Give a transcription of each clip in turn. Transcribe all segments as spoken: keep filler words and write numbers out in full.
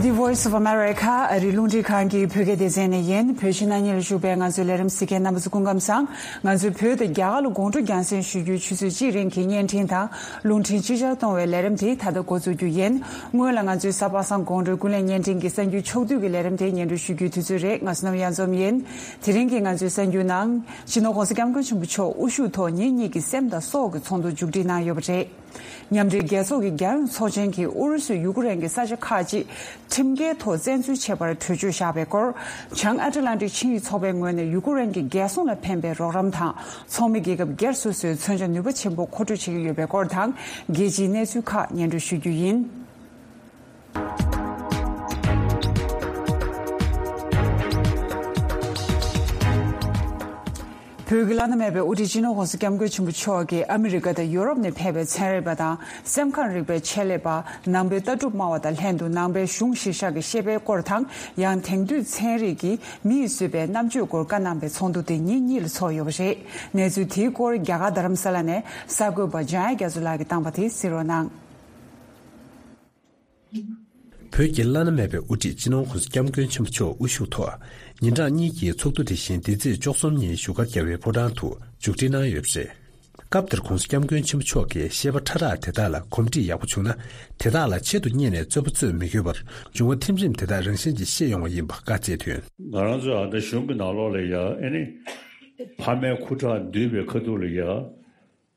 The Voice of America ཨ་རིའི་རླུང་འཕྲིན་ཁང་གི་བོད་སྐད་སྡེ་ཚན་ནས་ཡིན། བོད་ཕྱི་ནང་གཉིས་ལ་བཞུགས་པའི་ང་ཚོའི་ལས་རིམ་གཟིགས་མཁན་རྣམ་པ་ཚོ་སྐུ་ཁམས་བཟང་། ང་ཚོས་བོད་དང་རྒྱ་གར་ལ་དགོང་དྲོ་རྒྱང་སྲིང་ཞུ་རྒྱུའི་ཆུ་ཚོད་གཅིག་རིང་གི་བརྙན་འཕྲིན་དང་རླུང་འཕྲིན་ཅིག་ཅར་གཏོང་བའི་ལས་རིམ་དེ་ད་ལྟ་འགོ་འཛུགས་རྒྱུ་ཡིན། སྔོན་ལ་ང་ཚོའི་གཟའ་པ་སངས་དགོང་དྲོའི་ཀུན་གླེང་བརྙན་འཕྲིན་གྱི་གསར་འགྱུར་ཕྱོགས་བསྡུས་ཀྱི་ལས་རིམ་དེ་སྙན་སྒྲོན་ཞུ་རྒྱུའི་དུས་ཚོད་རེད། ང་ཚོ་རྣམས་གཡང་འཛོམས་ཡིན། དེ་རིང་གི་ང་ཚོའི་གསར་འགྱུར་ནང་། སྤྱི་ནོར་༸གོང་ས་༸སྐྱབས་མགོན་ཆེན་པོ་མཆོག་དབུ་བཞུགས་ཐོག་ཉིན་གཉིས་ཀྱི་སེམས་དང་སྲོག་གི་ཚོགས་འདུ་མཇུག་སྒྲིལ་གནང་ཡོད་པ་རེད། མཉམ་འབྲེལ་རྒྱལ་ཚོགས་ཀྱི་རྒྱལ་ཡོངས་ཚོགས་ཆེན་གྱིས་ཨུ་རུ་སུས་ཡུ་ཀེ་རེན་གྱི་ས་ཆ་ཁག་ཅིག་ཁྲིམས་འགལ་ཐོག་བཙན་འཛུལ་བྱས་པར་གྲོས་ཆོད་བཞག་པའི་སྐོར། བྱང་ཨ་ཊ་ལན་ཊིག་ཆིངས་ཡིག་ཚོགས་པའི་ངོས་ནས་ཡུ་ཀེ་རེན་གྱི་རྒྱལ་སྲུང་ལ་ཕན་པའི་རོགས་རམ་དང་ཚོགས་མི་རྒྱལ་ཁབ་སྒེར་སོ་སོས་མཚོན་ཆ་ནུས་པ་ཆེན་པོ་མཁོ་སྤྲོད་བྱེད་ཀྱི་ཡོད་པའི་སྐོར་དང་། རྒྱལ་སྤྱིའི་གནས་ཚུལ་ཁག་སྙན་སྒྲོན་ཞུ་རྒྱུ་ཡིན། བོད་ཀྱི་བླ་ན་མེད་པའི་དབུ་ཁྲིད་སྤྱི་ནོར་༸གོང་ས་༸སྐྱབས་མགོན་ཆེན་པོ་མཆོག་གིས་ཨ་མི་རི་ཀ་དང་ཡོ་རོབ་ནས་ཕེབས་པའི་ཚན་རིག་པ་དང་སེམས་ཁམས་རིག་པའི་ཆེད་ལས་པ། ནང་པའི་ལྟ་གྲུབ་སྨྲ་བ་དང་ལྷན་དུ་ནང་པའི་གཞུང་གཞིར་བཞག་གི་ཤེས་དཔལ་སྐོར་དང་། ཡང་དེང་དུས་ཚན་རིག་གིས་མི་ཡིས་བཟོས་པའི་རྣམ་དཔྱོད་སྐོར་བཀའ་གནང་པའི་ཚོགས་འདུ་དེ་ཉིན་གཉིས་ལ་ཚོགས་ཡོད་པ་རེད། གནས་ཚུལ་དེའི་སྐོར་རྒྱ་གར་རྡ་རམ་ས་ལ་ནས་གསར་འགོད་པ་འཇམ་དབྱངས་རྒྱ་མཚོ་ལགས་ཀྱིས་བཏང་བ་དེ་གཟིགས་རོགས་གནང་། བོད་ཀྱི་བླ་ན་མེད་པའི་དབུ་ཁྲིད་སྤྱི་ནོར་༸གོང་ས་༸སྐྱབས་མགོན་ཆེན་པོ་མཆོག་དབུ་བཞུགས་ཐོག་ཉིན་གྲངས་གཉིས་ཀྱི་ཚོགས་འདུ་དེ་བཞིན་འདི་ཚེས་བཅུ་གསུམ་ཉིན་བཞུགས་སྒར་རྒྱལ་བའི་ཕོ་བྲང་དུ་མཇུག་སྒྲིལ་གནང་ཡོད་པ་རེད། སྐབས་དེར་༸གོང་ས་༸སྐྱབས་མགོན་ཆེན་པོ་མཆོག་གིས་བཤད་པ་ཕྲ་རགས་དེ་དག་ལ་གོམས་འདྲིས་ཡག་པོ་བྱུང་ན། དེ་དག་ལ་ཆེད་དུ་གཉེར་ནས་རྩོད་པ་རྩོད་མི་དགོས་པར་འབྱུང་བ་ཐིམ་རིམ་དེ་དག་རང་བཞིན་གྱིས་ཤེས་ཡོང་བ་ཡིན་པ་བཀའ་སྩལ་དོན། ང་རང་ཚོའི་ཨ་ད་གཞུང་གི་ནང་ལོགས་ལ་ཡ་ཨེ་ནི་ཕ་མའི་ཁུ་ཁྲག་འདུས་པའི་ཁ་ཐུག་ལ་ཡ་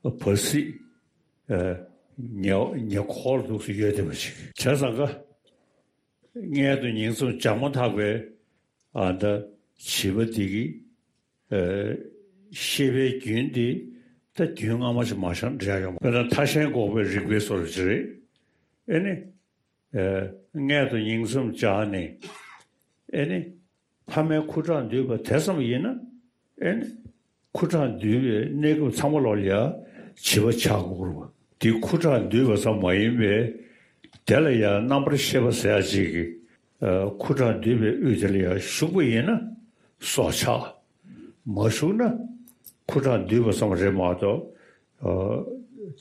བར་སྲིད། ཨ། ཉེ་ཉེ་འཁོར་འདུག་སེ་ཡོད་བསྡད་པ་ཅིག་བྱས་ཙང་ཀ། མངལ་དུ་ཉིང་མཚམས་སྦྱར་མ་ཐག་པའི་ཨ་ད་བྱིས་པ་འདི་གི་ཨ་ཤེས་པའི་རྒྱུན་འདི་ད་རྒྱུན་སྔ་མ་ཞིག་མ་ཤར་འདྲ་ཡོང་། དཔེར་ན་ཐ་ཤལ་འགོག་པའི་རིག་པའི་སོར་ཅིག་རེད། ཨེ་ནི། ཨ། མངལ་དུ་ཉིང་མཚམས་སྦྱར་ནས། ཨེ་ནི། ཕ་མའི་ཁུ་ཁྲག་འདུས་པ་དེ་ཙམ་ཡིན་ན། ཨེ་ནི། ཁུ་ཁྲག་འདུས་པའི་གནས་སྐབས་ཚང་མ་ལོག་ལ་ཡ་བྱིས་པ་ཆགས་དགོས་རེད་བ། དེ་ཁུ་ཁྲག་འདུས་པ་ཙམ་མ་ཡིན་པའི་དེ་ལ་ཡ་རྣམ་པར་ཤེས་པ་ཟེར་ཡ་ཅིག་གི་ཨ། ཁུ་ཁྲག་འདུས་པའི་དབུས་དེ་ལ་ཡ་ཞུགས་པ་ཡིན་ན་སྲོག་ཆགས། མ་ཞུགས་ན་ཁུ་ཁྲག་འདུས་པ་ཙམ་རེད་མ་གཏོགས། ཨ།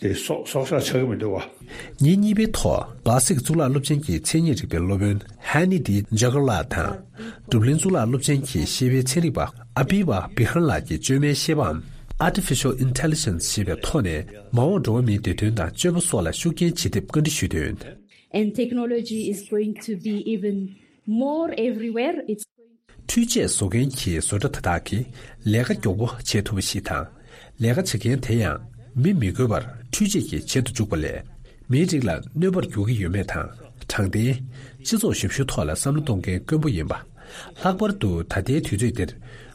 དེ་སྲོག་སྲོག་ཆགས་ཆགས་ཀྱི་མི་འདུག་བ། ཉིན་གཉིས་པའི་ཐོག་གླ་སིག་གཙུག་ལག་སློབ་ཆེན་གྱི་མཚན་ཉིད་རིག་པའི་སློབ་དཔོན་ཧན་ནི་ཏི་ཇ་གར་ལགས་དང་། འབྲུག་གླིང་གཙུག་ལག་སློབ་ཆེན་གྱི་ཤེས་དཔལ་ཚན་རིག་པ་ཨ་པི་བ་བི་ཧར་ལགས་ཀྱིས་བཅོས་མའི་ཤེས་པའམ། Artificial Intelligence ཞེས་པའི་ཐོག་ནས་མ་འོངས་འགྲོ་བ་མིའི་བདེ་དོན་དང་སྤྱོད་པ་སོགས་ལ་ཤུགས་རྐྱེན་ཇི་ཐེབས་བཀའ་འདྲི་ཞུས་དོན། And technology is going to be even more everywhere. It's འཕྲུལ་ཆས་བཟོ་མཁན་གྱི་བཟོ་གྲྭ་དེ་དག་གིས་ལས་ཀ་མགྱོགས་པོ་བྱེད་ཐུབ་པ་ཞིག་དང་། ལས་ཀ་བྱེད་མཁན་དེ་ཡང་མི་མི་དགོས་པར་འཕྲུལ་ཆས་ཀྱིས་བྱེད་དུ་འཇུག་པ་ལས། མིའི་རིགས་ལ་གནོད་པར་འགྱུར་གྱི་ཡོད་མེད་དང་། དྲང་བདེན། སྤྱི་ཚོགས་ཞབས་ཞུའི་ཐོག་ལ་བསམ་བློ་གཏོང་མཁན་དཀོན་པོ་ཡིན་པ། ལྷག་པར་དུ་ད་ལྟའི་དུས་ཚོད་འདིར།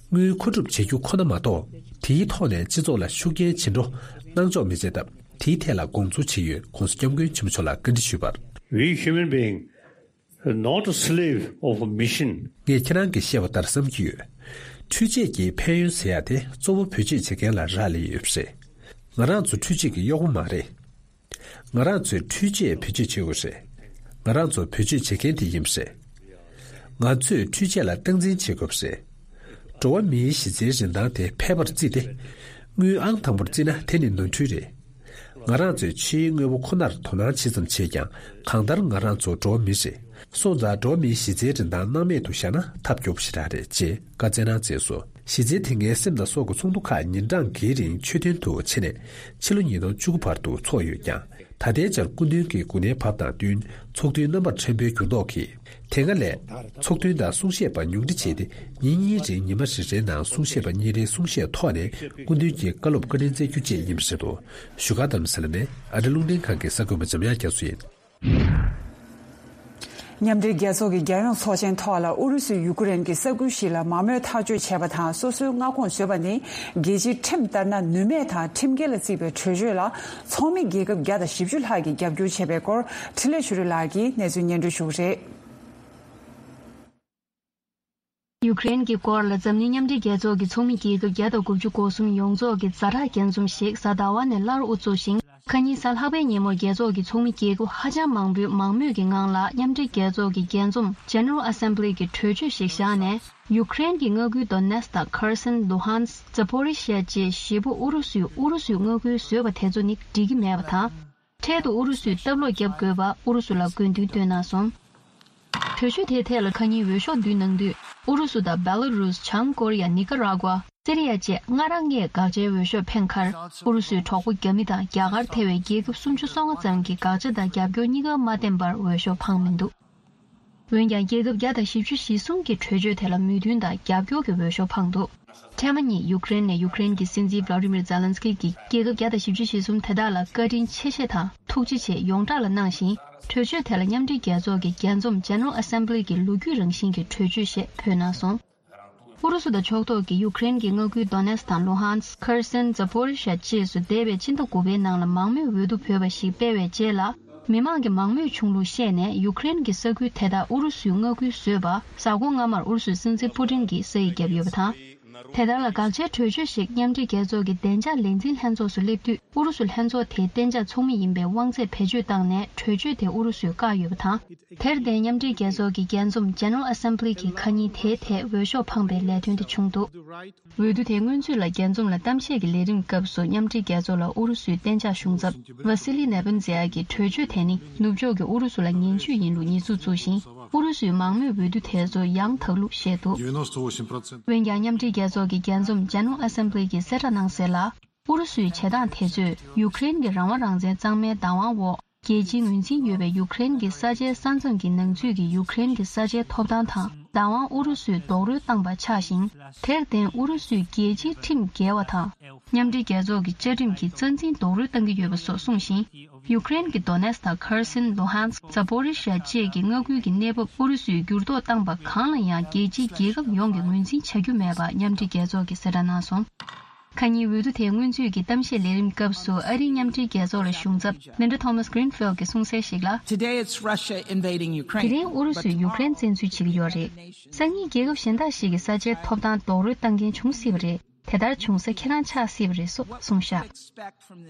དངུལ་མཁོ་སྒྲུབ་བྱེད་རྒྱུ་ཁོ་ན་མ་གཏོགས། དེའི་ཐོག་ནས་སྤྱི་ཚོགས་ལ་ཤུགས་རྐྱེན་ཇི་འགྲོ་གནང་ཆོག་མི་བྱེད་སྟབས། དེའི་ཐད་ལ་དགོངས་ཚུལ་ཇི་ཡོད་༸གོང་ས་༸སྐྱབས་མགོན་ཆེན་པོ་མཆོག་ལ་བཀའ་འདྲི་ཞུས་པར། We human being not a slave of a machine. ངས་ཁྱེད་རང་གིས་བཤད་པ་ལྟར་བསམ་གྱི་ཡོད། འཕྲུལ་ཆས་ཀྱི་ཕན་ཡོན་ཟེར་ཡག་དེ་གཙོ་བོ་བེད་སྤྱོད་བྱེད་མཁན་ལ་རག་ལས་ཡོད་པ་རེད། ང་རང་ཚོ་འཕྲུལ་ཆས་ཀྱི་གཡོག་པོ་མ་རེད། ང་རང་ཚོས་འཕྲུལ་ཆས་བེད་སྤྱོད་བྱེད་དགོས་རེད། ང་རང་ཚོ་བེད་སྤྱོད་བྱེད་མཁན་དེ་ཡིན་པ་རེད། ང་ཚོས་འཕྲུལ་ཆས་ལ་སྟངས་འཛིན་བྱེད་དགོས་པ་རེད། འགྲོ་བ་མིའི་གཞི་རྩའི་རིན་ཐང་དེ་ཕལ་པར་བརྩིས་ཏེ། དངུལ་ཨང་དང་པོར་བརྩིས་ན་དེ་ནི་ནོར་འཁྲུལ་རེད། ང་རང་ཚོས་ཕྱིའི་དངོས་པོ་ཁོ་ནར་དོ་སྣང་ཇི་ཙམ་བྱེད་ཀྱང་། གང་ལྟར་ང་རང་ཚོ་འགྲོ་བ་མི་རེད། སོང་ཙང་འགྲོ་བ་མིའི་གཞི་རྩའི་རིན་ཐང་སྣང་མེད་དུ་བཞག་ན་ཐབས་སྐྱོ་པོ་ཞེ་དྲག་རེད་ཅེས་བཀའ་སྩལ་གནང་མཛད་སོང་། གཞི་རྩའི་དེ་སྔའི་སེམས་དང་སྲོག་གི་ཚོགས་འདུ་ཁག་ཉིན་གྲངས་འགའི་རིང་མཆོད་རྟེན་དུ་ཕྱེ་ནས་ཕྱི་ལོ་ཉིས་སྟོང་བཅུ་དགུ་བར་དུ་འཚོགས་ཡོད་ཀྱང་། ད་ལྟའི་ཆར་སྐུ་མདུན་གྱི་འགོ་ནད་བབས་དང་བསྟུན་ཚོགས་འདུའི་རྣམ་པར་ཕྲན་བུའི་འགྱུར་ལྡོག་གིས། དེ་སྔ་ལས་ཚོགས་མདུན་དང་གསུང་བཤད་པ་ཉུང་འཕྲི་བྱས་ཏེ། ཉིན་གཉིས་རིང་ཉི་མ་རེ་རེའི་ནང་གསུང་བཤད་པ་གཉིས་རེའི་གསུང་བཤད་ཐོག་ནས་སྐུ་མདུན་གྱི་བཀའ་སློབ་བཀའ་དྲིན་སྩལ་རྒྱུ་བཅས་ཡིན་པ་རེད་འདུག་བཞུགས་སྒར་རྡ་རམ་ས་ལ་ནས་ཨ་རི་རླུང་འཕྲིན་ཁང་གི་གསར་འགོད་པ་འཇམ་དབྱངས་རྒྱ་མཚོ་ཡིན། མཉམ་འབྲེལ་རྒྱལ་ཚོགས་ཀྱི་རྒྱལ་ཡོངས་ཚོགས་ཆེན་ཐོག་ལ་ཨུ་རུ་སུས་ཡུ་ཀེ་རེན་གྱི་ས་ཁུལ་ཞིག་ལ་མ་རྨོས་ཐག་གཅོད་བྱས་པ་དང་སོ་སོའི་མངའ་ཁོངས་བཟོས་པ་ནི་རྒྱལ་སྤྱིའི་ཁྲིམས་ལྟར་ན་ནུས་མེད་དང་ཁྲིམས་འགལ་ལ་བརྩིས་པའི་གྲོས་ཆོད་ལ་ཚོགས་མི་རྒྱལ་ཁབ་བརྒྱ་དང་བཞི་བཅུ་ལྷག་གིས་རྒྱབ་སྐྱོར་བྱས་པའི་སྐོར་འཕྲིན་ལས་ཆོས་སྒྲོན་ལགས་ཀྱིས་གནས་ཚུལ་སྙན་སྒྲོན་ཞུ་གི་རེད། ཡུ་ཀེ་རེན་གྱི་སྐོར་ལ་འཛམ་གླིང་མཉམ་འབྲེལ་རྒྱལ་ཚོགས་ཀྱི་ཚོགས་མི་རྒྱལ་ཁབ་བརྒྱ་དང་དགུ་བཅུ་གོ་གསུམ་ཡོངས་རྫོགས་ཀྱི་ཛ་དྲག་རྒྱས་འཛོམས་ཤིག་གཟའ་ཟླ་བ་ནས་སླར་དབུ་འཛུགས་ཤིང་། ཁ་ཉིན་གཟའ་ལྷག་པའི་ཉིན་མོར་རྒྱལ་ཚོགས་ཀྱི་ཚོགས་མི་རྒྱལ་ཁབ་ཧ་ཅང་མང་པོས་མང་མོས་ཀྱི་ངང་ལ་མཉམ་འབྲེལ་རྒྱལ་ཚོགས་ཀྱི་རྒྱས་འཛོམས་General Assembly གྱི་གྲོས་ཆོད་ཞིག་བཞག་ནས། ཡུ་ཀེ་རེན་གྱི་མངའ་ཁུལ་Donetsk དང་Kherson། Luhansk། Zaporizhzhia བཅས་བཞི་པོ་ཨུ་རུ་སུས་ཨུ་རུ་སུའི་མངའ་ཁུལ་བཟོས་པ་དེ་ཚོ་ནི་འགྲིག་གི་མེད་པ་དང་། འཕྲལ་དུ་ཨུ་རུ་སུས་སྟབས་ལོག་བརྒྱབ་དགོས་པ་ཨུ་རུ་སུ་ལ་དགོས་འདུན་བཏོན་གནང་སོང་། གྲོས་ཆོད་དེའི་ཐད་ལ་ཁ་ཉིན་འོས་ཤོག་བསྡུས་གནང་དུས། ཨུ་རུ་སུ་དང་བེ་ལ་རུས། བྱང་ཀོ་རི་ཡ། ནི་ཀ་ར་ཀུ་ཝ། སི་རི་ཡ་བཅས་སྔ་རང་ངས་དགག་བྱའི་འོས་ཤོག་འཕེན་ཁར། ཨུ་རུ་སུའི་གྲོགས་པོ་རྒྱ་མི་དང་རྒྱ་གར་ཐེ་བའི་རྒྱལ་ཁབ་སུམ་ཅུ་སོ་ལྔ་ཙམ་གྱིས་དགག་བྱ་དང་རྒྱབ་སྐྱོར་གཉིས་ཀ་མ་བསྟན་པར་འོས་ཤོག་འཕངས་མི་འདུག་འོན་ཀྱང་རྒྱལ་ཁབ་བརྒྱ་དང་བཞི་བཅུ་ཞེ་གསུམ་གྱིས་གྲོས་ཆོད་དེ་ལ་མོས་མཐུན་དང་རྒྱབ་སྐྱོར་གྱི་འོས་ཤོག་འཕངས་འདུག་ཐེངས་མ་གཉིས་ཡུཀ་རེན་ནས་ཡུཀ་རེན་གྱི་སྲིད་འཛིན་བྷ་ལ་ཏི་མིར་ཛེ་ལན་སི་ཀི་གྱིས་རྒྱལ་ཁབ་བརྒྱ་དང་བཞི་བཅུ་ཞེ་གསུམ་དེ་དག་ལ་བཀའ་དྲིན་ཆེ་བཞེས་དང་ཐུགས་རྗེ་ཆེ་ཡོངས་གྲགས་ལ་གནང་ཞིང་། གྲོས་ཆོད་དེ་ལ་མཉམ་འབྲེལ་རྒྱལ་ཚོགས་ཀྱི་རྒྱས་འཛོམས་General Assembly གྱི་ལོ་རྒྱུས་རང་བཞིན་གྱི་གྲོས་ཆོད་ཞེས་འབོད་གནང་སོང་། ཨུ་རུ་སུ་དང་ཕྱོགས་གཏོགས་ཀྱིས་ཡུཀ་རེན་གྱི་མངའ་ཁུལ་Donetsk དང་Luhansk། Kherson། Zaporizhzhia བཅས་སུ་འདས་པའི་ཕྱི་ཟླ་དགུ་པའི་ནང་ལ་མང་མོས་འོས་བསྡུ་བོས་པ་ཞིག་སྤེལ་བའི་རྗེས་ལ། མི་མང་གི་མང་མོས་བྱུང་ལུགས་བཤད་ནས་ཡུཀ་རེན་གྱི་ས་ཁུལ་དེ་དག་ཨུ་རུ་སུའི་མངའ་ཁུལ་བཟོས་པ། གཟའ་འཁོར་སྔ་མར་ཨུ་རུ་སུའི་སྲིད་འཛིན་པུ་ཏིན་གྱིས་ས་ཡིག་བརྒྱབ་ཡོད་པ་དང་། དེ་ལྟར་ལ་དགག་བྱའི་གྲོས་ཆོད་ཞིག་མཉམ་འབྲེལ་རྒྱལ་ཚོགས་ཀྱི་བདེ་འཇགས་ལས་འཛིན་ལྷན་ཚོགས་སུ་སླེབས་དུས། ཨུ་རུ་སུ་ལྷན་ཚོགས་དེའི་གཏན་འཇགས་ཚོགས་མི་ཡིན་པའི་དབང་ཚད་བེད་སྤྱོད་བཏང་ནས་གྲོས་ཆོད་དེ་ཨུ་རུ་སུས་བཀག་ཡོད་པ་དང་། དེར་བརྟེན་མཉམ་འབྲེལ་རྒྱལ་ཚོགས་ཀྱི་རྒྱས་འཛོམས་General Assembly གྱིས་ཁ་ཉིན་དེའི་ཐད་འོས་ཤོག་འཕངས་པའི་ལས་དོན་དེ་བྱུང་འདུག་འོས་བསྡུ་དེའི་སྔོན་ཚུད་ལ་རྒྱས་འཛོམས་ལ་གཏམ་བཤད་ཀྱི་ལས་རིམ་སྐབས་སུ་མཉམ་འབྲེལ་རྒྱལ་ཚོགས་ལ་ཨུ་རུ་སུའི་གཏན་འཇགས་གཞུང་ཚབ་Vasily Nebenzia གྱིས་གྲོས་ཆོད་དེ་ནི་ནུབ་ཕྱོགས་ཀྱིས་ཨུ་རུ་སུ་ལ་ངན་ཇུས་ཡིན་ལུགས་ཉེས་འཛུགས་བཙུགས་ཤིང་། ཨུ་རུ་སུའི་མང་མོས་འོས་བསྡུ་དེ་ཚོ་ཡང་དག་ལུགས་བཤད་འདུག་འོན་ཀྱང་མཉམ་འབྲེལ་རྒྱལ་ཚོགས་ཀྱི་རྒྱས་འཛོམས་General Assembly གྱིས་གསལ་བསྒྲགས་གནང་གསལ་ལ། ཨུ་རུ་སུའི་བྱེད་སྟངས་དེ་ཚོས་ཡུཀ་རེན་གྱི་རང་དབང་རང་བཙན་གཙང་མའི་བདག་དབང་འོག་རྒྱལ་སྤྱིའི་ངོས་འཛིན་ཡོད་པའི་ཡུཀ་རེན་གྱི་ས་ཆའི་ས་མཚམས་ཀྱི་ནང་ཚུད་ཀྱི་ཡུཀ་རེན་གྱི་ས་ཆའི་ཐོབ་ཐང་དང་བདག་དབང་ཨུ་རུ་སུས་རྡོག་རོལ་བཏང་པ་ཆགས་ཤིང་། དེར་བརྟེན་ཨུ་རུ་སུས་རྒྱལ་སྤྱིའི་ཁྲིམས་འགལ་བ་དང་། མཉམ་འབྲེལ་རྒྱལ་ཚོགས་ཀྱི་བཅའ་ཁྲིམས་ཀྱི་རྩ་འཛིན་རྡོག་རོལ་བཏང་གི་ཡོད་པ་སོགས་གསུངས་ཤིང་། ཡུཀ་རེན་གྱི་Donetsk དང་Kherson། Luhansk། Zaporizhzhia བཅས་ཀྱི་མངའ་ཁུལ་གྱི་གནས་བབ་ཨུ་རུ་སུས་འགྱུར་ལྡོག་བཏང་པ་གང་ལ་ཡང་རྒྱལ་སྤྱིའི་རྒྱལ་ཁབ་ཡོངས་ཀྱིས་ངོས་འཛིན་བྱ་རྒྱུ་མེད་པ་མཉམ་འབྲེལ་རྒྱལ་ཚོགས་ཀྱིས་གསལ་བསྒྲགས་གནང་སོང་། ཁ་ཉིན་འོས་བསྡུ་དེའི་སྔོན་ཚུད་ཀྱི་གཏམ་བཤད་ལས་རིམ་སྐབས་སུ་ཨ་རིའི་མཉམ་འབྲེལ་རྒྱལ་ཚོགས་ལ་གཞུང་ཚབ་Linda Thomas Greenfield གྱིས་གསུངས་གསལ་ཞིག་ལ། Today it's Russia invading དེ་Ukraine. རིང་ཨུ་རུ་སུས་ཡུཀ་རེན་བཙན་འཛུལ་བྱེད་ཀྱི་ཡོད་རེད། སང་ཉིན་རྒྱལ་ཁབ་གཞན་དག་ཞིག་གི་ས་ཆའི་ཐོབ་ཐང་རྡོག་རོལ་བཏང་མཁན་བྱུང་སྲིད་པ་རེད། དེ་ལྟར་བྱུང་ས་ཁྱེད་རང་ཆགས་སྲིད་པ་རེད་སོགས་གསུངས་བཞག་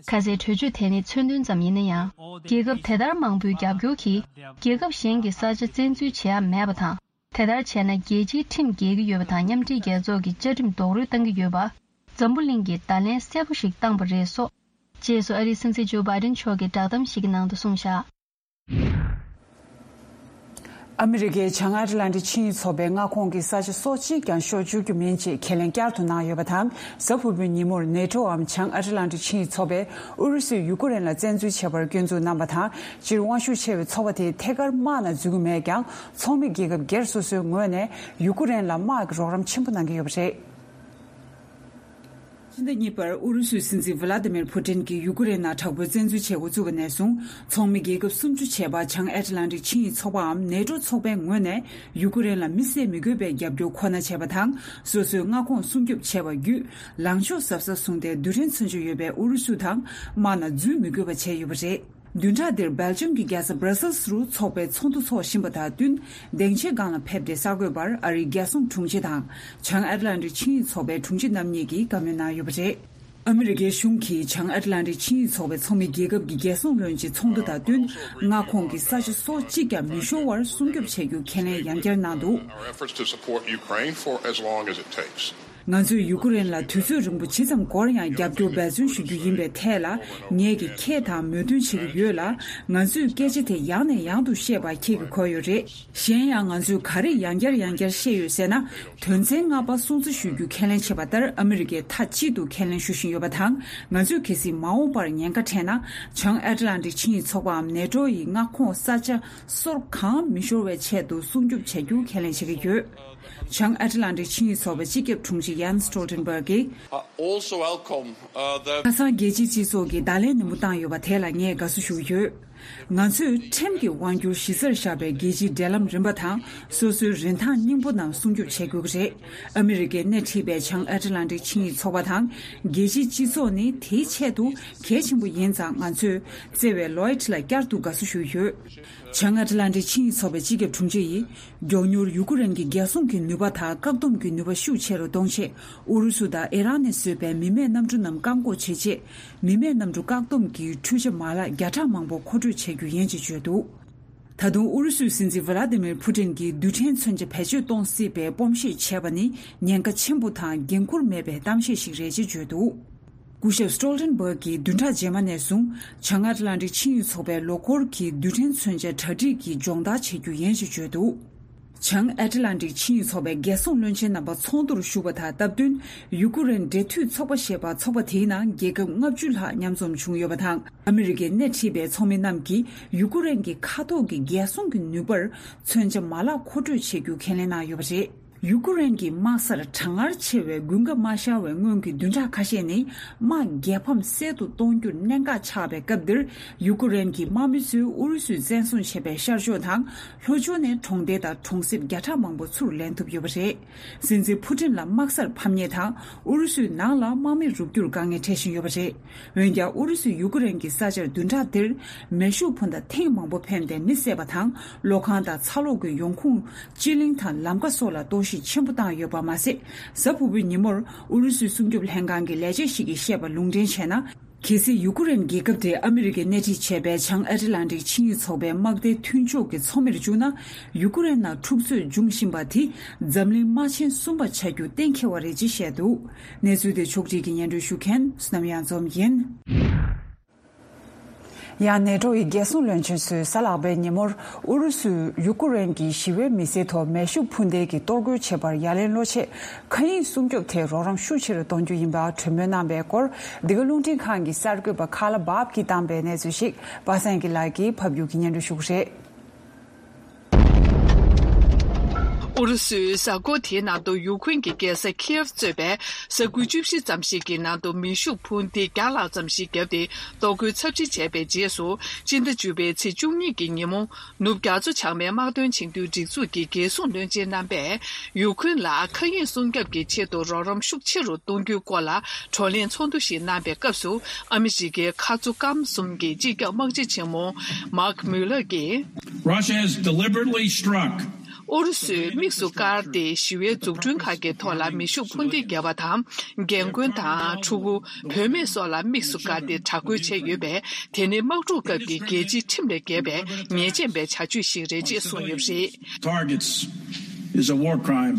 ཁ་སའི་གྲོས་ཆོད་དེ་ནི་མཚོན་དོན་ཙམ་ཡིན་ན་ཡང་། རྒྱལ་ཁབ་དེ་ལྟར་མང་པོའི་རྒྱབ་སྐྱོར་གྱིས་རྒྱལ་ཁབ་གཞན་གྱི་ས་ཆ་བཙན་འཛུལ་བྱེད་ཡ་མེད་པ་དང་། དེ་ལྟར་བྱས་ན་རྒྱལ་སྤྱིའི་ཁྲིམས་འགལ་གྱི་ཡོད་པ་དང་མཉམ་འབྲེལ་རྒྱལ་ཚོགས་ཀྱི་བཅའ་ཁྲིམས་རྡོག་རོལ་བཏང་གི་ཡོད་པ། འཛམ་བུ་གླིང་གིས་བརྡ་ལན་གསལ་པོ་ཞིག་བཏང་པ་རེད་སོགས། རྗེས་སུ་ཨ་རིའི་སྲིད་འཛིན་ཇོ་བྷའི་ཌེན་མཆོག་གིས་བསྒྲགས་གཏམ་ཞིག་གི་ནང་དུ་གསུངས་བཞག་ཨ་མི་རི་ཀས་བྱང་ཨ་ཏི་ལན་ཏི་ཆིངས་ཡིག་ཚོགས་པའི་མངའ་ཁོངས་ཀྱི་ས་ཆ་སོ་གཅིག་ཀྱང་ཤོར་བཅུག་རྒྱུ་མིན་ཅེས་ཁས་ལེན་བསྐྱར་དུ་གནང་ཡོད་པ་དང་། གཟའ་ཕུར་བུའི་ཉིན་མོར་ནེ་ཊོའམ་བྱང་ཨ་ཏི་ལན་ཏི་ཆིངས་ཡིག་ཚོགས་པས་ཨུ་རུ་སུས་ཡུ་ཀེ་རེན་ལ་བཙན་འཛུལ་བྱས་པར་སྐྱོན་འཛུགས་གནང་བ་དང་། སྤྱིར་དབང་ཤུགས་ཆེ་བའི་ཚོགས་པ་དེས་ཐད་ཀར་དམག་ནང་འཛུལ་གྱི་མེད་ཀྱང་། ཚོགས་མི་རྒྱལ་ཁབ་སྒེར་སོ་སོའི་ངོས་ནས་ཡུ་ཀེ་རེན་ལ་དམག་གི་རོགས་རམ་ཆེན་པོ་གནང་གི་ཡོད་པ་རེད། ཕྱི་ཟླ་གཉིས་པར་ཨུ་རུ་སུའི་སྲིད་འཛིན་ཝི་ལ་ཏི་མིར་ཕུ་ཏིན་གྱིས་ཡུ་ཀེ་རེན་ནང་དྲག་པོའི་བཙན་འཛུལ་བྱེད་འགོ་བཙུགས་པ་ནས་བཟུང་། ཚོགས་མི་རྒྱལ་ཁབ་སུམ་ཅུ་བྱས་པ་བྱང་ཨེ་ཏི་ལན་ཏིག་ཆིངས་ཡིག་ཚོགས་པའམ་ནེ་ཏོ་ཚོགས་པའི་ངོས་ནས་ཡུ་ཀེ་རེན་ལ་དམིགས་བསལ་མི་དགོས་པའི་རྒྱབ་སྐྱོར་ཁོ་ན་བྱས་པ་དང་། སོ་སོའི་མངའ་ཁོངས་སྲུང་སྐྱོབ་བྱས་པ་བརྒྱུད། ལངས་ཕྱོགས་གཟབ་གཟབ་བཟུང་སྟེ་རྡུལ་ཕྲན་མཚོན་ཆ་ཡོད་པའི་ཨུ་རུ་སུ་དང་དམག་ནང་འཛུལ་མི་དགོས་པ་བྱས་ཡོད་པ་རེད། བདུན་ཕྲག་འདིར་སྦེལ་ཇམ་གྱི་རྒྱལ་ས་སྦྲ་སེལ་སི་རུ་ཚོགས་པའི་ཚོགས་འདུ་འཚོགས་བཞིན་པ་དང་བསྟུན། སྡིངས་ཆའི་སྒང་ལ་ཕེབས་ཏེ་གསར་འགོད་པར་ཨ་རིའི་རྒྱལ་སྲུང་དྲུང་ཆེ་དང་། བྱང་ཨེ་ཏི་ལན་ཏིག་ཆིངས་ཡིག་ཚོགས་པའི་དྲུང་ཆེ་རྣམ་གཉིས་ཀྱིས་བཀའ་མོལ་གནང་ཡོད་པ་རེད། ཨ་མི་རི་ཀའི་གཞུང་གིས་བྱང་ཨེ་ཏི་ལན་ཏིག་ཆིངས་ཡིག་ཚོགས་པའི་ཚོགས་མི་རྒྱལ་ཁབ་ཀྱི་རྒྱལ་སྲུང་བློན་ཆེན་ཚོགས་འདུ་དང་བསྟུན། མངའ་ཁོངས་ཀྱི་ས་ཆ་སོ་གཅིག་ཀྱང་མི་ཤོར་བར་སྲུང་སྐྱོབ་བྱ་རྒྱུ་ཁས་ལེན་ཡང་བསྐྱར་གནང་འདུག Our efforts to support Ukraine for as long as it takes. ང་ཚོས་ཡུ་ཀེ་རེན་ལ་དུས་ཚོད་རིང་པོ་ཇི་ཙམ་འགོར་ཡང་རྒྱབ་སྐྱོར་འབད་བརྩོན་ཞུ་རྒྱུ་ཡིན་པའི་ཐད་ལ། ངེད་ཀྱིས་ཁྱེད་དང་མོས་མཐུན་བྱེད་ཀྱི་ཡོད་ལ། ང་ཚོས་སྐད་ཆ་དེ་ཡང་ནས་ཡང་དུ་བཤད་པ་ཁྱེད་ཀྱིས་གོ་ཡོད་རེད། གཞན་ཡང་ང་ཚོས་ག་རེ་ཡང་བསྐྱར་ཡང་བསྐྱར་བཤད་ཡོད་ཟེར་ན། དོན་ཚན་ལྔ་པ་སྲུང་བརྩི་ཞུ་རྒྱུ་ཁས་ལེན་བྱས་པ་ལྟར་ཨ་མི་རི་ཀས་མཐའ་གཅིག་ཏུ་ཁས་ལེན་ཞུ་བཞིན་ཡོད་པ་དང་། ང་ཚོས་གལ་སྲིད་མ་འོངས་པར་ཉེན་ཁ་འཕྲད་ན། བྱང་ཨེ་ཏི་ལན་ཏིག་ཆིངས་ཡིག་ཚོགས་པའམ་ནེ་ཏོ་ཡི་མངའ་ཁོངས་ས་ཆ་སོར་གང་མི་ཤོར་བའི་ཆེད་དུ་སྲུང་སྐྱོབ་བྱ་རྒྱུ་ཁས་ལེན་བྱེད་ཀྱི་ཡོད། བྱང་ཨེ་ཏི་ལན་ཏིག་ཆིངས་ཡིག་ཚོགས་པའི་སྤྱི་ཁྱབ་དྲུང་ཆེ་ཡན་སི་ཊོལ་ཊེན་བྷག་གིས། I also welcome, uh, the ཁ་སང་རྒྱལ་སྤྱིའི་སྤྱི་ཚོགས་ཀྱིས་བརྡ་ལན་ནན་པོ་བཏང་ཡོད་པ་དེ་ལ་ངས་དགའ་བསུ་ཞུ་གི་ཡོད། ང་ཚོས་ཁྲིམས་ཀྱི་དབང་སྒྱུར་གཞི་རྩར་བཞག་པའི་རྒྱལ་སྤྱིའི་འབྲེལ་ལམ་རིམ་པ་དང་སོ་སོའི་རིན་ཐང་སྙིང་པོ་རྣམས་སྲུང་སྐྱོབ་བྱེད་དགོས་ཀྱི་རེད། ཨ་མི་རི་ཀས་སྣེ་ཁྲིད་པའི་བྱང་ཨེ་ཏི་ལན་ཏིག་ཆིངས་ཡིག་ཚོགས་པ་དང་རྒྱལ་སྤྱིའི་སྤྱི་ཚོགས་ནི་དེའི་ཆེད་དུ་གལ་ཆེན་པོ་ཡིན་ཙང་། ང་ཚོས་བརྩེ་བའི་ལོའེ་ཊི་ལ་བསྐྱར་དུ་དགའ་བསུ་ཞུ་གི་ཡོད། བྱང་ཨ་ཏི་ལན་ཏིག་ཆིངས་ཡིག་ཚོགས་པའི་སྤྱི་ཁྱབ་དྲུང་ཆེ་ཡིས། མགྱོགས་མྱུར་ཡུ་ཀེ་རེན་གྱི་རྒྱལ་སྲུང་གི་ནུས་པ་དང་བཀག་སྡོམ་གྱི་ནུས་པ་ཤུགས་ཆེ་རུ་གཏོང་ཆེད། ཨུ་རུ་སུ་དང་ཨི་རན་ནས་བཟོས་པའི་མི་མེད་གནམ་གྲུ་རྣམས་བཀག་འགོག་བྱེད་ཆེད། མི་མེད་གནམ་གྲུ་བཀག་སྡོམ་གྱི་འཕྲུལ་ཆ་མ་ལག་བརྒྱ་ཕྲག་མང་པོ་མཁོ་སྤྲོད་བྱེད་རྒྱུ་ཡིན་ཅེས་བརྗོད་འདུག་ད་དུང་ཨུ་རུ་སུའི་སྲིད་འཛིན་ཝི་ལ་ཏི་མིར་ཕུ་ཏིན་གྱིས་རྡུལ་ཕྲན་མཚོན་ཆ་བེད་སྤྱོད་གཏོང་སྲིད་པའི་སྤོབས་ཤེས་བྱས་པ་ནི་ཉེན་ཁ་ཆེན་པོ་དང་འགན་འཁུར་མེད་པའི་གཏམ་བཤད་ཞིག་རེད་ཅེས་བརྗོད་འདུག་སྐུ་ཞབས་སི་ཊོལ་ཊེན་བྷག་གིས་བདུན་ཕྲག་རྗེས་མ་ནས་བཟུང་བྱང་ཨ་ཏི་ལན་ཏིག་ཆིངས་ཡིག་ཚོགས་པའི་ལོ་འཁོར་གྱི་རྡུལ་ཕྲན་མཚོན་ཆ་གྲ་སྒྲིག་གི་སྦྱོང་བརྡར་བྱེད་རྒྱུ་ཡིན་ཞེས་བརྗོད་འདུག་བྱང་ཨེཊ་ལན་ཊིག་ཆིངས་ཡིག་ཚོགས་པའི་རྒྱལ་སྲུང་བློན་ཆེན་རྣམ་པ་ཚོགས་འདུར་ཞུགས་པ་དང་སྟབས་བསྟུན། ཡུ་ཀེ་རེན་འབྲེལ་མཐུད་ཚོགས་པ་ཞེས་པ་ཚོགས་པ་དེའི་ནང་རྒྱལ་ཁབ་ལྔ་བཅུ་ལྷག་མཉམ་འཛོམས་བྱུང་ཡོད་པ་དང་། ཨ་མི་རི་ཀའི་སྣེ་ཁྲིད་པའི་ཚོགས་མི་རྣམས་ཀྱིས་ཡུ་ཀེ་རེན་གྱི་མཁའ་ཐོག་གི་རྒྱལ་སྲུང་གི་ནུས་པར་མཚོན་ཆ་མ་ལག་མཁོ་སྤྲོད་བྱེད་རྒྱུ་ཁས་ལེན་གནང་ཡོད་པ་རེད། ཡུ་ཀེ་རེན་གྱི་དམག་སར་གྲང་ངར་ཆེ་བའི་དགུན་ཁ་མ་ཤར་བའི་སྔོན་གྱི་བདུན་ཕྲག་ཁ་ཤས་ནི་དམག་རྒྱལ་ཕམ་གསལ་དུ་གཏོང་རྒྱུར་གནད་འགག་ཆགས་པའི་སྐབས་འདིར། ཡུ་ཀེ་རེན་གྱི་དམག་མི་ཚོས་ཨུ་རུ་སུས་བཙན་བཟུང་བྱས་པའི་ཤར་ཕྱོགས་དང་ལྷོ་ཕྱོགས་ནས་གྲོང་སྡེ་དང་གྲོང་གསེབ་བརྒྱ་ཕྲག་མང་པོ་ཚུར་ལེན་ཐུབ་ཡོད་པ་རེད། སྲིད་འཛིན་ཕུ་ཏིན་ལ་དམག་སར་ཕམ་ཉེས་དང་ཨུ་རུ་སུའི་ནང་ལ་དམག་མི་རུབ་རྒྱུར་དཀའ་ངལ་འཕྲད་བཞིན་ཡོད་པ་རེད། འོན་ཀྱང་ཨུ་རུ་སུས་ཡུ་ཀེ་རེན་གྱི་ས་ཆར་བདུན་ཕྲག་འདིར་མེ་ཤུགས་འཕུར་མདའ་ཐེངས་མང་པོ་འཕེན་ཏེ་མི་བསད་པ་དང་། གློག་ཁང་དང་ཚ་གློག་གི་ཡོང་ཁུངས། སྤྱི་གླིང་དང་ལམ་ཀ་སོགས་ལ་གཏོར་བཤིག་ཆེན་པོ་བཏང་ཡོད་པ་མ་ཟད། གཟའ་ཕུར་བུའི་ཉིན་མོར་ཨུ་རུ་སུའི་སྲུང་སྐྱོབ་ལྷན་ཁང་གི་ལས་བྱེད་ཞིག་གིས་བཤད་པ་ལུང་འདྲེན་བྱས་ན། གལ་སྲིད་ཡུ་ཀེ་རེན་རྒྱལ་ཁབ་དེ་ཨ་མི་རི་ཀས་སྣེ་ཁྲིད་བྱས་པའི་བྱང་ཨེཊ་ལན་ཊིག་ཆིངས་ཡིག་ཚོགས་པའི་དམག་སྡེའི་མཐུན་ཕྱོགས་ཀྱི་ཚོགས་མིར་བཅུག་ན། ཡུ་ཀེ་རེན་ནང་འཁྲུག་རྩོད་འབྱུང་བཞིན་པ་དེ་འཛམ་གླིང་དམག་ཆེན་གསུམ་པ་ཆགས་རྒྱུ་གཏན་འཁེལ་བ་རེད་ཅེས་བཤད་འདུག་གནས་ཚུལ་དེ་ཕྱོགས་སྒྲིག་གིས་སྙན་སྒྲོན་ཞུ་མཁན་བསོད་ནམས་གཡང་འཛོམས་ཡིན། ཡང་ནེ་ཊོ་ཡི་རྒྱལ་སྲུང་བློན་ཆེན་ཚོས་གཟའ་ལྷག་པའི་ཉིན་མོར་ཨུ་རུ་སུས་ཡུ་ཀེ་རེན་གྱི་ཞི་བའི་མི་སེར་ཐོག་མེ་ཤུགས་འཕུར་མདེལ་གྱིས་གཏོར་རྒོལ་བྱེད་པར་ཡ་ལན་སློག་ཆེད། མཁའ་དབྱིངས་སྲུང་སྐྱོབ་ཐད་རོགས་རམ་ཤུགས་ཆེ་རུ་གཏོང་རྒྱུ་ཡིན་པ་གྲོས་མོལ་གནང་བའི་སྐོར། འདི་ག་རླུང་འཕྲིན་ཁང་གི་གསར་འགོད་པ་ཁ་ལ་བབ་ཀྱིས་བཏང་པའི་གནས་ཚུལ་ཞིག་པ་སངས་སྐྱིད་ལགས་ཀྱིས་ཕབ་སྒྱུར་གྱིས་སྙན་སྒྲོན་ཞུ་གི་རེད། ཨུ་རུ་སུས་གཟའ་འཁོར་དེའི་ནང་དུ་ཡུ་ཁུན་གྱི་རྒྱལ་ས་ཁིའེབ་གཙོས་པའི་ས་ཁུལ་བཅུ་བཞི་ཙམ་ཞིག་གི་ནང་དུ་མེ་ཤུགས་འཕུར་མདེལ་བརྒྱ་ལྷག་ཙམ་ཞིག་བརྒྱབ་སྟེ། གཏོར་རྒོལ་ཚབས་ཆེ་བྱས་པའི་རྗེས་སུ། སྤྱི་ཟླ་བཅུ་པའི་ཚེས་བཅུ་གཉིས་ཀྱི་ཉིན་མོ། ནུབ་རྒྱ་མཚོ་བྱང་མའི་དམག་དོན་ཆིངས་དོན་སྒྲིག་འཛུགས་ཀྱི་རྒྱལ་སྲུང་བློན་ཆེན་རྣམ་པས། ཡུ་ཁུན་ལ་མཁའ་དབྱིངས་སྲུང་སྐྱོབ་ཀྱི་ཆེད་དུ་རོགས་རམ་ཤུགས་ཆེ་རུ་གཏོང་རྒྱུའི་སྐོར་ལ་བགྲོ་གླེང་ཚོགས་འདུ་ཞིག་གནང་བའི་སྐབས་སུ། ཨ་མི་རི་ཀའི་མཁའ་མཚོ་སྐམ་གསུམ་གྱི་སྤྱི་ཁྱབ་དམག་སྤྱི་ཆེན་མོ་མཱག་མུ་ལར་གྱིས། Russia has deliberately struck ཨུ་རུ་སུས་དམིགས་སུ་བཀར་ཏེ་ཞི་བའི་འཛུགས་སྐྲུན་ཁག་གི་ཐོག་ལ་མེ་ཤུགས་འཕུར་མདེལ་བརྒྱབ་པ་དང་། རྒན་རྒོན་དང་ཕྲུ་གུ། བུད་མེད་སོགས་ལ་དམིགས་སུ་བཀར་ཏེ་དྲག་རྒོལ་བྱས་ཡོད་པས། དེ་ནི་དམག་འཁྲུག་སྐབས་ཀྱི་རྒྱལ་སྤྱིའི་ཁྲིམས་ལས་འགལ་བའི་ཉེས་ཅན་པའི་བྱ་སྤྱོད་ཞིག་རེད་ཅེས་གསུངས་ཡོད་པ་རེད། Targets is a war crime.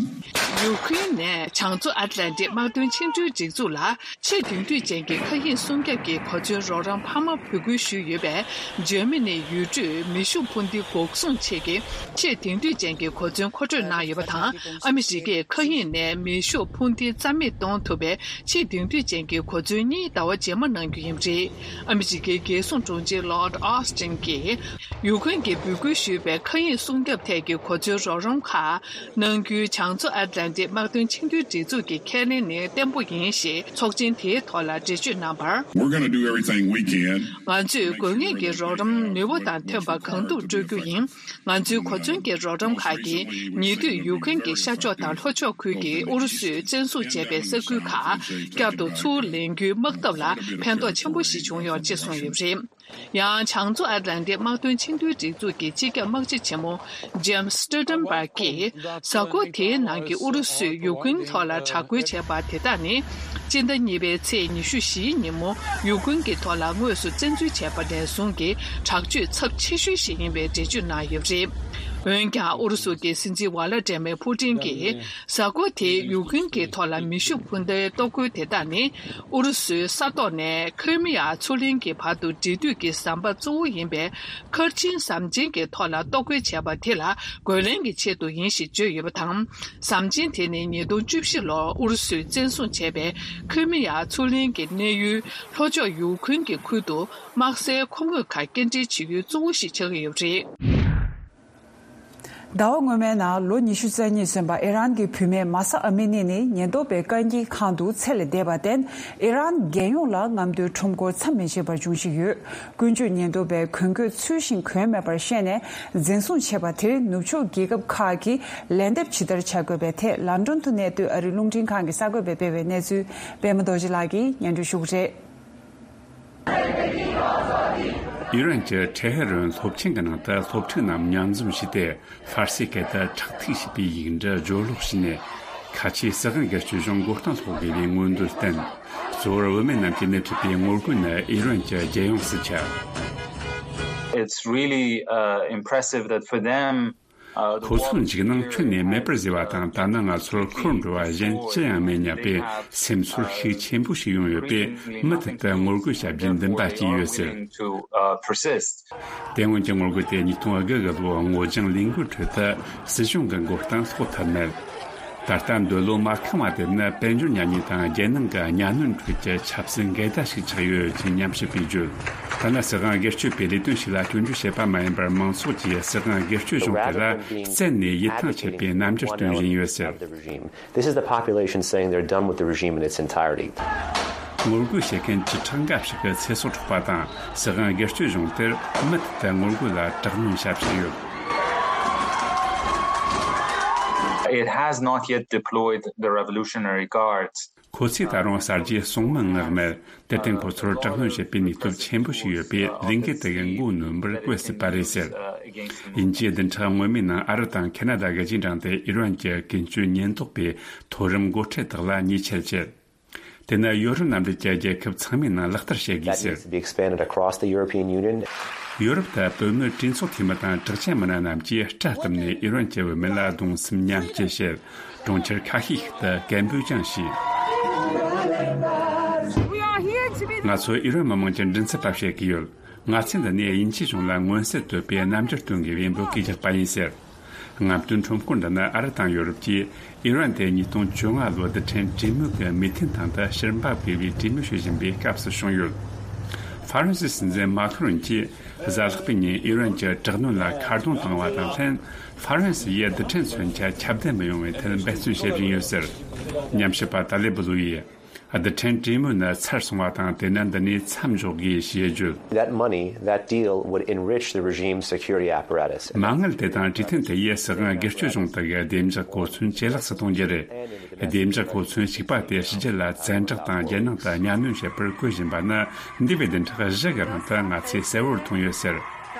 ཡུ་ཁུན་ནས་བྱང་མཚོ་ཨ་ཏི་ལན་ཏིག་དམག་དོན་ཆིངས་དོན་སྒྲིག་འཛུགས་ལ། ཆེས་དེང་དུས་ཅན་གྱི་མཁའ་དབྱིངས་སྲུང་སྐྱོབ་ཀྱི་གོ་མཚོན་རོགས་རམ་འཕར་མ་འབོད་སྐུལ་ཞུས་ཡོད་པས། འཇར་མ་ནིའི་ཡུལ་གྲུས་མེ་ཤུགས་འཕུར་མདེལ་འགོག་སྲུང་ཆེད་ཀྱི་ཆེས་དེང་དུས་ཅན་གྱི་གོ་མཚོན་མཁོ་སྤྲོད་གནང་ཡོད་པ་དང་། ཨ་མི་རི་ཀས་མཁའ་དབྱིངས་ནས་མེ་ཤུགས་འཕུར་མདེལ་རྩ་མེད་གཏོང་ཐུབ་པའི་ཆེས་དེང་དུས་ཅན་གྱི་གོ་མཚོན་གཉིས་ཟླ་བ་རྗེས་མ་གནང་རྒྱུ་ཡིན་པ་རེད། ཨ་མི་རི་ཀའི་རྒྱལ་སྲུང་དྲུང་ཆེ་Lloyd Austin་གྱིས། ཡུ་ཁུན་གྱིས་འབོད་སྐུལ་ཞུས་པའི་མཁའ་དབྱིངས་སྲུང་སྐྱོབ་ཐད་ཀྱི་གོ་མཚོན་རོགས་རམ་ཁག་གནང་རྒྱུའི་བྱང་མཚོ་ཨ་ཏི་ལན་ཏིག་དམག་དོན་ཆིངས་དོན་སྒྲིག་འཛུགས་ཀྱི་ཁས་ལེན་ནི་བརྟན་པོ་ཡིན་ཞེས་ཚོགས་ཆེན་དེའི་ཐོག་ལ་འགྲེལ་བརྗོད་གནང་བར། We're gonna do everything we can. ང་ཚོས་དགོས་ངེས་ཀྱི་རོགས་རམ་ནུས་པ་དང་མཐུན་པ་གང་ཐུབ་སྤྲོད་རྒྱུ་ཡིན། ང་ཚོའི་གོ་མཚོན་གྱི་རོགས་རམ་ཁག་གིས་ཉེ་དུས་ཡུ་ཁུན་གྱི་ཤར་ཕྱོགས་དང་ལྷོ་ཕྱོགས་ཁུལ་གྱི་ཨུ་རུ་སུས་བཙན་བཟུང་བྱས་པའི་ས་ཁུལ་ཁག་བསྐྱར་དུ་ཚུར་ལེན་རྒྱུའི་དམག་འཐབ་ལ་ཕན་ཐོགས་ཆེན་པོ་ཞིག་བྱུང་ཡོད་ཅེས་གསུངས་ཡོད་པ་རེད། ཡང་བྱང་མཚོ་ཨ་ཏི་ལན་ཏིག་དམག་དོན་ཆིངས་དོན་སྒྲིག་འཛུགས་ཀྱི་སྤྱི་ཁྱབ་དམག་སྤྱི་ཆེན་མོ་Jens Stoltenberg་གྱིས། གཟའ་འཁོར་དེའི་ནང་གི་ཨུ་རུ་སུས་ཡུ་ཁུན་ཐོག་ལ་དྲག་རྒོལ་བྱས་པ་དེ་དག་ནི། སྤྱི་ཟླ་གཉིས་པའི་ཚེས་ཉི་ཤུ་བཞིའི་ཉིན་མོ་ཡུ་ཁུན་གྱི་ཐོག་ལ་དངོས་སུ་བཙན་འཛུལ་བྱས་པ་ནས་བཟུང་གི་དྲག་སྤྱོད་ཚབས་ཆེ་ཤོས་ཤིག་ཡིན་པའི་འགྲེལ་བརྗོད་གནང་ཡོད་པ་རེད། འོན་ཀྱང་ཨུ་རུ་སུ་གྱི་སྲིད་འཛིན་ཝ་ལ་ཏྲེ་མེ་ཕུ་ཏིན་གྱིས། གཟའ་འཁོར་དེའི་ཡུ་ཁུན་གྱི་ཐོག་ལ་མེ་ཤུགས་འཕུར་མདའི་གཏོར་རྒོལ་དེ་དག་ནི། ཨུ་རུ་སུའི་ས་ཐོག་ནས་ཁི་རི་མི་ཡ་མཚོ་གླིང་གི་བར་དུ་འབྲེལ་མཐུད་ཀྱི་ཟམ་པ་གཙོ་བོ་ཡིན་པའི་མཁར་ཆེན་ཟམ་ཆེན་གྱི་ཐོག་ལ་གཏོར་རྒོལ་བྱས་པ་དེ་ལ་རྒོལ་ལན་གྱི་ཆེད་དུ་ཡིན་ཞེས་བརྗོད་ཡོད་པ་དང་། ཟམ་ཆེན་དེ་ནི་ཉིས་སྟོང་བཅུ་བཞི་ལོར་ཨུ་རུ་སུས་བཙན་བཟུང་བྱས་པའི་ཁི་རི་མི་ཡ་མཚོ་གླིང་གི་གནས་ཡུལ་ལྷོ་ཕྱོགས་ཡུ་ཁུན་གྱི་ཁུལ་དུ། དམག་སའི་མཁོ་དངོས་ཁག་སྐྱེལ་འདྲེན་བྱེད་ཡུལ་གཙོ་བོ་ཞིག་ཆགས་ཀྱི་ཡོད་པ་རེད། ཟླ་བ་སྔོན་མའི་ནང་ལོ་ཉི་ཤུ་རྩ་གཉིས་སོན་པ་ཨི་རན་གྱི་བུད་མེད་མཱ་ས་ཨ་མི་ནི་ནི་ཉེན་རྟོག་པའི་བཀག་འགྱིག་ཁང་དུ་ཚེ་ལས་འདས་པར་བརྟེན། ཨི་རན་རྒྱལ་ཡོངས་ལ་རྔམ་སྟོན་ཁྲོམ་སྐོར་མཚམས་མི་ཆད་པར་འབྱུང་བཞིན་ཡོད། ཀུན་སྤྱོད་ཉེན་རྟོག་པས་གོན་གོས་ཚུལ་བཞིན་གོན་མེད་པར་བཤད་ནས་འཛིན་བཟུང་བྱས་པ་དེར་ནུབ་ཕྱོགས་རྒྱལ་ཁབ་ཁག་གིས་ལན་འདེབས་ཇི་ལྟར་བྱ་དགོས་པའི་ཐད་ལན་ཀྲོན་དུ་གནས་སྡོད་ཨ་རིའི་རླུང་འཕྲིན་ཁང་གི་གསར་འགོད་པས་སྤེལ་བའི་གནས་ཚུལ་པད་མ་རྡོ་རྗེ་ལགས་ཀྱིས་སྙན་སྒྲོན་ཞུ་གི་རེད། ཨི་རན་གྱི་ཊེ་ཧེ་རན་སློབ་ཆེན་གྱི་ནང་དུ་སློབ་ཕྲུག་རྣམས་མཉམ་འཛོམས་བྱས་ཏེ། ཧྥ་ར་སིའི་སྐད་དུ་ཁྲག་ཐིགས་ཞེས་པའི་ཡིག་འབྲུ་སྦྱོར་ཀློག་བྱས་ནས། ཁ་ཆེའི་སྲིད་དབང་སྒེར་གཅོད་གཞུང་མགོ་རྟིང་སློག་དགོས་པའི་མངོན་འདོད་བསྟན། གཙོ་བོར་བུད་མེད་རྣམས་ཀྱིས་སྣེ་ཁྲིད་པའི་ངོ་རྒོལ་ནི་ཨི་རན་གྱི་རྒྱལ་ཡོངས་སུ་ཁྱབ། It's really, uh, impressive that for them, ཁོ་ཚོའི་འཇིགས་སྣང་ཁྱོན་ནས་མེད་པར་བཟོས་པ་དང་། ད་ནི་ང་ཚོར་འཁོར་འགྲོ་བ་གཞན་ཅི་ཡང་མེད་སྙམ་པའི་སེམས་ཚོར་ཤུགས་ཆེན་པོ་ཞིག་ཡོང་ཡོད་པས། མུ་མཐུད་དུ་ངོ་རྒོལ་བྱ་རྒྱུའི་འདུན་པ་སྐྱེས་ཡོད་ཟེར། དེ་སྔོན་གྱི་ངོ་རྒོལ་དེ་ཉིས་སྟོང་དགུ་གི་ལོའི་སྔོ་ལྗང་ལས་འགུལ་ཁྲོད་དུ་སྲིད་གཞུང་གི་མགོ་རྟིང་སློག་ཐུབ་མེད། ད་ལྟ་འདོད་བློ་མ་ཁེངས་པ་དེ་ནི་དཔལ་འབྱོར་གཉེན་ཉེ་དང་རྒྱལ་ནང་གི་གཉའ་གནོན་ཁྲོད་ཀྱི་ཆབ་སྲིད་འགལ་ཟླ་ཞིག་ཆགས་ཡོད་ཅེས་ཉམས་ཞིབ་པས་བརྗོད། ཐ་ན་སྲིད་དབང་སྒེར་གཅོད་པའི་ལས་དོན་ཞིག་ལ་སྐྱོན་བརྗོད་བྱེད་པ་མ་ཡིན་པར། མང་ཚོགས་ཀྱིས་སྲིད་དབང་སྒེར་གཅོད་གཞུང་དེ་ལ་བཙན་ནས་ཡིད་ཐང་ཆད་པའི་རྣམ་འགྱུར་སྟོན་བཞིན་ཡོད་ཟེར། This is the population saying they're done with the regime in its entirety. ངོ་རྒོལ་བྱེད་མཁན་བཅུ་ཕྲག་འགའ་ཞིག་གི་ཚེ་སྲོག་འཕྲོག་པ་དང་། སྲིད་དབང་སྒེར་གཅོད་གཞུང་དེར་མུ་མཐུད་དུ་ངོ་རྒོལ་ལ་དྲག་གནོན་བྱ་བཞིན་ཡོད། It has not yet deployed the Revolutionary Guards. ཁོ་ཚོས་ད་རུང་གསར་བརྗེའི་སྲུང་མི་མངགས་མེད། དེར་བརྟེན་ཁོ་ཚོར་དྲག་གནོན་བྱེད་པའི་ནུས་སྟོབས་ཆེན་པོ་ཞིག་ཡོད་པས། ལས་འགུལ་དེ་གི་མགོ་གནོན་པར་བཀོད་སྲིད་པ་རེད་ཟེར། དབྱིན་ཇིའི་བདུན་ཕྲག་སྔོན་མའི་ནང་ཨ་རི་དང་ཁེ་ན་ཌ་གི་རྗེས་འབྲང་དེ་ཨི་རན་གྱི་ཀུན་སྤྱོད་ཉེན་རྟོག་པའི་མཐོ་རིམ་འགོ་ཁྲིད་དག་ལ་ཉེས་ཆད་བཅད། དེ་ནི་ཡོ་རོབ་མནའ་འབྲེལ་གྱི་རྒྱལ་ཁབ་ཚང་མའི་ནང་ལག་བསྟར་བྱེད་དགོས་ཟེར། That needs to be expanded across the European Union. ཡོ་རོབ་དུ་བོད་མི་གྲོས་ཚོགས་འཐུས་མི་དང་གྲགས་ཅན་མི་སྣ་རྣམས་ཀྱིས་སྐྲ་བཏུམས་ནས་ཨི་རན་གྱི་བུད་མེད་ལ་གདུང་སེམས་མཉམ་སྐྱེད་བྱེད། གྲོང་ཁྱེར་ཁ་ཤས་ཤིག་ཏུ་སྐད་འབོད་ཀྱང་བྱས། ང་ཚོ་ཨི་རན་མི་དམངས་ཀྱི་མགྲིན་ཚབ་པ་བྱེད་ཀྱི་ཡོད། ང་ཚོས་འདི་ནས་དབྱིན་ཇིའི་གཞུང་ལ་མངོན་གསལ་དོད་པའི་རྣམ་འགྱུར་སྟོན་དགོས་པའི་འབོད་སྐུལ་རྒྱག་པ་ཡིན་ཟེར། རྔམ་སྟོན་ཁྲོམ་སྐོར་འདི་ནི་ཨ་རི་དང་ཡོ་རོབ་ཀྱིས་ཨི་རན་དེ་ཉིས་སྟོང་བཅོ་ལྔ་ལོའི་རྡུལ་ཕྲན་གྲོས་མོལ་གྱི་མོས་མཐུན་སྟེང་དུ་ཕྱིར་འབབ་དགོས་པའི་གྲོས་མོལ་བྱེད་བཞིན་པའི་སྐབས་སུ་བྱུང་ཡོད། ཧྥ་རན་སིའི་སྲིད་འཛིན་མཱ་ཁི་རོན་གྱིས་གཟའ་ལྷག་པའི་ཉིན་ཨི་རན་གྱི་དྲག་གནོན་ལ་ཁ་རྡུང་བཏང་བ་དང་ལྷན། ཧྥ་རན་སི་ཡིས་རྡུལ་ཕྲན་མཚོན་ཆ་ཁྱབ་གདལ་མི་ཡོང་བའི་ཐད་འབད་བརྩོན་བྱེད་བཞིན་ཡོད་ཟེར། ཉམས་ཞིབ་པ་ཏཱ་ལེ་བུ་ལུ་ཡིས། རྡུལ་ཕྲན་གྲོས་མོལ་ནི་ཚར་སོང་བ་དང་། དེ་ནི་འདི་ནས་མཚམས་འཇོག་དགོས་ཞེས་བརྗོད། That money, that deal would enrich the regime's security apparatus. མ་དངུལ་དེ་དང་གྲོས་མཐུན་དེ་ཡིས་སྲིད་དབང་སྒེར་གཅོད་གཞུང་དག་གི་བདེ་འཇགས་གོ་མཚོན་ཇེ་ལེགས་སུ་གཏོང་རྒྱུ་རེད། བདེ་འཇགས་གོ་མཚོན་གཅིག་པ་དེ་ཕྱི་རྒྱལ་ལ་བཙན་དྲག་དང་རྒྱལ་ནང་དུ་གཉའ་གནོན་བྱེད་པར་བཀོལ་བཞིན་པ་ནི་འདས་པའི་བདུན་ཕྲག་བཞི་གི་རིང་དུ་ང་ཚོས་གསལ་བོར་མཐོང་ཡོད་ཟེར།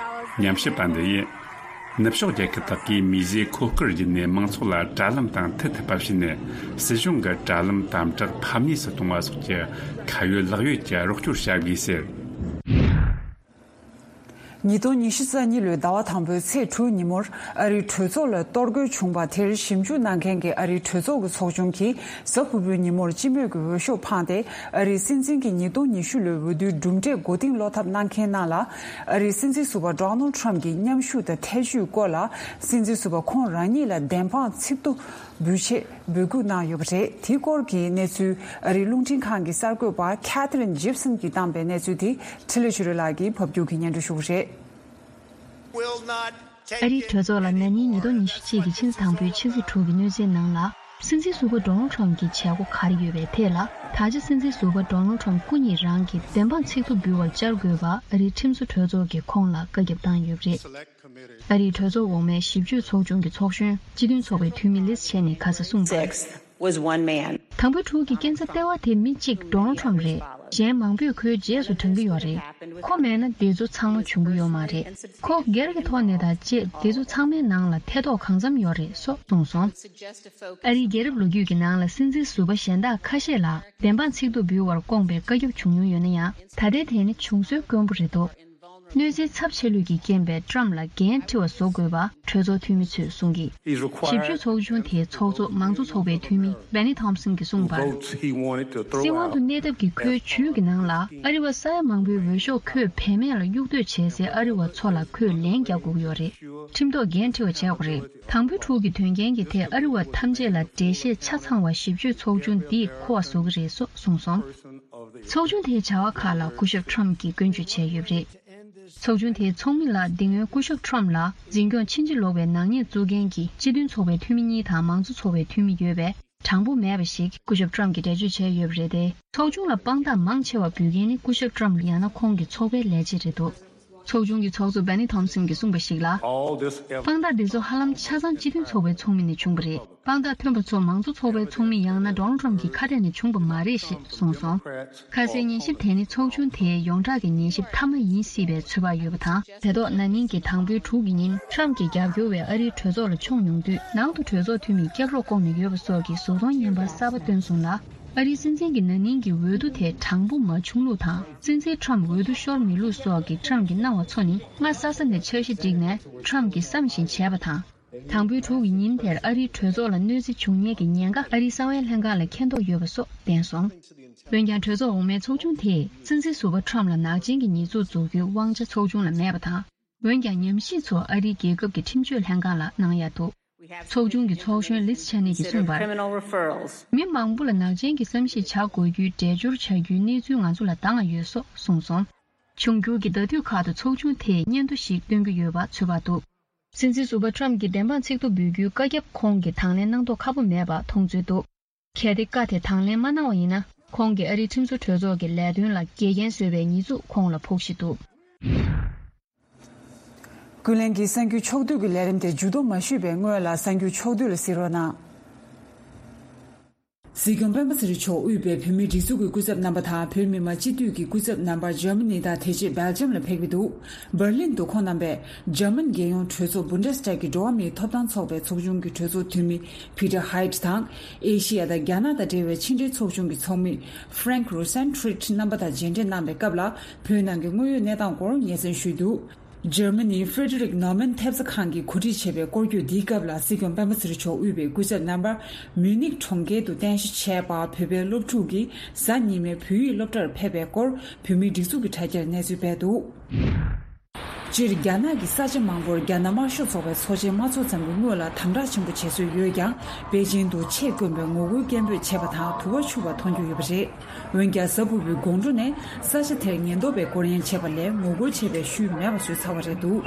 ཉམས་ཞིབ་པ་འདི་ཡིས། ནུབ་ཕྱོགས་རྒྱལ་ཁབ་དག་གིས་མིས་བཟོས་མཁོ་དཀར་བརྒྱུད་ནས་མང་ཚོགས་ལ་དྲ་ལམ་དང་མཐུད་ཐུབ་པ་བྱས་ནས། སྲིད་གཞུང་གི་དྲ་ལམ་དམ་དྲག་ཕམ་ཉེས་སུ་གཏོང་བ་སོགས་ཀྱི་ཁ་ཡོད་ལག་ཡོད་ཀྱི་རོགས་སྐྱོར་བྱ་དགོས་ཟེར། ཉིས་སྟོང་ཉི་ཤུ་རྩ་གཉིས་ལོའི་ཟླ་བ་དང་པོའི་ཚེས་དྲུག་ཉིན་མོར། ཨ་རིའི་གྲོས་ཚོགས་ལ་གཏོར་རྒོལ་བྱུང་བ་དེར་ཞིབ་འཇུག་གནང་མཁན་གྱི་ཨ་རིའི་གྲོས་ཚོགས་ཀྱི་ཚོགས་ཆུང་གིས་གཟའ་ཕུར་བུའི་ཉིན་མོར་སྤྱི་མོས་ཀྱི་འོས་ཤོག་འཕངས་ཏེ། ཨ་རིའི་སྲིད་འཛིན་གྱི་ཉིས་སྟོང་ཉི་ཤུ་ལོའི་འོས་བསྡུའི་གྲུབ་འབྲས་མགོ་རྟིང་སློག་ཐབས་གནང་མཁན་རྣམས་ལ། ཨ་རིའི་སྲིད་འཛིན་ཟུར་པ་ཌོ་ནལ་ཊམ་གྱི་མཉམ་ཞུགས་དང་ཐེ་བྱུས་སྐོར་ལ། སྲིད་འཛིན་ཟུར་པ་ཁོང་རང་ཉིད་ལ་བདེན་དཔང་ཚིག་ཐོ་འབུལ་ཆེད་འབོད་སྐུལ་གནང་ཡོད་པ་རེད། དེའི་སྐོར་གྱི་གནས་ཚུལ། ཨ་རིའི་རླུང་འཕྲིན་ཁང་གི་གསར་འགོད་པ་ཁེ་ཐི་རིན་ཇིབ་སན་གྱིས་བཏང་པའི་གནས་ཚུལ་དེ་འཕྲིན་ལས་ཆོས་སྒྲོན་ལགས་ཀྱིས་ཕབ་སྒྱུར་གྱིས་སྙན་སྒྲོན་ཞུ་གི་རེད། ཨ་རིའི་གྲོས་ཚོགས་ལ་ན་ནིང་ཉིས་སྟོང་ཉི་ཤུ་གཅིག་གི་ཕྱི་ཟླ་དང་པོའི་ཕྱི་ཚེས་དྲུག་གི་གནས་ཚུལ་ནང་ལ། སྲིད་འཛིན་ཟུར་པ་ཌོ་ནལ་ཊམ་གྱི་བྱེད་སྒོ་ག་རེ་ཡོད་པའི་ཐད་ལ། ད་ཆ་སྲིད་འཛིན་ཟུར་པ་ཌོ་ནལ་ཊམ་སྐུ་ཉིད་རང་གིས་བདེན་དཔང་ཚིག་ཐོ་འབུལ་བར་བཅར་དགོས་པ། ཨ་རིའི་ཁྲིམས་བཟོ་གྲོས་ཚོགས་ཀྱིས་ཁོང་ལ་བཀའ་ཁྱབ་བཏང་ཡོད་པ་རེད། ཨ་རིའི་གྲོས་ཚོགས་འོག་མའི་ཞིབ་དཔྱོད་ཚོགས་ཆུང་གི་ཚོགས་གཞོན་སྤྱི་མཐུན་ཚོགས་པའི་འཐུས་མི་ལིས་ཆེན་ནས་ཁ་སང་གསུངས་པར། Six was one man. དང་པོ་དྲུག་གི་རྐྱེན་རྩ་ལྟེ་བ་དེ་མི་གཅིག་ཌོ་ནལ་ཊམ་རེད། གཞན་མང་པོས་ཁོའི་རྗེས་སུ་འབྲང་གི་ཡོད་རེད། ཁོ་མེད་ན་འདི་ཚོ་ཚང་མ་བྱུང་གི་ཡོད་མ་རེད། ཁོ་སྒེར་གྱི་ཐོག་ནས་དང་བཅས་འདི་ཚོ་ཚང་མའི་ནང་ལ་ཐེ་གཏོགས་གང་འཚམ་ཡོད་རེད་སོགས་གསུངས་སོང་། ཨ་རིའི་རྒྱལ་རབས་ལོ་རྒྱུས་ཀྱི་ནང་ལ་སྲིད་འཛིན་ཟུར་པ་གཞན་དག་ཁ་ཤས་ལ་བདེན་དཔང་ཚིག་ཐོ་འབུལ་བར་བསྐོངས་པའི་བཀའ་ཁྱབ་བྱུང་མྱོང་ཡོད་ན་ཡང་། ད་ལྟའི་དེ་ནི་བྱུང་སྲོལ་དཀོན་པོ་རེད་འདུག་གནོད་འཚེའི་ཚབས་ཆེ་ལོས་ཀྱིས་རྐྱེན་པས་ཊམ་ལ་འགན་འཁྲི་བ་བཟོ་དགོས་པ་གྲོས་ཚོགས་འཐུས་མི་ཚོས་གསུངས་ཀྱིས། ཞིབ་དཔྱོད་ཚོགས་ཆུང་དེའི་ཚོགས་གཙོ་མང་གཙོ་ཚོགས་པའི་འཐུས་མི་བེ་ནི་ཐོམ་སན་གྱིས་གསུངས་པར། སྲིད་དབང་དུ་གནས་ཐབས་ཀྱི་ཁོའི་ཇུས་ཀྱི་ནང་ལ། ཨ་རི་བ་ས་ཡ་མང་པོའི་འོས་ཤོག་ཁོས་བེད་མེད་ལ་གཡུག་གཏོད་བྱས་སའི་ཨ་རི་བ་ཚོ་ལ་ཁོས་ལན་རྒྱག་དགོས་ཀྱི་ཡོད་རེད། ཁྲིམས་ཐོག་འགན་འཁྲི་བ་བྱེད་དགོས་རེད། དང་པོའི་དྲུག་གི་དོན་རྐྱེན་གྱི་ཐད་ཨ་རི་བ་ཐམས་ཅད་ལ་འགྲེལ་བཤད་ཆ་ཚང་བ་ཞིབ་དཔྱོད་ཚོགས་ཆུང་འདིས་མཁོ་བ་བཟོ་གི་རེད་སོགས་གསུངས་སོང་། ཚོགས་ཆུང་དེའི་བྱ་བ་ཁག་ལ་སྐུ་ཞབས་ཊམ་གྱིས་སྐྱོན་བརྗོད་བྱས་ཡོད་པ་རེད། ཚོགས་ཆུང་དེའི་ཚོགས་མི་ལ་འདི་སྔོན་སྐུ་ཞབས་ཊམ་ལ་འཛིན་སྐྱོང་ཕྱིན་ཅི་ལོག་པའི་ནག་ཉེས་བཙུགས་མཁན་གྱི་སྤྱི་མཐུན་ཚོགས་པའི་འཐུས་མི་གཉིས་དང་མང་གཙོ་ཚོགས་པའི་འཐུས་མི་ཡོད་པས། དྲང་པོ་མེད་པ་ཞིག་སྐུ་ཞབས་ཊམ་གྱིས་འགྲེལ་བརྗོད་བྱས་ཡོད་པ་རེད་དེ། ཚོགས་ཆུང་ལ་དཔང་རྟགས་མང་ཆེ་བ་འབུལ་མཁན་ནི་སྐུ་ཞབས་ཊམ་ཡང་ན་ཁོང་གི་ཚོགས་པའི་ལས་བྱེད་རེད་འདུག་ཚོགས་ཆུང་གི་ཚོགས་གཙོ་བེ་ནི་ཐོམ་སན་གྱིས་གསུངས་པ་ཞིག་ལ། དཔང་རྟགས་འདི་ཚོ་ཧ་ལམ་ཆ་ཚང་སྤྱི་མཐུན་ཚོགས་པའི་ཚོགས་མི་ནས་བྱུང་བ་རེད། དཔང་རྟགས་ཐོན་པ་ཚོ་མང་གཙོ་ཚོགས་པའི་ཚོགས་མི་ཡང་ན་ཌོ་ནལ་ཊམ་གྱི་ཁ་གཏད་ནས་བྱུང་བ་མ་རེད་ཞེས་གསུངས་སོང་། ཁ་སའི་ཉན་ཞིབ་དེ་ནི་ཚོགས་ཆུང་དེའི་ཡོངས་གྲགས་ཀྱི་ཉན་ཞིབ་མཐའ་མ་ཡིན་སྲིད་པའི་ཚོད་དཔག་ཡོད་པ་དང་། དེ་ཐོག་ན་ནིང་གི་དང་པོའི་དྲུག་གི་ཉིན་ཊམ་གྱི་རྒྱབ་སྐྱོར་བས་ཨ་རིའི་གྲོས་ཚོགས་ལ་མཆོངས་ཡོང་དུས། ནང་དུ་གྲོས་ཚོགས་འཐུས་མིས་སྐྱབས་རོགས་བསྐོང་ནས་ཡོད་པ་སོགས་ཀྱི་གཟུགས་མཐོང་བརྙན་པར་གསར་པ་བཏོན་སོང་ལ། ཨ་རིའི་སྲིད་འཛིན་གྱི་ན་ནིང་གི་འོས་བསྡུ་དེ་དྲང་པོ་མ་བྱུང་ལུགས་དང་། སྲིད་འཛིན་ཊམ་འོས་བསྡུ་ཤོར་མེད་ལུགས་སོགས་ཀྱི་ཊམ་གྱི་གནང་བ་ཚོ་ནི་སྔ་ས་ས་ནས་འཆར་གཞི་བསྒྲིགས་ནས་ཊམ་གྱིས་བསམ་བཞིན་བྱས་པ་དང་། དང་པོའི་དྲུག་གི་ཉིན་དེར་ཨ་རིའི་གྲོས་ཚོགས་ལ་གནོད་འཚེ་བྱུང་ཉེན་གྱི་ཉེན་ཁ་ཨ་རིའི་གསང་བའི་ལྷན་ཁང་ལ་མཁྱེན་རྟོགས་ཡོད་པ་སོགས་བསྟན་སོང་། འོན་ཀྱང་གྲོས་ཚོགས་འོག་མའི་ཚོགས་ཆུང་དེས་སྲིད་འཛིན་ཟུར་པ་ཁྲམ་ལ་ནག་ཅན་གྱི་ཉེས་འཛུགས་འཛུགས་རྒྱུའི་དབང་ཆ་ཚོགས་ཆུང་ལ་མེད་པ་དང་། འོན་ཀྱང་ཉམས་ཞིབ་ཚོ་ཨ་རིའི་རྒྱལ་ཁབ་ཀྱི་ཁྲིམས་གཅོད་ལྷན་ཁང་ལ་གནང་ཡ་འདུག་ཚོགས་ཆུང་གི་ཚོགས་གཞོན་ལིས་ཆ་ནི་གིས་གསུངས་པར། མི་མང་པོ་ལ་ནག་ཅན་གྱི་བསམ་གཞིག་བྱ་དགོས་རྒྱུའི་འགྲེལ་སྦྱོར་བྱ་རྒྱུའི་གནས་ཚུལ་ང་ཚོ་ལ་འདང་ཡོད་སོགས་གསུངས་སོང་། འབྱུང་འགྱུར་གྱི་ཟླ་དུས་ཁག་ཏུ་ཚོགས་ཆུང་དེས་སྙན་ཐོ་ཞིག་བཏོན་གྱི་ཡོད་པ་ཚོད་དཔག་འདུག་སྲིད་འཛིན་ཟུར་པ་ཁྲམ་གྱིས་བདེན་དཔང་ཚིག་ཐོ་འབུལ་རྒྱུའི་བཀའ་ཁྱབ་ཁོང་གིས་དང་ལེན་གནང་མདོག་ཁ་པོ་མེད་པ་མཐོང་ཚུལ་འདུག་གལ་ཏེ་བཀའ་དེ་དང་ལེན་མ་གནང་བ་ཡིན་ན། ཁོང་གིས་ཨ་རིའི་ཁྲིམས་བཟོ་གྲོས་ཚོགས་ཀྱི་ལས་དོན་ལ་འགལ་རྐྱེན་བཟོས་པའི་ཉེས་འཛུགས་ཁོང་ལ་ཕོག་གཞི་འདུག་ཀུན་གླེང་གི་གསར་འགྱུར་ཕྱོགས་བསྡུས་ཀྱི་ལས་རིམ་དེ་མཇུག་བསྡོམས་མ་ཞུས་པའི་སྔོན་ལ་གསར་འགྱུར་ཕྱོགས་བསྡུས་ལ་གཟིགས་རོགས་གནང་། སྲིད་སྐྱོང་སྤེན་པ་ཚེ་རིང་མཆོག་དབུས་པའི་བོད་མིའི་སྒྲིག་འཛུགས་ཀྱི་སྐུ་ཚབ་རྣམ་པ་དང་བོད་མི་མང་སྤྱི་འཐུས་ཀྱི་སྐུ་ཚབ་རྣམ་པ་འཇར་མ་ནི་དང་དེ་རྗེས་སྦེལ་ཇམ་ལ་ཕེབས་ཀྱི་འདུག་འབར་ལིན་དུ་ཁོང་རྣམ་པས་འཇར་མན་རྒྱལ་ཡོངས་གྲོས་ཚོགས་Bundestag གི་འགྲོ་བ་མིའི་ཐོབ་ཐང་ཚོགས་པའི་ཚོགས་ཆུང་གི་གྲོས་ཚོགས་འཐུས་མི་Peter Haid དང་། ཨེ་ཤི་ཡ་དང་རྒྱ་ནག་དང་འབྲེལ་བའི་ཕྱི་འབྲེལ་ཚོགས་ཆུང་གི་ཚོགས་མི་Frank Rosentritt རྣམ་པ་དང་མཇལ་འཕྲད་གནང་བའི་སྐབས་ལ། བོད་ནང་གི་དངོས་ཡོད་གནས་སྟངས་སྐོར་སྙན་སེང་ཞུས་འདུག་འཇར་མ་ནིའི་Friedrich Naumann ཐེབས་རྩ་ཁང་གིས་གོ་སྒྲིག་བྱས་པའི་སྐོར་སྐྱོད་འདིའི་སྐབས་ལ། སྲིད་སྐྱོང་སྤེན་པ་ཚེ་རིང་མཆོག་དབུས་པའི་སྐུ་ཚབ་རྣམ་པར་མིའུ་ནིག་གྲོང་ཁྱེར་དུ་རྟེན་གཞི་བྱས་པ་བོད་པའི་སློབ་ཕྲུག་གིས་གཟའ་ཉི་མའི་བོད་ཡིག་སློབ་གྲྭར་ཕེབས་པའི་སྐོར་བོད་མིའི་སྒྲིག་འཛུགས་ཀྱི་དྲ་རྒྱར་གནས་ཚུལ་སྤེལ་འདུག་སྤྱིར་རྒྱ་ནག་གི་ས་ཆ་མང་པོར་རྒྱ་ནག་དམར་ཤོག་ཚོགས་པའི་ཚོགས་ཆེན་མ་ཚོགས་ཙམ་གྱི་སྔོན་ལ་དམ་དྲག་ཆེན་པོ་བྱེད་སྲོལ་ཡོད་ཀྱང་། པེ་ཅིང་དུ་ཆེད་བསྐོན་པའི་ངོ་རྒོལ་སྐད་འབོད་བྱས་པ་དང་དུ་བ་འཕྱུར་བ་མཐོང་རྒྱུ་ཡོད་པ་རེད། འོན་ཀྱང་། གཟའ་ཕུར་བུའི་དགོང་དྲོ་ནས་ས་ཆ་དེར་ཉེན་རྟོག་པས་སྐོར་གཡེང་བྱས་པ་ལས་ངོ་རྒོལ་བྱས་པའི་ཤུལ་མེད་པ་བཟོས་ཚར་བ་རེད་འདུག་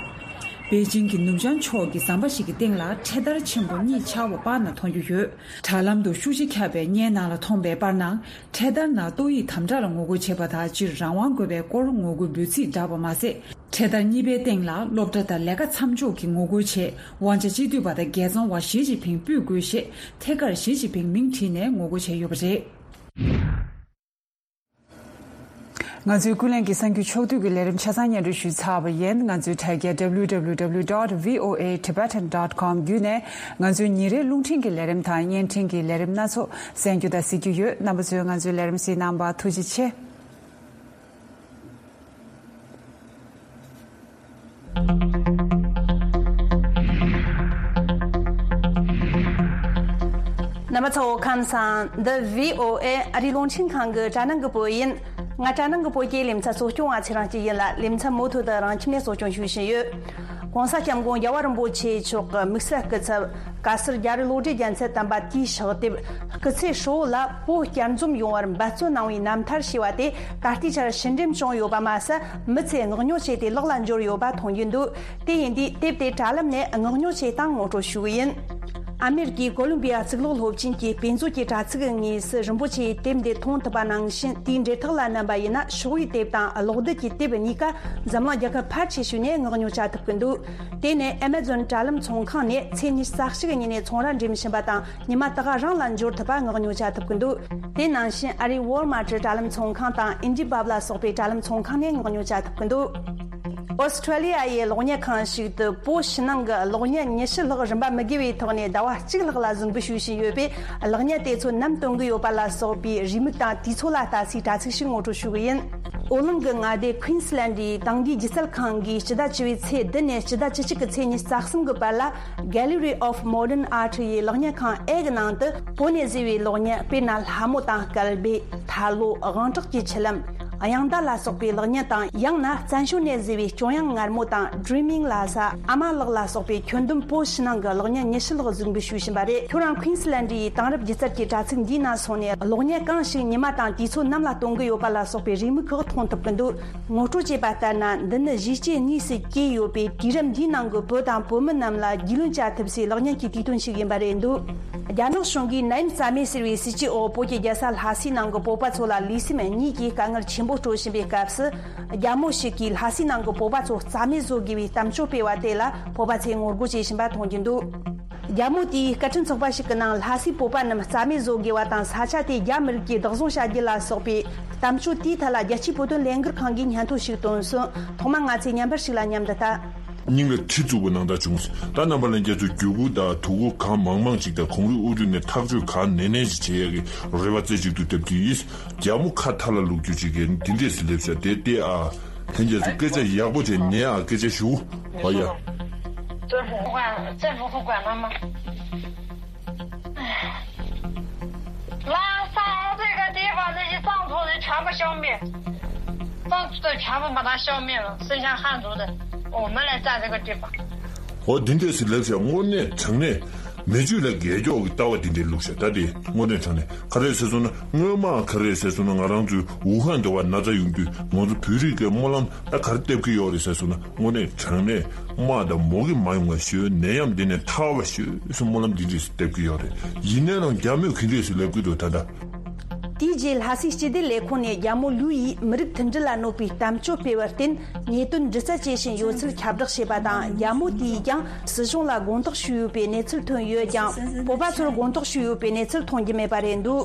པེ་ཅིང་གི་ནུབ་བྱང་ཕྱོགས་ཀྱི་ཟམ་པ་ཞིག་གི་སྟེང་ལ་འཕྲེད་དར་ཆེན་པོ་གཉིས་འཕྱར་བ་པར་ན་མཐོང་རྒྱུ་ཡོད། དྲ་ལམ་དུ་ཤུགས་ཆེ་ཁྱབ་པའི་བརྙན་ནང་ལ་མཐོང་པའི་པར་ནང་། འཕྲེད་དར་ནང་ཏོག་དབྱིབས་དམ་དྲག་ལ་ངོ་རྒོལ་བྱེད་པ་དང་སྤྱིར་རང་དབང་དགོས་པའི་སྐོར་ངོ་རྒོལ་འབོད་ཚིག་བསྒྲགས་པ་མ་ཟད། འཕྲེད་དར་གཉིས་པའི་སྟེང་ལ་སློབ་གྲྭ་དང་ལས་ཀ་མཚམས་འཇོག་གི་ངོ་རྒོལ་ཆེད་དབང་ཆ་སྤྱི་འཐུས་པ་དང་རྒྱལ་བཙོང་བ་ཞི་ཅིན་ཕིང་སྤུད་དགོས་ཞེས་ཐད་ཀར་ཞི་ཅིན་ཕིང་མིང་བྲིས་ནས་ངོ་རྒོལ་བྱས་ཡོད་པ་རེད། ང་ཚོའི་ཀུན་གླེང་གི་གསར་འགྱུར་ཕྱོགས་བསྡུས་ཀྱི་ལས་རིམ་ཆ་ཚང་སྙན་སྒྲོན་ཞུས་ཚར་བ་ཡིན། ང་ཚོའི་དྲ་རྒྱ་W W W dot V O A Tibetan dot com བརྒྱུད་ནས་ང་ཚོའི་ཉིན་རེའི་རླུང་འཕྲིན་གྱི་ལས་རིམ་དང་བརྙན་འཕྲིན་གྱི་ལས་རིམ་སྣ་ཚོགས་གསན་རྒྱུ་དང་གཟིགས་རྒྱུ་ཡོད། རྣམ་པ་ཚོས་ང་ཚོའི་ལས་རིམ་གཟིགས་གནང་བར་ཐུགས་རྗེ་ཆེ། རྣམ་པ་ཚོ་ཁམས་བཟང་། འདི་V O A ཨ་རིའི་རླུང་འཕྲིན་ཁང་གི་དྲ་ནང་གི་བོད་ཡིན། ང་དྲ་ནང་གི་བོད་ཀྱི་ལེ་ཚན་གཙོ་སྐྱོང་བ་ཚེ་རིང་སྐྱིད་ཡིན་ལ། ལེ་ཚན་མུ་མཐུད་དུ་རང་ཁྱིམ་ནས་གཙོ་སྐྱོང་ཞུ་བཞིན་ཡོད། ༸གོང་ས་༸སྐྱབས་མགོན་རྒྱལ་བ་རིན་པོ་ཆེ་མཆོག་གི་དམིགས་བསལ་སྐུ་ཚབ་བཀའ་ཟུར་རྒྱ་རི་བློ་གྲོས་རྒྱལ་མཚན་དམ་པ་དེའི་ཕྱག་དེབ་སྐུ་ཚེ་ཧྲིལ་བོ་ལ་བོད་བསྐྱར་འཛོམས་ཡོང་བར་འབད་བརྩོན་གནང་བའི་རྣམ་ཐར་ཞེས་པ་དེ་ད་ལྟའི་ཆར་ཕྱིར་འགྲེམས་བྱུང་ཡོད་པ་མ་ཟད། མི་ཚོས་མངགས་ཉོ་བྱས་ཏེ་ལག་ལ་འབྱོར་ཡོད་པ་མཐོང་རྒྱུ་འདུག་དེ་ཡིན་དུས་དེབ་དེ་དྲ་ལམ་ནས་མངགས་ཉོ་བྱེད་སྟངས་ངོ་སྤྲོད་ཞུ་གི་ཡིན། ཨ་མེ་རི་ཀའི་ཀོ་ལོམ་བི་ཡ་གཙུག་ལག་སློབ་ཆེན་གྱི་དཔེ་མཛོད་ཀྱི་དྲ་ཚིགས་དངོས་སུ་རིན་པོ་ཆེའི་དེབ་འདི་མཐོང་ཐུབ་པ་ནང་བཞིན། དེའི་འབྲེལ་ཐག་ལ་མནན་པ་ཡིན་ན། ཤོག་བུའི་དེབ་དང་གློག་རྡུལ་གྱི་དེབ་གཉིས་ཀ་འཛམ་གླིང་རྒྱལ་ཁབ་ཕལ་ཆེ་ཤོས་ནས་མངགས་ཉོ་བྱ་ཐུབ་ཀྱི་འདུག་དེ་ནི་Amazon དྲ་ལམ་ཚོང་ཁང་ནས་ཚེས་ཉི་ཤུ་རྩ་གཅིག་ཉིན་ནས་ཚོང་ར་འགྲིམ་བཞིན་པ་དང་། ཉི་མ་ད་ག་རང་ལ་འབྱོར་ཐུབ་པ་མངགས་ཉོ་བྱ་ཐུབ་ཀྱི་འདུག་དེ་ནང་བཞིན་ཨ་རིའི་Walmart དྲ་ལམ་ཚོང་ཁང་དང་IndiePub ལ་སོགས་པའི་དྲ་ལམ་ཚོང་ཁང་ནས་མངགས་ཉོ་བྱ་ཐུབ་ཀྱི་འདུག་ཨོ་སི་ཁྲུ་ལི་ཡ་ཡི་གློག་བརྙན་ཁང་ཞིག་ཏུ་བོད་ཕྱི་ནང་གི་གློག་བརྙན་ཉི་ཤུ་ལྷག་རིན་པ་མི་དགོས་པའི་ཐོག་ནས་ཟླ་བ་གཅིག་ལྷག་ལ་གཟིགས་འབུལ་ཞུ་བཞིན་ཡོད་པས། གློག་བརྙན་དེ་ཚོ་ནམ་སྟོན་གྱི་ཡོད་པ་ལ་སོགས་པའི་རེའུ་མིག་དང་དུས་ཚོད་ལ་ལྟ་སའི་དྲ་ཚིགས་ཤིག་ངོ་སྤྲོད་ཞུ་གི་ཡིན། ཨོ་གླིང་གི་མངའ་སྡེ་Queensland ཡི་དེང་དུས་སྒྱུ་རྩལ་ཁང་གིས་སྤྱི་ཟླ་བཅུ་པའི་ཚེས་བདུན་ནས་སྤྱི་ཟླ་བཅུ་གཅིག་གི་ཚེས་ཉི་ཤུ་རྩ་གསུམ་གྱི་བར་ལ། Gallery of Modern Art ཡི་གློག་བརྙན་ཁང་ཨེ་གི་ནང་དུ་བོད་ནས་བཟོས་པའི་གློག་བརྙན། དཔེར་ན། ལྷ་མོ་དང་སྐལ་བྷེ། ཐར་ལོ། དབང་དྲག་གི་ཆུ་ལམ། དབྱངས་རྟ་ལ་སོགས་པའི་གློག་བརྙན་དང་། ཡང་ན་བཙན་བྱོལ་ནས་བཟོས་པའི་སྐྱོ་དབྱངས་ངར་མོ་དང་། Dreaming ལ་ས། ཨ་མ་ལགས་ལ་སོགས་པའི་ཁྱོན་བསྡོམས་བོད་ཕྱི་ནང་གི་གློག་བརྙན་ཉི་ཤུ་ལྷག་གཟིགས་འབུལ་ཞུས་བཞིན་པ་རེད། ཁྱོད་རང་Queensland ཡི་དེང་རབས་སྒྱུ་རྩལ་གྱི་དྲ་ཚིགས་འདིའི་ནང་སོང་ནས། གློག་བརྙན་གང་ཞིག་ཉི་མ་དང་དུས་ཚོད་ནམ་ལ་སྟོན་གྱི་ཡོད་པ་ལ་སོགས་པའི་རེའུ་མིག་ཁག་མཐོང་ཐུབ་ཀྱི་འདུག་ངོ་སྤྲོད་བྱས་པ་ལྟར་ན། འདི་ནི་གཞིས་བྱེས་གཉིས་སུ་གྱེས་ཡོད་པའི་དུས་རབས་འདིའི་ནང་གི་བོད་དང་བོད་མི་རྣམས་ལ་རྒྱུས་ལོན་བྱ་ཐུབ་སའི་གློག་བརྙན་གྱི་དུས་སྟོན་ཞིག་ཡིན་པ་རེད་འདུག་རྒྱ་ནག་གཞུང་གིས་ནད་ཡམས་རྩ་མེད་ཟེར་བའི་སྲིད་ཇུས་འོག་བོད་ཀྱི་རྒྱལ་ས་ལྷ་སའི་ནང་གི་བོད་པ་ཚོ་ལ་ལུས་སེམས་གཉིས་ཀྱི་དཀའ་ངལ་ཆེན་པོ་སྤྲོད་བཞིན་པའི་སྐབས་སུ། རྒྱ་མོ་ཞིག་གིས་ལྷ་སའི་ནང་གི་བོད་པ་ཚོ་རྩ་མེད་བཟོ་དགོས་པའི་གཏམ་བརྗོད་སྤེལ་བ་དེ་ལ་བོད་པ་ཚོས་ངོ་རྒོལ་བྱེད་བཞིན་པ་མཐོང་རྒྱུ་འདུག་རྒྱ་མོ་དེས་སྐད་འཕྲིན་ཚོགས་པ་ཞིག་གི་ནང་ལྷ་སའི་བོད་པ་རྣམས་རྩ་མེད་བཟོ་དགོས་པ་དང་། ས་ཆ་དེ་རྒྱ་མི་རིགས་ཀྱིས་བདག་བཟུང་བྱ་རྒྱུ་ལ་སོགས་པའི་གཏམ་བརྗོད་དེའི་ཐད་ལ་རྒྱལ་སྤྱིའི་བོད་དོན་ལས་འགུལ་ཁང་གིས་སྙན་ཐོ་ཞིག་བཏོན་སོང་། ཐོག་མར་ང་ཚོས་མཉམ་པར་ཞིག་ལ་མཉམ་དུ་ལྟ། སྙིང་ལ་གྲི་བཙུགས་པ་ནང་ལྟར་བྱུང་། ད་རྣམ་པ་ལྷན་རྒྱས་ཚོ་རྒྱུ་གུ་དང་དོ་གུ་གང་མང་མང་ཅིག་དང་གངས་རིའི་དབུ་ཁྲིད་ནས་ཐག་གཅོད་གང་ནན་ནན་ཅིག་བྱེད་ཡག་གི་རེ་བ་རྩེ་གཅིག་ཏུ་བརྡབ་ཀྱི་ཡིན། རྒྱ་མོ་ཁ་མཐའ་ལ་ལུག་རྒྱུ་ཅིག་གིས་འདི་འདྲས་སུ་སླེབས་ཤག་དེ་ལྟས་ཨ། ལྷན་རྒྱས་ཚོ་སྐད་ཆ་ཡག་པོ་བྱས་ཉན་ཨ། སྐད་ཆ་ཞུ། ཨ་ཡ། 政府不管，政府不管他们。拉萨这个地方，那些藏族人全部消灭，藏族人全部把他消灭了，剩下汉族的，我们来占这个地方。 འོ་འདི་འདྲས་སུ་ལབ་བྱས། དངོས་གནས་དྲང་གནས་མི་ཆོས་ལ་རྒྱལ་སྐྱོག་གི་ལྟ་བ་འདི་འདྲས་བླུགས་བྱས། ད་དེ་དངོས་གནས་དྲང་གནས་ག་རེ་ཟེར་སོང་ན། སྔོན་མ་ག་རེ་ཟེར་སོང་ན། ང་རང་ཚོའི་ཝུ་ཧན་འདྲ་བ་ན་ཚ་ཡོང་དུས་ང་ཚོ་བོད་རིགས་ཀྱི་སྨོན་ལམ་ད་ག་རེ་བཏབ་ཀྱི་ཡོད་རེད་ཟེར་སོང་ན། དངོས་གནས་དྲང་གནས་དམག་དང་མུ་གེ་མ་ཡོང་བ་ཞུ། ནད་ཡམས་འདི་ནས་ཐར་བ་ཞུ་ཟེར་སྨོན་ལམ་འདི་འདྲས་སུ་བཏབ་ཀྱི་ཡོད་རེད། ཡིན་ན་ཡང་རྒྱ་མོས་ག་འདྲས་སུ་ལབ་ཀྱི་འདུག་ད་ལྟ། དེའི་རྗེས་ལྷ་སའི་སྤྱི་བདེ་ལས་ཁུངས་ནས་རྒྱ་མོ་ལུའུ་ཡིས་མི་རིགས་མཐུན་སྒྲིལ་ལ་གནོད་པའི་གཏམ་བརྗོད་སྤེལ་བར་བརྟེན། ཉེས་དོན་འདྲི་རྩད་བྱེད་བཞིན་ཡོད་ཚུལ་ཁྱབ་བསྒྲགས་བྱས་པ་དང་། རྒྱ་མོ་དེས་ཀྱང་སྲིད་གཞུང་ལ་དགོངས་དག་ཞུས་ཡོད་པའི་གནས་ཚུལ་ཐོན་ཡོད་ཀྱང་། བོད་པ་ཚོར་དགོངས་དག་ཞུས་ཡོད་པའི་གནས་ཚུལ་མཐོང་རྒྱུ་མེད་པ་རེད་འདུག།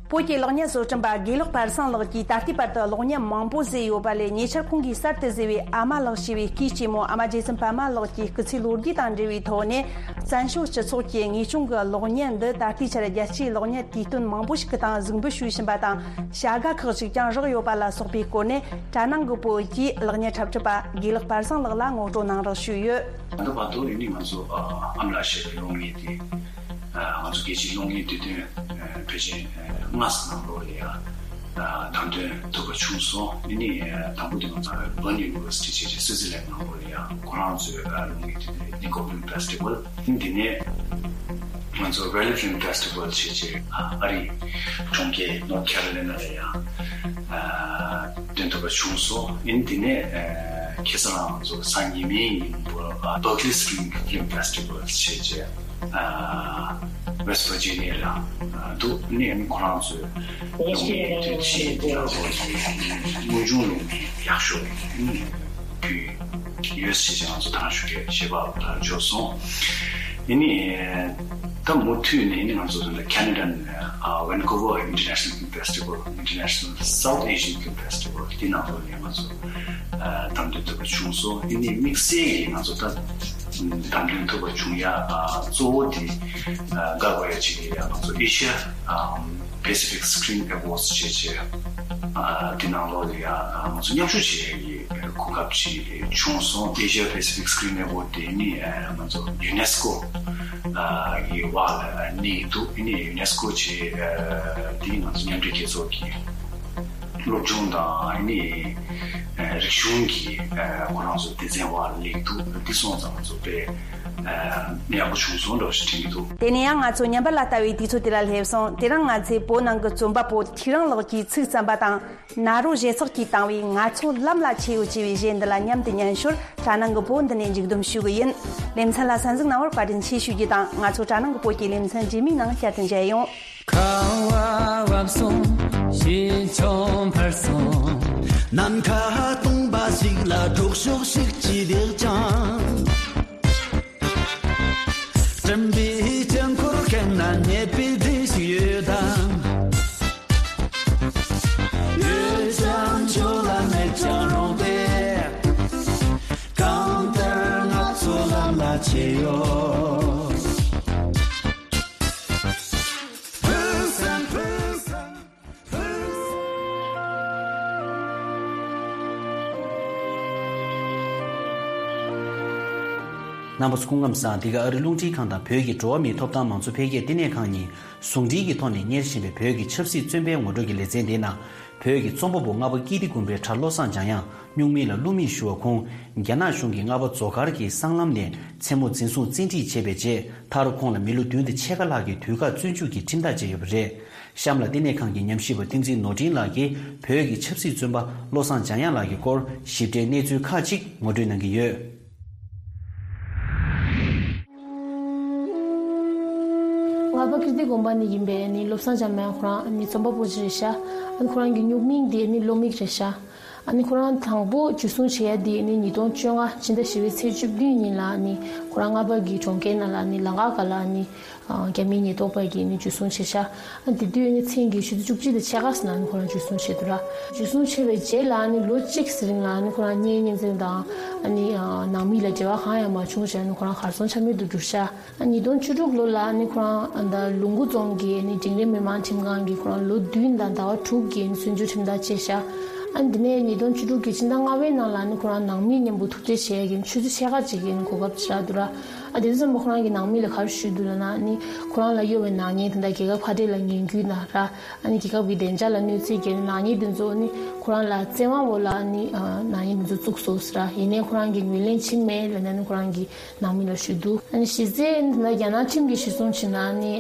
བོད་ཀྱི་གློག་བརྙན་བཟོ་སྐྲུན་པ་དགེ་ལེགས་པར་སངས་ལགས་ཀྱིས་ད་ལྟའི་བར་དུ་གློག་བརྙན་མང་པོ་བཟོས་ཡོད་པ་ལས། ཉེ་ཆར་ཁོང་གིས་གསར་དུ་བཟོས་པའི་ཨ་མ་ལགས་ཞེས་པའི་སྐུའི་གཅེན་མོ་ཨ་མ་རྗེ་བཙུན་པདྨ་ལགས་ཀྱི་སྐུ་ཚེའི་ལོ་རྒྱུས་དང་འབྲེལ་བའི་ཐོག་ནས། བཙན་བྱོལ་སྤྱི་ཚོགས་ཀྱི་ངེས་སྐྱོན་གྱི་གློག་བརྙན་འདི་ད་ལྟའི་ཆར་རྒྱལ་སྤྱིའི་གློག་བརྙན་དུས་སྟོན་མང་པོ་ཞིག་གི་སྟེང་གཟིགས་འབུལ་ཞུས་བཞིན་པ་དང་། བྱ་དགའ་ཁག་ཅིག་ཀྱང་བཞག་ཡོད་པ་ལ་སོགས་པའི་སྐོར་ནས། གྲྭ་ནང་གི་བུ་གིས་གློག་བརྙན་འཁྲབ་ཁྲིད་པ་དགེ་ལེགས་པར་སངས་ལགས་ལ་ངོ་སྤྲོད་གནང་རོགས་ཞུས་ཡོད། ད་ལྟ་བར་དུ་ཡིན་ནི་ང་ཚོ་ཨ་ཨ་མ་ལགས་ཞེས་པའི་གློག་བརྙན་དེ། ཨ་ང་ཚོ་རྒྱལ་སྤྱིའི་གློག་བརྙན་དུས་སྟོན་ཨ་ཕལ་ཆེར་ཨ་ལྔ་ཙམ་ནང་ལོགས་ལ་ཡ་ཨ་བདམས་ཐོན་ཐུབ་པ་བྱུང་སོང་། ཨ་ནི་ཨ་དང་པོ་དེ་ང་ཚོ་Bern University ཞེས་བྱས་སུའུ་ཙི་ལན་ནང་ལོགས་ལ་ཡ་ཁོ་རང་ཚོའི་ཨ་གློག་བརྙན་དུས་སྟོན་Lincoln Film Festival། ཨ་ནི་དེ་ནས་ང་ཚོ་Raleigh Film Festival ཞེས་བྱས་ཨ་ཨ་རིའི་གྲོང་ཁྱེར་North Carolina ལ་ཡ་ཨ་ཐོན་ཐུབ་པ་བྱུང་སོང་། ཨ་ནི་དེ་ནས་ཨ་ཁ་སང་ང་ཚོ་སང་ཉི་མའི་ཉིན་མོ་ཨ་Berkeley Screen Film Festival ཞེས་བྱས། ཨ་West Virginia ལ་ཨ་འདུག། ཨ་ནི་ཨ་ནི་ཁོ་རང་ཚོའི་གློག་བརྙན་དུས་ཆེན་དེ་ལ་ཁོ་ཚོའི་དངོས་བྱུང་གློག་བརྙན་ཡག་ཤོས་ཨ་ནི་ཕུལ་ཡོད་ཞེས་ང་ཚོ་དང་ཞུ་གལ་ཞེས་པ་བརྗོད་སོང་། ཨ་ནི་ད་མུ་མཐུད་ནས་ཨ་ནི་ང་ཚོ་ད་Canada ནས་ཨ་Vancouver International Film Festival, International South Asian Film Festival དེ་ནང་ལོགས་ནས་ང་ཚོ་ཨ་བདམས་ཐོན་ཐུབ་པ་བྱུང་སོང་། ཨ་ནི་དམིགས་བསལ་གྱིས་ང་ཚོ་ད་བདམས་ཐོན་ཐུབ་པ་བྱུང་ཡ་ཨ་གཙོ་བོ་དེ་ཨ་དགའ་དགོས་ཡ་གཅིག་དེ་ཡ་ང་ཚོ་Asia ཨ་Pacific Screen Awards ཞེས་བྱས་ཨ་དེ་ནང་ལོགས་ལ་ཡ་ཨ་ང་ཚོ་མཉམ་ཞུགས་བྱེད་ཡ་གི་གོ་སྐབས་ཅིག་བྱུང་སོང་། Asia Pacific Screen Award དེ་ནི་ཨ་ང་ཚོ་ཡུ་ནེ་སི་ཀོ་ཨ་ཡི་འོག་ལ་གནས་ཀྱི་འདུག། ཨ་ནི་ཡུ་ནེ་སི་ཀོ་ཅེས་ཨ་དེ་ང་ཚོ་མཉམ་འབྲེལ་རྒྱལ་ཚོགས་ཀྱི་སློབ་སྦྱོང་དང་ཨ་ནི་ཨ་རིག་གཞུང་གི་ཨ་ཁོ་རང་ཚོ་སྡེ་ཚན་འོག་ལ་གནས་ཀྱི་འདུག། འདི་སོང་ཙང་ང་ཚོ་དཔེ་ཨ་ཡག་པོ་བྱུང་སོང་འདྲ་བོ་ཞིག་དྲན་གྱི་འདུག། དེ་ནས་ཡང་ང་ཚོ་ཉམས་པ་ལ་ལྟ་བའི་དུས་ཚོད་དེ་ལ་སླེབས་སོང་། དེ་རིང་ང་ཚོས་བོད་ནང་གི་རྩོམ་པ་པོ་ཐིག་རང་ལགས་ཀྱིས་ཚིག་བརྩམས་པ་དང་། ནཱ་རོ་ཞེ་ཚགས་ཀྱིས་བཏང་བའི་ང་ཚོ་ལམ་ལ་ཆས་ཡོད་ཅེས་པའི་གཞས་འདི་ལ་མཉམ་དུ་ཉན་ཞོར། གྲྭ་ནང་གི་བུ་འདི་ནས་མཇུག་བསྡོམས་ཞུ་གི་ཡིན། ལེ་ཚན་ལ་གསན་གཟིགས་གནང་བར་བཀའ་དྲིན་ཆེ་ཞུ་རྒྱུ་དང་། ང་ཚོ་གྲྭ་ནང་གི་བུ་གི་ལེ་ཚན་རྗེས་མའི་ནང་བསྐྱར་དུ་མཇལ་ཡོང་། ཁ་བ་བབས་སོང་། ཞི་མཆོང་འཕར་སོང་། ནམ་མཁའ་སྟོང་པ་ཞིག་ལ་གྲོགས་ཤོག་ཞིག་ཅི་བདེག་ཅང་། སྤྲིན་པའི་དཀྱིལ་འཁོར་ཁེངས་ན་ཉེས་པའི་སྒྲིབ་ཞིག་ཡོད་དམ། ཡོད་ཀྱང་ཆོག་ལ་མེད་ཀྱང་རུང་སྟེ། གང་ལྟར་ང་ཚོ་ལམ་ལ་ཆས་ཡོད། ཕུན་སུམ་ཕུན་སུམ། རྣམ་པ་ཚོ་སྐུ་ཁམས་བཟང་། འདི་ག་ཨ་རི་རླུང་འཕྲིན་ཁང་དང་བོད་ཀྱི་འགྲོ་བ་མིའི་ཐོབ་ཐང་མང་གཙོ་འཕེལ་རྒྱས་བསྟི་གནས་ཁང་གཉིས་ཟུང་འབྲེལ་གྱི་ཐོག་ནས་གཉེར་བཞིན་པའི་བོད་ཀྱི་ཆབ་སྲིད་བཙོན་པའི་ངོ་སྤྲོད་ཀྱི་ལེ་ཚན་འདིའི་ནང་། བོད་ཀྱི་རྩོམ་པ་པོ་ལྔ་པ་ཀིརྟི་དགོན་པའི་གྲྭ་བློ་བཟང་འཇམ་དབྱངས་སྨྱུག་མིང་ལ་ཀླུ་མེས་ཞུ་བ་ཁོང་། རྒྱ་ནག་གཞུང་གིས་རྔ་པ་མཛོ་མཁར་གྱི་སྲང་ལམ་ནས་མཚན་མོ་འཛིན་བཟུང་བཙན་ཁྲིད་བྱས་པའི་རྗེས། མཐར་ཁོང་ལ་མི་ལོ་བདུན་དང་ཕྱེད་ཀ་ལྷག་གི་དུས་བཀག་བཙོན་འཇུག་གི་ཁྲིམས་ཐག་བཅད་ཡོད་པ་རེད། གཤམ་ལ་བསྟི་གནས་ཁང་གི་ཉམས་ཞིབ་པ་བསྟན་འཛིན་ནོར་འཕྲིན་ལགས་ཀྱིས་བོད་ཀྱི་ཆབ་སྲིད་བཙོན་པ་བློ་བཟང་འཇམ་དབྱངས་ལགས་ཀྱི་སྐོར་ཞིབ་ཕྲའི་གནས་ཚུལ་ཁག་ཅིག་ངོ་སྤྲོད་གནང་གི་ཡོད། ལྔ་པ་ཀིརྟི་དགོན་པ་ནས་ཡིན་པའི་ནི་བློ་བཟང་འཇམ་དབྱངས་ཁོ་རང་ནི་རྩོམ་པ་པོ་ཅིག་རེད་ཤག། ཨ་ནི་ཁོ་རང་གི་སྨྱུག་མིང་དེ་ནི་ཀླུ་མིག་རེད་ཤག། ཨ་ནི་ཁོ་རང་དང་པོ་འཇུ་བཟུང་བྱེད་ཡ་དེ་ནི་ཉིས་སྟོང་བཅོ་ལྔ་ཕྱི་ཟླ་བཞི་པའི་ཚེས་བཅུ་བདུན་ཉིན་ལ་ནི་ཁོ་རང་རྔ་པ་གི་གྲོང་ཁྱེར་ནང་ལ་ནི་ལམ་ཁ་སྒང་ལ་ནི། ཨ་རྒྱ་མིའི་ཉེན་རྟོག་པ་གིས་ནི་འཇུ་བཟུང་བྱས་ཤག། ཨ་དེ་དུས་ནི་མཚན་གྱི་ཆུ་ཚོད་བཅུ་གཅིག་དང་ཕྱེད་ཀ་ཙམ་ལ་ནི་ཁོ་རང་འཇུ་བཟུང་བྱས་འདུག་ར། འཇུ་བཟུང་བྱས་པའི་རྗེས་ལ་ནི་ལོ་གཅིག་ཙམ་རིང་ལ་ནི་ཁོ་རང་གཉེན་ཉེ་ཚན་དང་ཨ་ནི་ཨ་ནང་མི་ལ་འབྲེལ་བ་གང་ཡང་མ་བྱུང་བྱས་ནི་ཁོ་རང་གར་སོང་ཆ་མེད་དུ་གྱུར་ཤག། ཨ་ཉིས་སྟོང་བཅུ་དྲུག་ལོ་ལ་ནི་ཁོ་རང་ཨ་ད་ལུང་མགོ་རྫོང་གི་ནི་འབྲིང་རིམ་མི་མང་ཁྲིམས་ཁང་གིས་ཁོ་རང་ལོ་བདུན་དང་ཟླ་བ་དྲུག་གི་ནི་བཙོན་འཇུག་ཁྲིམས་ཐག་བཅད་ཤག། ཨ་ནི་དེ་ནས་ཉིས་སྟོང་བཅུ་དྲུག་གི་ཕྱི་ཟླ་ལྔ་པའི་ནང་ལ་ནི་ཁོ་རང་ནང་མི་མཉམ་པོ་ཐུག་འཕྲད་བྱེད་ཡ་གི་ཆུ་ཚོད་ཕྱེད་ཀ་ཅིག་གི་ནི་གོ་སྐབས་ཅིག་རག་འདུག་ར། ཨ་དེ་ཚོ་ཚང་མ་ཁོ་རང་གི་ནང་མི་ལ་ག་རེ་ཞུས་འདུག་ལབ་ན་ནི་ཁོ་རང་ལ་གཡོ་བའི་ནག་ཉེས་དེ་འདྲ་རྒྱལ་ཁབ་ཁ་བྲལ་ལ་ངན་སྐུལ་དང་ར། ཨ་ནི་རྒྱལ་ཁབ་ཀྱི་བདེ་འཇགས་ལ་གནོད་འཚེ་བསྐྱལ་ནག་ཉེས་དེ་ཚོ་ནི་ཁོ་རང་ལ་བཙན་དབང་འོག་ལ་ནི་ནག་ཉེས་དེ་ཚོ་བཙུགས་སོང་ཟེར་ར། ཡིན་ནའི་ཁོ་རང་གིས་ངོས་ལེན་བྱེད་མེད་ལབ་ནས་ནི་ཁོ་རང་གི་ནང་མི་ལ་ཞུས་འདུག་ཨ་ནི་གཞི་རྩའི་ནི་ད་རྒྱ་ནག་ཁྲིམས་ཀྱིས་གཞི་བཟུང་བྱས་ན་ནི་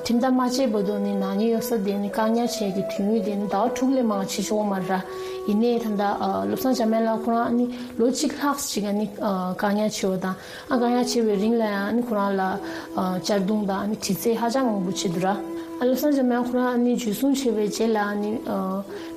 ཁྲིམས་ལྟར་མ་བྱས་བར་དུ་ནི་ནག་ཉེས་ཡོད་ས་དེ་ནི་བཀག་ཉར་བྱེད་ཀྱི་དུས་ཡུན་དེ་ནི་ཟླ་བ་དྲུག་ལས་མང་བ་བྱེད་ཆོག་གི་མ་རེད་ར། ཡིན་ནའི་ད་ལྟ་བློ་བཟང་འཇམ་དབྱངས་ལགས་ཁོ་རང་ནི་ལོ་གཅིག་ལྷག་ཅིག་ནི་བཀག་ཉར་བྱས་པ་དང་། ཨ་བཀག་ཉར་བྱས་པའི་རིང་ལ་ཡང་ནི་ཁོ་རང་ལ་ཨ་གཅར་རྡུང་དང་ནི་དྲི་རྩད་ཧ་ཅང་མང་པོ་བྱས་འདུག་ར། ཨ་བློ་བཟང་འཇམ་དབྱངས་ཁོ་རང་ནི་འཇུ་བཟུང་བྱས་པའི་རྗེས་ལ་ནི་ཨ་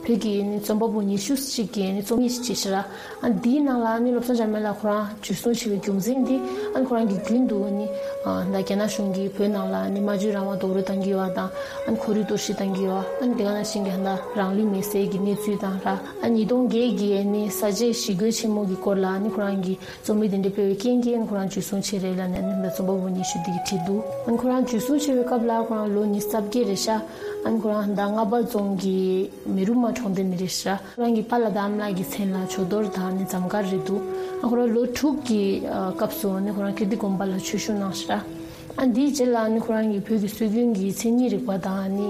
བོད་ཀྱི་ནི་རྩོམ་པ་པོ་ཉི་ཤུ་ཅིག་གིས་ནི་རྩོམ་ཡིག་ཅིག་བྲིས་ཤག་ར། ཨ་འདིའི་ནང་ལ་ནི་བློ་བཟང་འཇམ་དབྱངས་ལགས་ཁོ་རང་འཇུ་བཟུང་བྱས་པའི་རྒྱུ་མཚན་འདི་ཨ་ནི་ཁོ་རང་གིས་རྒྱུན་དུ་ནི་ཨ་ད་རྒྱ་ནག་གཞུང་གིས་བོད་ནང་ལ་ནི་སྨྲ་བརྗོད་རང་དབང་རྡོག་རོལ་བཏང་གི་ཡོད་པ་དང་། ཨ་ནི་ཁོར་ཡུག་གཏོར་བཤིག་བཏང་གི་ཡོད་པ། ཨ་ནི་དེ་ག་ནང་བཞིན་གྱི་ད་རང་ལུས་མེར་སྲེག་གི་གནས་ཚུལ་དང་ར། ཨ་ཉིས་སྟོང་བརྒྱད་ཀྱི་ནི་ས་བྱས་ཞི་རྒོལ་ཆེན་མོ་གི་སྐོར་ལ་ནི་ཁོ་རང་གིས་རྩོམ་ཡིག་དེ་འདྲ་སྤེལ་བའི་རྐྱེན་གྱིས་ཁོ་རང་འཇུ་བཟུང་བྱས་རེད་ལབ་ནས་ནི་ད་རྩོམ་པ་པོ་ཉི་ཤུ་འདི་གིས་བྲིས་འདུག་ཨ་ཁོ་རང་འཇུ་བཟུང་བྱས་པའི་སྐབས་ལ་ཁོ་རང་ལོ་ཉི་ཤུ་རྩ་བརྒྱད་རེད་ཤག་ཨ་ཁོ་རང་ད་རྔ་པ་རྫོང་གི་མེ་རུ་མ་གྲོང་སྡེ་ནས་རེད་ཤག་ཁོ་རང་གི་པཱ་ལགས་དང་ཨ་མ་ལགས་ཀྱི་མཚན་ལ་ཇོ་རྡོར་དང་ནི་འཛོམས་དཀར་རེད་འདུག་ཨ་ཁོ་རང་ལོ་དྲུག་གི་སྐབས་སུ་ནི་ཁོ་རང་ཀིརྟི་དགོན་པ་ལ་ཆོས་ཞུགས་གནང་ཤག་ཨ་འདིའི་རྗེས་ལ་ནི་ཁོ་རང་གིས་བོད་ཀྱི་སྲོལ་རྒྱུན་གྱི་མཚན་ཉིད་རིག་པ་དང་ནི་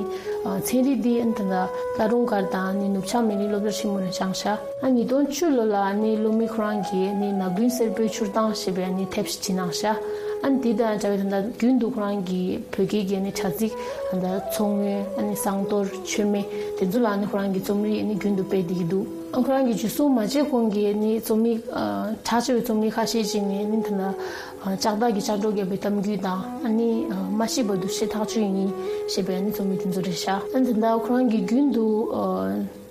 ཚན་རིག་འདི་ཨ་ད་ལྟ་ཀ་རོང་སྒར་དང་ནི་ནུབ་བྱང་མི་རིགས་སློབ་གྲྭ་ཆེན་མོ་ནས་སྦྱངས་ཤག་ཨ་ཉིས་སྟོང་བཅུ་ལོ་ལ་ནི་སློབ་མས་ཁོ་རང་གིས་ནི་ནག་ཀུན་སེར་པོའི་མཆུར་བཏང་ཞེས་པའི་ནི་དེབ་ཞིག་བྲིས་གནང་ཤག་ཨ་འདི་དང་འདྲ་བའི་ད་ལྟ་རྒྱུན་དུ་ཁོ་རང་གིས་བོད་སྐད་ཀྱི་ནི་དྲ་ཚིགས་ད་ལྟ་མཚོ་སྔོན་ཨ་ནི་བསང་གཏོར་མཆོད་མེ་དེ་ཚོ་ལ་ནི་ཁོ་རང་གིས་རྩོམ་ཡིག་ནི་རྒྱུན་དུ་སྤེལ་བསྡད་ཀྱི་འདུག་ཨ་ཁོ་རང་གིས་འཇུ་བཟུང་མ་བྱས་གོང་གི་ནི་རྩོམ་ཡིག་ཨ་གྲགས་ཆེ་བའི་རྩོམ་ཡིག་ཁ་ཤས་ཅིག་ནི་ནི་ད་ལྟ་ལྕགས་ཐག་གིས་ལྕགས་སྒྲོག་བརྒྱབ་པའི་གཏམ་རྒྱུད་དང་། ཨ་ནི་མ་ཤི་བར་དུ་ཞེ་ཐག་ཆོད་ཡིན་ཞེས་པའི་ཨ་ནི་རྩོམ་ཡིག་དེ་ཚོ་རེད་ཤག་ཨ་ནི་ད་ལྟ་ཁོ་རང་གིས་རྒྱུན་དུ་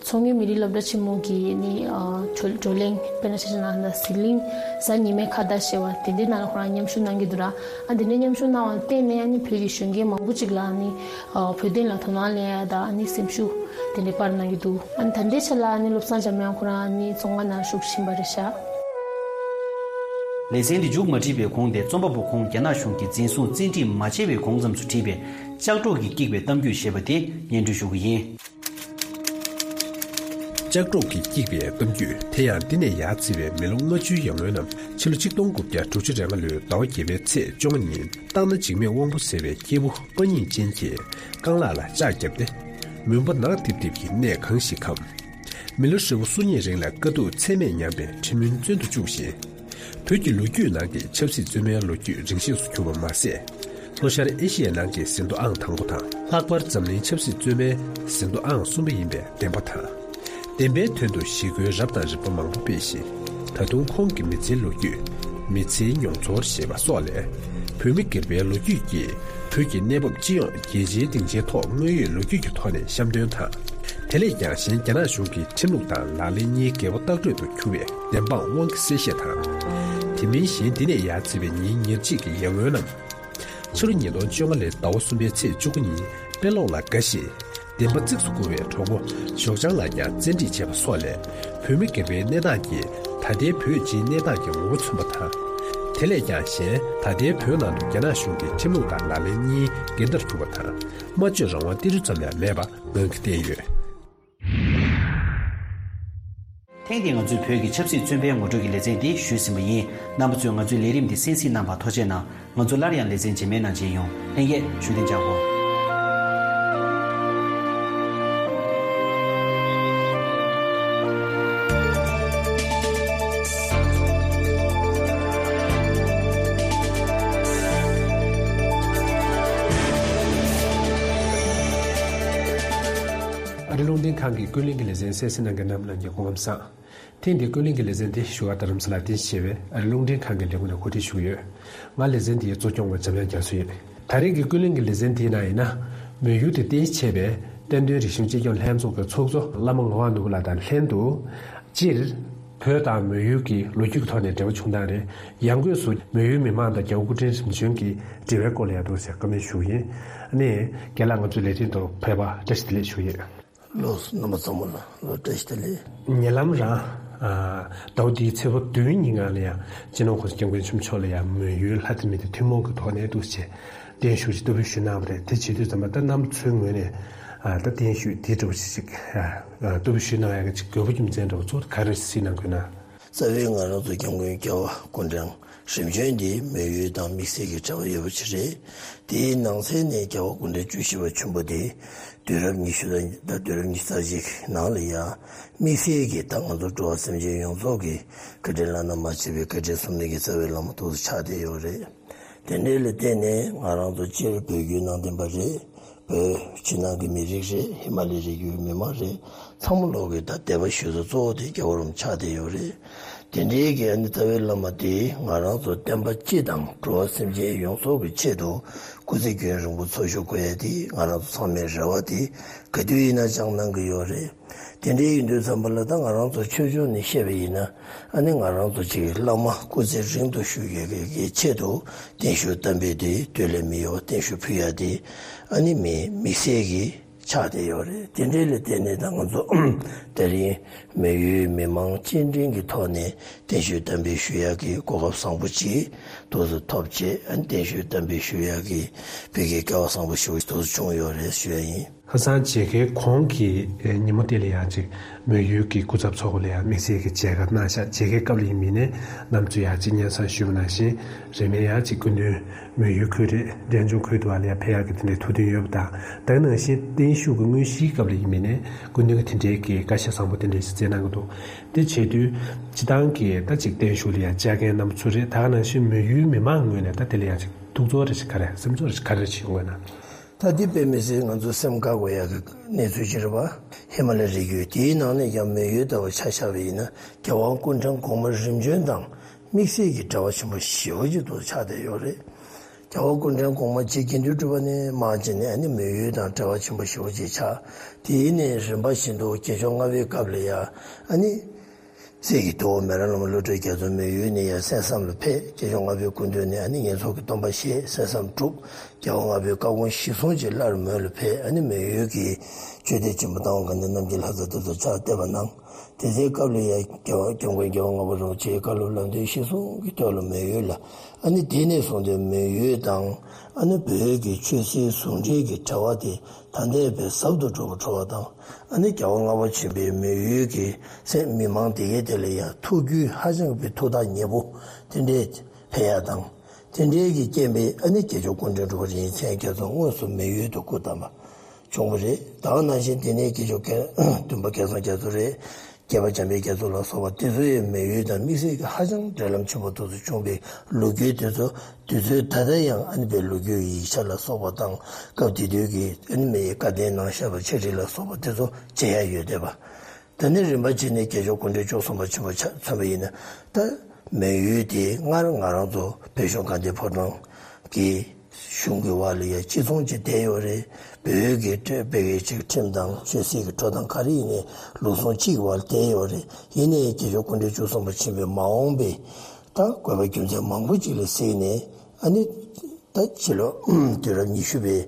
མཚོ་སྔོན་མི་རིགས་སློབ་གྲྭ་ཆེན་མོ་གི་ནི་བགྲོ་གླེང་། དཔེར་ན་ཆ་བཞག་ན་ཟི་ལིང་གཟའ་ཉི་མའི་ཁ་བརྡ་ཞེས་པ་དེ་འདྲའི་ནང་ལ་ཁོ་རང་མཉམ་ཞུགས་གནང་གི་འདུག་ར། ཨ་དེ་འདྲའི་མཉམ་ཞུགས་གནང་བ་ལ་བརྟེན་ནས་ཨ་ནི་བོད་ཀྱི་གཞོན་སྐྱེས་མང་པོ་ཅིག་ལ་ཨ་ནི་བོད་དོན་ལ་དོ་སྣང་སླེབས་ཡ་དང་ཨ་ནི་སེམས་ཤུགས་དེ་འདྲའི་སྤར་གནང་གི་འདུག་ཨ་ནི་ད་ལྟའི་ཆ་ལ་ཨ་ནི་བློ་བཟང་འཇམ་དབྱངས་ཁོ་རང་ཨ་ནི་བཙོན་ཁང་ནང་བཞུགས་བཞིན་པ་རེད་ཤག་ལེ་ཚན་འདི་མཇུག་མ་བསྒྲིལ་བའི་གོང་དེ་རྩོམ་པ་པོ་ཁོང་རྒྱ་ནག་གཞུང་གིས་འཛིན་བཟུང་བཙན་ཁྲིད་མ་བྱས་པའི་གོང་ཙམ་དུ་བྲིས་པའི་ལྕགས་སྒྲོག་གིས་བཀྱིགས་པའི་གཏམ་རྒྱུད་ཞེས་པ་དེ་སྙན་སྒྲོན་ཞུ་གི་ཡིན། ལྕགས་སྒྲོག་གིས་བཀྱིགས་པའི་གཏམ་རྒྱུད་དེ་ཡང་འདི་ནས་ཡར་བརྩིས་པའི་མི་ལོ་ལྔ་བཅུའི་ཡར་སྔོན་ནམ་ཕྱི་ལོ་ཆིག་སྟོང་དགུ་བརྒྱ་དྲུག་ཅུ་རེ་ལྔ་ལོའི་ཟླ་བ་བརྒྱད་པའི་ཚེས་བཅོ་ལྔ་ཉིན་སྟག་སྣ་འཇིགས་མེད་དབང་པོ་ཟེར་བའི་སྐྱེས་བུ་དཔའ་སྙིང་ཅན་གྱིས་རྐང་ལག་ལ་ལྕགས་བརྒྱབ་སྟེ་མུན་པ་ནག་ཏིབ་ཏིབ་ཀྱི་གནས་གང་ཞིག་གམ། མི་ལོ་ཧྲིལ་པོ་སུམ་གཉིས་རིང་ལ་དཀའ་སྡུག་ཚད་མེད་མྱངས་པའི་ཁྲིམས་མུན་བཙོན་དུ་བཅུག་བཞིན། བོད་ཀྱི་ལོ་རྒྱུས་ནང་གི་ཆབ་སྲིད་བཙོན་མའི་ལོ་རྒྱུས་རིང་ཤོས་སུ་གྱུར་པ་མ་ཟད། ལྷོ་ཤར་ཨེ་ཤི་ཡའི་ནང་གི་ཟིན་ཐོ་ཨང་དང་པོ་དང་། ལྷག་པར་འཛམ་གླིང་ཆབ་སྲིད་བཙོན་མའི་ཟིན་ཐོ་ཨང་གསུམ་པ་ཡིན་པའི་བདེན་པ་དང་། བདེན་པའི་དོན་དུ་ཞི་རྒོལ་རབ་དང་རིམ་པ་མང་པོ་སྤེལ་ཞིང་། ད་དུང་ཁོང་གི་མི་ཚེའི་ལོ་རྒྱུས། མི་ཚེའི་མྱོང་ཚོར་ཞེས་པ་སོགས་ལས། བོད་མི་སྒེར་པའི་ལོ་རྒྱུས་ཀྱིས་བོད་ཀྱི་གནས་བབ་སྤྱི་ཡོངས་རྒྱལ་སྤྱིའི་སྡིངས་ཆའི་ཐོག་དངོས་ཡོད་ལོ་རྒྱུས་ཀྱི་ཐོག་ནས་བཤམས་སྟོན་དང་། དེ་ལས་ཀྱང་གཞན་རྒྱ་ནག་གཞུང་གི་ཁྲིམས་ལུགས་དང་ལག་ལེན་གཉིས་འགལ་བ་ལྟག་སྤྲོད་དུ་གྱུར་བའི་བདེན་དཔང་དབང་གིས་གསལ་བཤད་དང་། དེ་མིན་གཞན་འདི་ནས་ཡར་བརྩིས་པའི་ཉིན་ཉེར་གཅིག་གི་ཡར་སྔོན་ནམ། ཕྱི་ལོ་ཉིས་སྟོང་བཅོ་ལྔ་ལོའི་ཟླ་བ་གསུམ་པའི་ཚེས་བཅུ་དགུ་ཉིན་དཔེ་ཀློག་ལ་དགའ་ཞིང་། བདེན་པ་གཙིགས་སུ་བཀུར་བའི་གྲོགས་པོ་ཞོགས་ལྗང་ལགས་ཀྱང་བཙན་ཁྲིད་བྱས་པ་སོགས་ལས། བོད་མི་སྒེར་པའི་གནས་སྟངས་ཀྱིས་ད་ལྟའི་བོད་སྤྱིའི་གནས་སྟངས་ཀྱི་ངོ་བོ་མཚོན་པ་དང་། དེ་ལས་ཀྱང་གཞན་ད་ལྟའི་བོད་ནང་དུ་རྒྱ་ནག་གཞུང་གི་ཁྲིམས་ལུགས་དང་ལག་ལེན་གཉིས་འགལ་ཟླར་གྱུར་པ་དང་། སྨྲ་བརྗོད་རང་དབང་ཏིལ་འབྲུ་ཙམ་ཡང་མེད་པ་ངང་གིས་བསྟན་ཡོད། ཐེངས་འདིའི་ང་ཚོའི་བོད་ཀྱི་ཆབ་སྲིད་བཙོན་པའི་ངོ་སྤྲོད་ཀྱི་ལེ་ཚན་འདི་ཞུས་ཟིན་པ་ཡིན། རྣམ་པ་ཚོས་ང་ཚོའི་ལས་རིམ་འདི་གསན་གཟིགས་གནང་བར་ཐུགས་རྗེ་གནང་། ང་ཚོ་སླར་ཡང་ལེ་ཚན་རྗེས་མའི་ནང་མཇལ་ཡོང་། ལྷན་རྒྱས་བཞུགས་གདན་འཇགས་སྒོ། ཨ་རི་རླུང་འཕྲིན་ཁང་གི་ཀུན་གླེང་གི་ལེ་ཚན་གསན་གཟིགས་གནང་མཁན་རྣམས་ལ་ངའི་སྐུ་ཁམས་བཟང་། ཐེངས་འདིའི་ཀུན་གླེང་གི་ལེ་ཚན་དེ་བཞུགས་སྒར་རྡ་རམ་ས་ལར་རྟེན་གཞི་བྱས་པའི་ཨ་རི་རླུང་འཕྲིན་ཁང་གི་ལས་ཁུངས་ནས་གོ་སྒྲིག་ཞུས་ཡོད། ང་ལེ་ཚན་འདིའི་གཙོ་སྐྱོང་བ་འཇམ་དབྱངས་རྒྱ་མཚོ་ཡིན། ད་རེས་ཀྱི་ཀུན་གླེང་གི་ལེ་ཚན་དེའི་ནང་ཡིན་ན། མོན་ཡུལ་དུ་རྟེན་གཞི་བྱས་པའི་བསྟན་དོན་རིག་གཞུང་གཅེས་སྐྱོང་ལྷན་ཚོགས་ཀྱི་ཚོགས་གཙོ་བླ་མ་ངག་དབང་ནོར་བུ་ལགས་དང་ལྷན་དུ། སྤྱིར། བོད་དང་མོན་ཡུལ་གྱི་ལོ་རྒྱུས་ཀྱི་ཐོག་ནས་འབྲེལ་བ་བྱུང་སྟངས་རེད། ཡང་སྒོས་སུ་མོན་ཡུལ་མི་མང་དང་རྒྱལ་བ་སྐུ་ཕྲེང་རིམ་བྱོན་གྱི་འབྲེལ་བའི་སྐོར་ལ་ཡང་འདུག་ཟེར་བཀའ་མོལ་ཞུ་གི་ཡིན། ཨ་ནི། རྒན་ལགས་ང་ཚོའི་ལས་རིམ་དུ་ཕེབས་པར་བཀྲ་ཤིས་བདེ་ལེགས་ཞུ་གི་ཡིན། ལགས་སོ། རྣམ་པ་ཚང་མ་ལ་ལོ་བཀྲ་ཤིས་བདེ་ལེགས། ཉེ་ལམ་རང་། ཟླ་བ་འདིའི་ཚེས་པ་བདུན་ཉིན་སྒང་ལ་ཡང་སྤྱི་ནོར་༸གོང་ས་༸སྐྱབས་མགོན་ཆེན་པོ་མཆོག་ལ་ཡང་མོན་ཡུལ་ལྷ་རྩེ་མི་སྡེ་ཐུན་མོང་གི་ཐོག་ནས་འདུག་ཟེར་གདན་ཞུ་ཅིག་བསྟར་འབུལ་ཞུས་གནང་བ་རེད། དེ་བྱེད་དུས་ཙམ་པ་ད་རྣམ་པ་ཚོའི་ངོས་ནས་ ཨ་ད་བརྟན་བཞུགས་དེ་འདྲ་བོ་ཞིག་ཅིག་ཨ་ཨ་བསྟོད་པ་ཞུ་གནང་ཡག་གི་ཅིག་དགོས་པ་རྒྱུ་མཚན་འདྲ་བོ་ཚོ་ག་རེ་གཟིགས་གནང་དགོས་ན། རྩ་བའི་ང་རང་ཚོ་སྐྱབས་མགོན་རྒྱལ་བ་སྐུ་ཕྲེང་རིམ་བྱོན་འདི་མོན་ཡུལ་དང་དམིགས་བསལ་གྱི་འབྲེལ་བ་ཡོད་པ་ཅིག་རེད། དེའི་ནང་གསེས་ནས་རྒྱལ་བ་སྐུ་ཕྲེང་བཅུ་བཞི་པ་ཆེན་པོ་དེ་དུས་རབས་ཉི་ཤུ་དང་ད་དུས་རབས་ཉི་ཤུ་རྩ་གཅིག་ནང་ལ་ཡང་དམིགས་བསལ་གྱི་ད་ང་ཚོ་འགྲོ་བ་སེམས་ཅན་ཡོངས་རྫོགས་ཀྱི་བཀའ་དྲིན་བླ་ན་མ་མཆིས་པའི་བཀའ་དྲིན་གསུམ་ལྡན་གྱི་རྩ་བའི་བླ་མ་ཏོག་ཙམ་ཆགས་བསྡད་ཡོད་རེད། དེ་འདྲའི་ལ་བརྟེན་ནས་ང་རང་ཚོ་སྤྱིར་བོད་བརྒྱུད་ནང་བསྟན་པ་རེད། བོད་ཕྱི་ནང་གི་མི་རིགས་རེད། ཧི་མ་ལའི་རི་རྒྱུད་མི་མང་རེད། ཚང་མ་ལོག་གི་ད་དད་པ་ཞུ་ས་གཙོ་བོ་དེ་རྒྱལ་བ་རིན་པོ་ཆེ་ཆགས་བསྡད་ཡོད་རེད། དེ་འདྲའི་གི་ཨ་ནི་རྩ་བའི་བླ་མ་དེ་ང་རང་ཚོ་བསྟན་པ་སྤྱི་དང་འགྲོ་བ་སེམས་ཅན་ཡོངས་རྫོགས་ཀྱི་ཆེད་དུ་སྐུ་ཚེ་རྒྱུན་རིང་པོ་འཚོ་བཞུགས་དགོས་ཡ་དེ་ང་རང་ཚོ་ཚང་མའི་རེ་བ་དེ་ག་དུས་ཡིན་ན་བཅངས་གནང་གི་ཡོད་རེད། དེ་འདྲའི་ཡིན་དུས་ཙམ་པ་ལ་ད་ང་རང་ཚོ་ཆོས་ཕྱོགས་ནས་བཤད་པ་ཡིན་ན། ཨ་ནི་ང་རང་ཚོ་ཅིག་བླ་མ་སྐུ་ཚེ་རིང་དུ་བཞུགས་ཡོད་མཁན་གྱི་ཆེད་དུ་བརྟན་བཞུགས་བསྟར་འབུལ་དེ་སྟོད་ལས་མི་ཡོང་བརྟན་བཞུགས་ཕུལ་ཡ་དེ་ཨ་ནི་མི་དམིགས་བསལ་གྱི་ཆགས་བསྡད་ཡོད་རེད། དེ་འདྲའི་ལ་བརྟེན་ནས་ད་ང་ཚོ་དེ་རིང་མོན་ཡུལ་མི་མང་སྤྱི་འབྲེལ་གྱི་ཐོག་ནས་བརྟན་བཞུགས་བསྟར་འབུལ་ཞུ་ཡ་གི་གོ་སྐབས་བཟང་པོ་ཅིག་ཏོག་ཙམ་ཐོབ་བྱས། ཨ་ནི་བརྟན་བཞུགས་བསྟར་འབུལ་ཞུ་ཡ་གི་བོད་ཀྱི་སྐལ་བ་བཟང་པོ་ཞེ་པོ་ཏོག་ཙམ་བྱུང་ཡོད་རེད་ཞུ་ཡ་ཡིན། ཁ་སང་མཇལ་ཁའི་གོང་གི་ཉིན་མོ་དེ་ལ་ཡང་ཅིག་མོན་ཡུལ་གྱི་སྐུ་ཚབ་ཚོགས་པ་ལ་ཡང་དམིགས་བསལ་གྱི་མཇལ་ཁ་གནང་ཤག་མཇལ་ཁའི་སྐབས་ལ་ཡིན་མིན་ནས་རྣམ་ཚོས་ཡང་ཅིག་སྙན་སེང་ཞུས་པ་ནང་བཞིན་རིང་མིན་ཡང་ཅིག་སྐུ་མདུན་མོན་ཡུལ་ཁུལ་རེད། འབྲས་ལྗོངས་ཁུལ་དུ་བ་ལ་ཡང་ཕེབས་ཡག་གི་དེ་འདྲའི་ཐུགས་འདུན་ཡོད་པ་དང་། ད་ག་ནང་བཞིན་བརྟན་བཞུགས་ཀྱི་དངོས་གཞིའི་སྐབས་ལ་ཡིན་མིན་ནས་སྐུ་མདུན་གྱི་དེ་འདྲའི་གི་བཀའ་ཤག་བཟང་པོ་དེ་འདྲའི་ཞིག་སྩལ་གནང་གི་འདུག་དེ་བྱེད་དུས་སྤྱི་བཏང་གི་ད་ཅིག་བརྟན་བཞུགས་ལ་ཡང་བཅར་མཁན་རྣམ་པ་ཚོ་རེད། ད་ག་ནང་བཞིན་མོན་ཡུལ་མི་མང་ངོས་ནས་ད་དེ་ལ་ཡང་ཅིག་ཐུགས་ཚོར་རེ་ཞིག་ག་རེ་སེམས་ཚོར་རེ་ཞིག་ག་རེ་ཞིག་ཡོང་གི་ན། ད་འདི་དཔེ་མི་སྲིད་ང་ཚོ་སེམས་དགའ་དགོས་ཡག་གི་གནས་ཚུལ་ཅིག་རེད་པ། ཧི་མ་ལ་རི་རྒྱུད་དེའི་ནང་ནས་ཀྱང་མོན་ཡུལ་ལྟ་བུ་ཆ་བཞག་པ་ཡིན་ན་རྒྱལ་བ་སྐུ་ཕྲེང་གོང་མ་རིམ་བྱོན་དང་དམིགས་བསལ་གྱི་འབྲེལ་བ་ཆེན་པོ་ཞེ་པོ་ཅིག་ཏུ་ཆགས་བསྡད་ཡོད་རེད། རྒྱལ་བ་སྐུ་ཕྲེང་གོང་མ་རྗེ་དགེ་འདུན་གྲུབ་པ་ནས་མར་བྱས་ནས་ཨ་ནི་མོན་ཡུལ་དང་འབྲེལ་བ་ཆེན་པོ་ཞེ་པོ་ཅིག་ཆགས། དེའི་ནས་རིམ་པ་བཞིན་དུ་རྒྱལ་མཆོག་ལྔ་པའི་སྐབས་ལ་ཡང་ཨ་ནི། སྲས་ཀྱི་ཐུ་བོ་མེ་རག་བླ་མ་བློ་གྲོས་རྒྱ་མཚོ་མོན་ཡུལ་ནས་ཡར་གསན་བསམ་ལ་ཕེབས། རྒྱལ་མཆོག་ལྔ་པའི་སྐུ་མདུན་ནས་ཨ་ནི་ངེད་ཚོ་གི་སྟོན་པ་བཞེས། གསན་བསམ་གྲུབ། རྒྱལ་བ་ལྔ་པའི་བཀའ་དགོངས་གཞིར་བཟུང་བྱས་སླར་མོན་ལ་ཕེབས། ཨ་ནི་མོན་ཡུལ་གྱི་ཆོས་སྡེ་ཆེན་པོ་རྟ་དབང་དགའ་ལྡན་རྣམ་རྒྱལ་ལྷ་ས་དེ་ཚོ་ཕྱག་བཏབ་པ་གནང་། དེ་ཚེའི་སྐབས་ལ་ཡང་རྒྱལ་བ་སྐྱབས་མགོན་རྒྱལ་བ་ལྔ་པ་རིན་པོ་ཆེའི་བཀའ་སློབ་ལམ་སྟོན་གཞིར་བཟུང་གི་ཐོག་ལ་མོན་ཡུལ་ལ། ཨ་ནི་དེ་ནས་བཟུང་སྟེ་མོན་ཡུལ་དང་ཨ་ནི་བོད་ཀྱི་ཆོས་སྲིད་ཟུང་འབྲེལ་གྱི་འབྲེལ་བ་དེ་ད་ལྟའི་བས་ཟབ་ཏུ་འགྲོ་བ་འགྲོ་བ་དང་། ཨ་ནི་རྒྱལ་བ་ལྔ་པ་ཆེན་པོའི་མོན་ཡུལ་གྱི་སེམས་མི་མང་དེ་གའི་དེ་ལ་ཡང་ཐུགས་རྒྱུད་ཧ་ཅང་གི་ཐུགས་ཐག་ཉེ་པོ་དེ་འདྲའི་ཕེབས་ཡ་དང་། དེ་འདྲའི་གི་རྐྱེན་པས་ཨ་ནི་རྒྱལ་མཆོག་སྐུ་ཕྲེང་དྲུག་པ་རིན་ཆེན་མཚན་རྒྱ་མཚོ་དངོས་སུ་མོན་ཡུལ་དུ་སྐུ་བལྟམས་པ་བྱུང་བ་རེད། ད་ག་ནང་བཞིན་དེ་ནས་རྒྱལ་མཆོག་མགོན་བདུན་པ་སྐལ་བཟང་རྒྱ་མཚོ་རེད། བརྒྱད་པ་འཇམ་དཔལ་རྒྱ་མཚོ་ལ་སོགས་པ་དེ་ཚོ་ཡང་མོན་ཡུལ་དང་དམིགས་བསལ་གྱི་ཧ་ཅང་འབྲེལ་ལམ་ཆེན་པོ་དེ་ཚོ་བྱུང་བའི་ལོ་རྒྱུས་དེ་ཚོ་དུས་ཚོད་ད་ལྟ་ཡང་ཨ་ནི་བའི་ལོ་རྒྱུས་ཡིག་ཆ་ལ་སོགས་པ་དང་སྐབས་དེ་དུས་ཀྱི་ཨ་ནི་མི་ཡི་བཀའ་བསྟན་ནང་བཞག་པ་ཕྱག་བྲིས་ལ་སོགས་པ་དེ་ཚོ་མཇལ་ཡ་ཡོད་བསྡད་པ། ད་ནི་རིམ་པ་བྱས་ནས་རྒྱལ་མཆོག་སྐུ་ཕྲེང་བཅུ་གསུམ་པ་ཆེན་པོ་ཆ་མཚོན་པ་ཡིན་ན། ད་མོན་ཡུལ་དེ་སྔར་ང་རང་ཚོ་བོད་གཞུང་དགའ་ལྡན་ཕོ་བྲང་གི་གཞུང་གི་བར་ལ་ཡང་གཅིག་མཚུངས་ཀྱི་བསྡད་ཡོད་རེད། བོད་ཀྱི་ཁྲིམས་དཔེ་ཀྱི་ཅིག་ཁྲིམས་དང་ཆོས་སྲིད་ཀྱི་འགྲོ་སྟངས་ག་རེ་ཡིན་ནའི་ལུགས་ཟུང་གཅིག་གི་བར་བསྡད་ཡོད་རེད། ཡིན་ནའི་རྒྱལ་མཆོག་སྐུ་ཕྲེང་བཅུ་གསུམ་པ་ཆེན་པོའི་མ་འོངས་པའི་ད་དགོས་པ་རྒྱུ་མཚན་མང་པོ་ཅིག་ལ་གཟིགས་ནས་ཨ་ནི་ད་ཕྱི་ལོ་དུས་རབས་ཉི་ཤུ་པའི་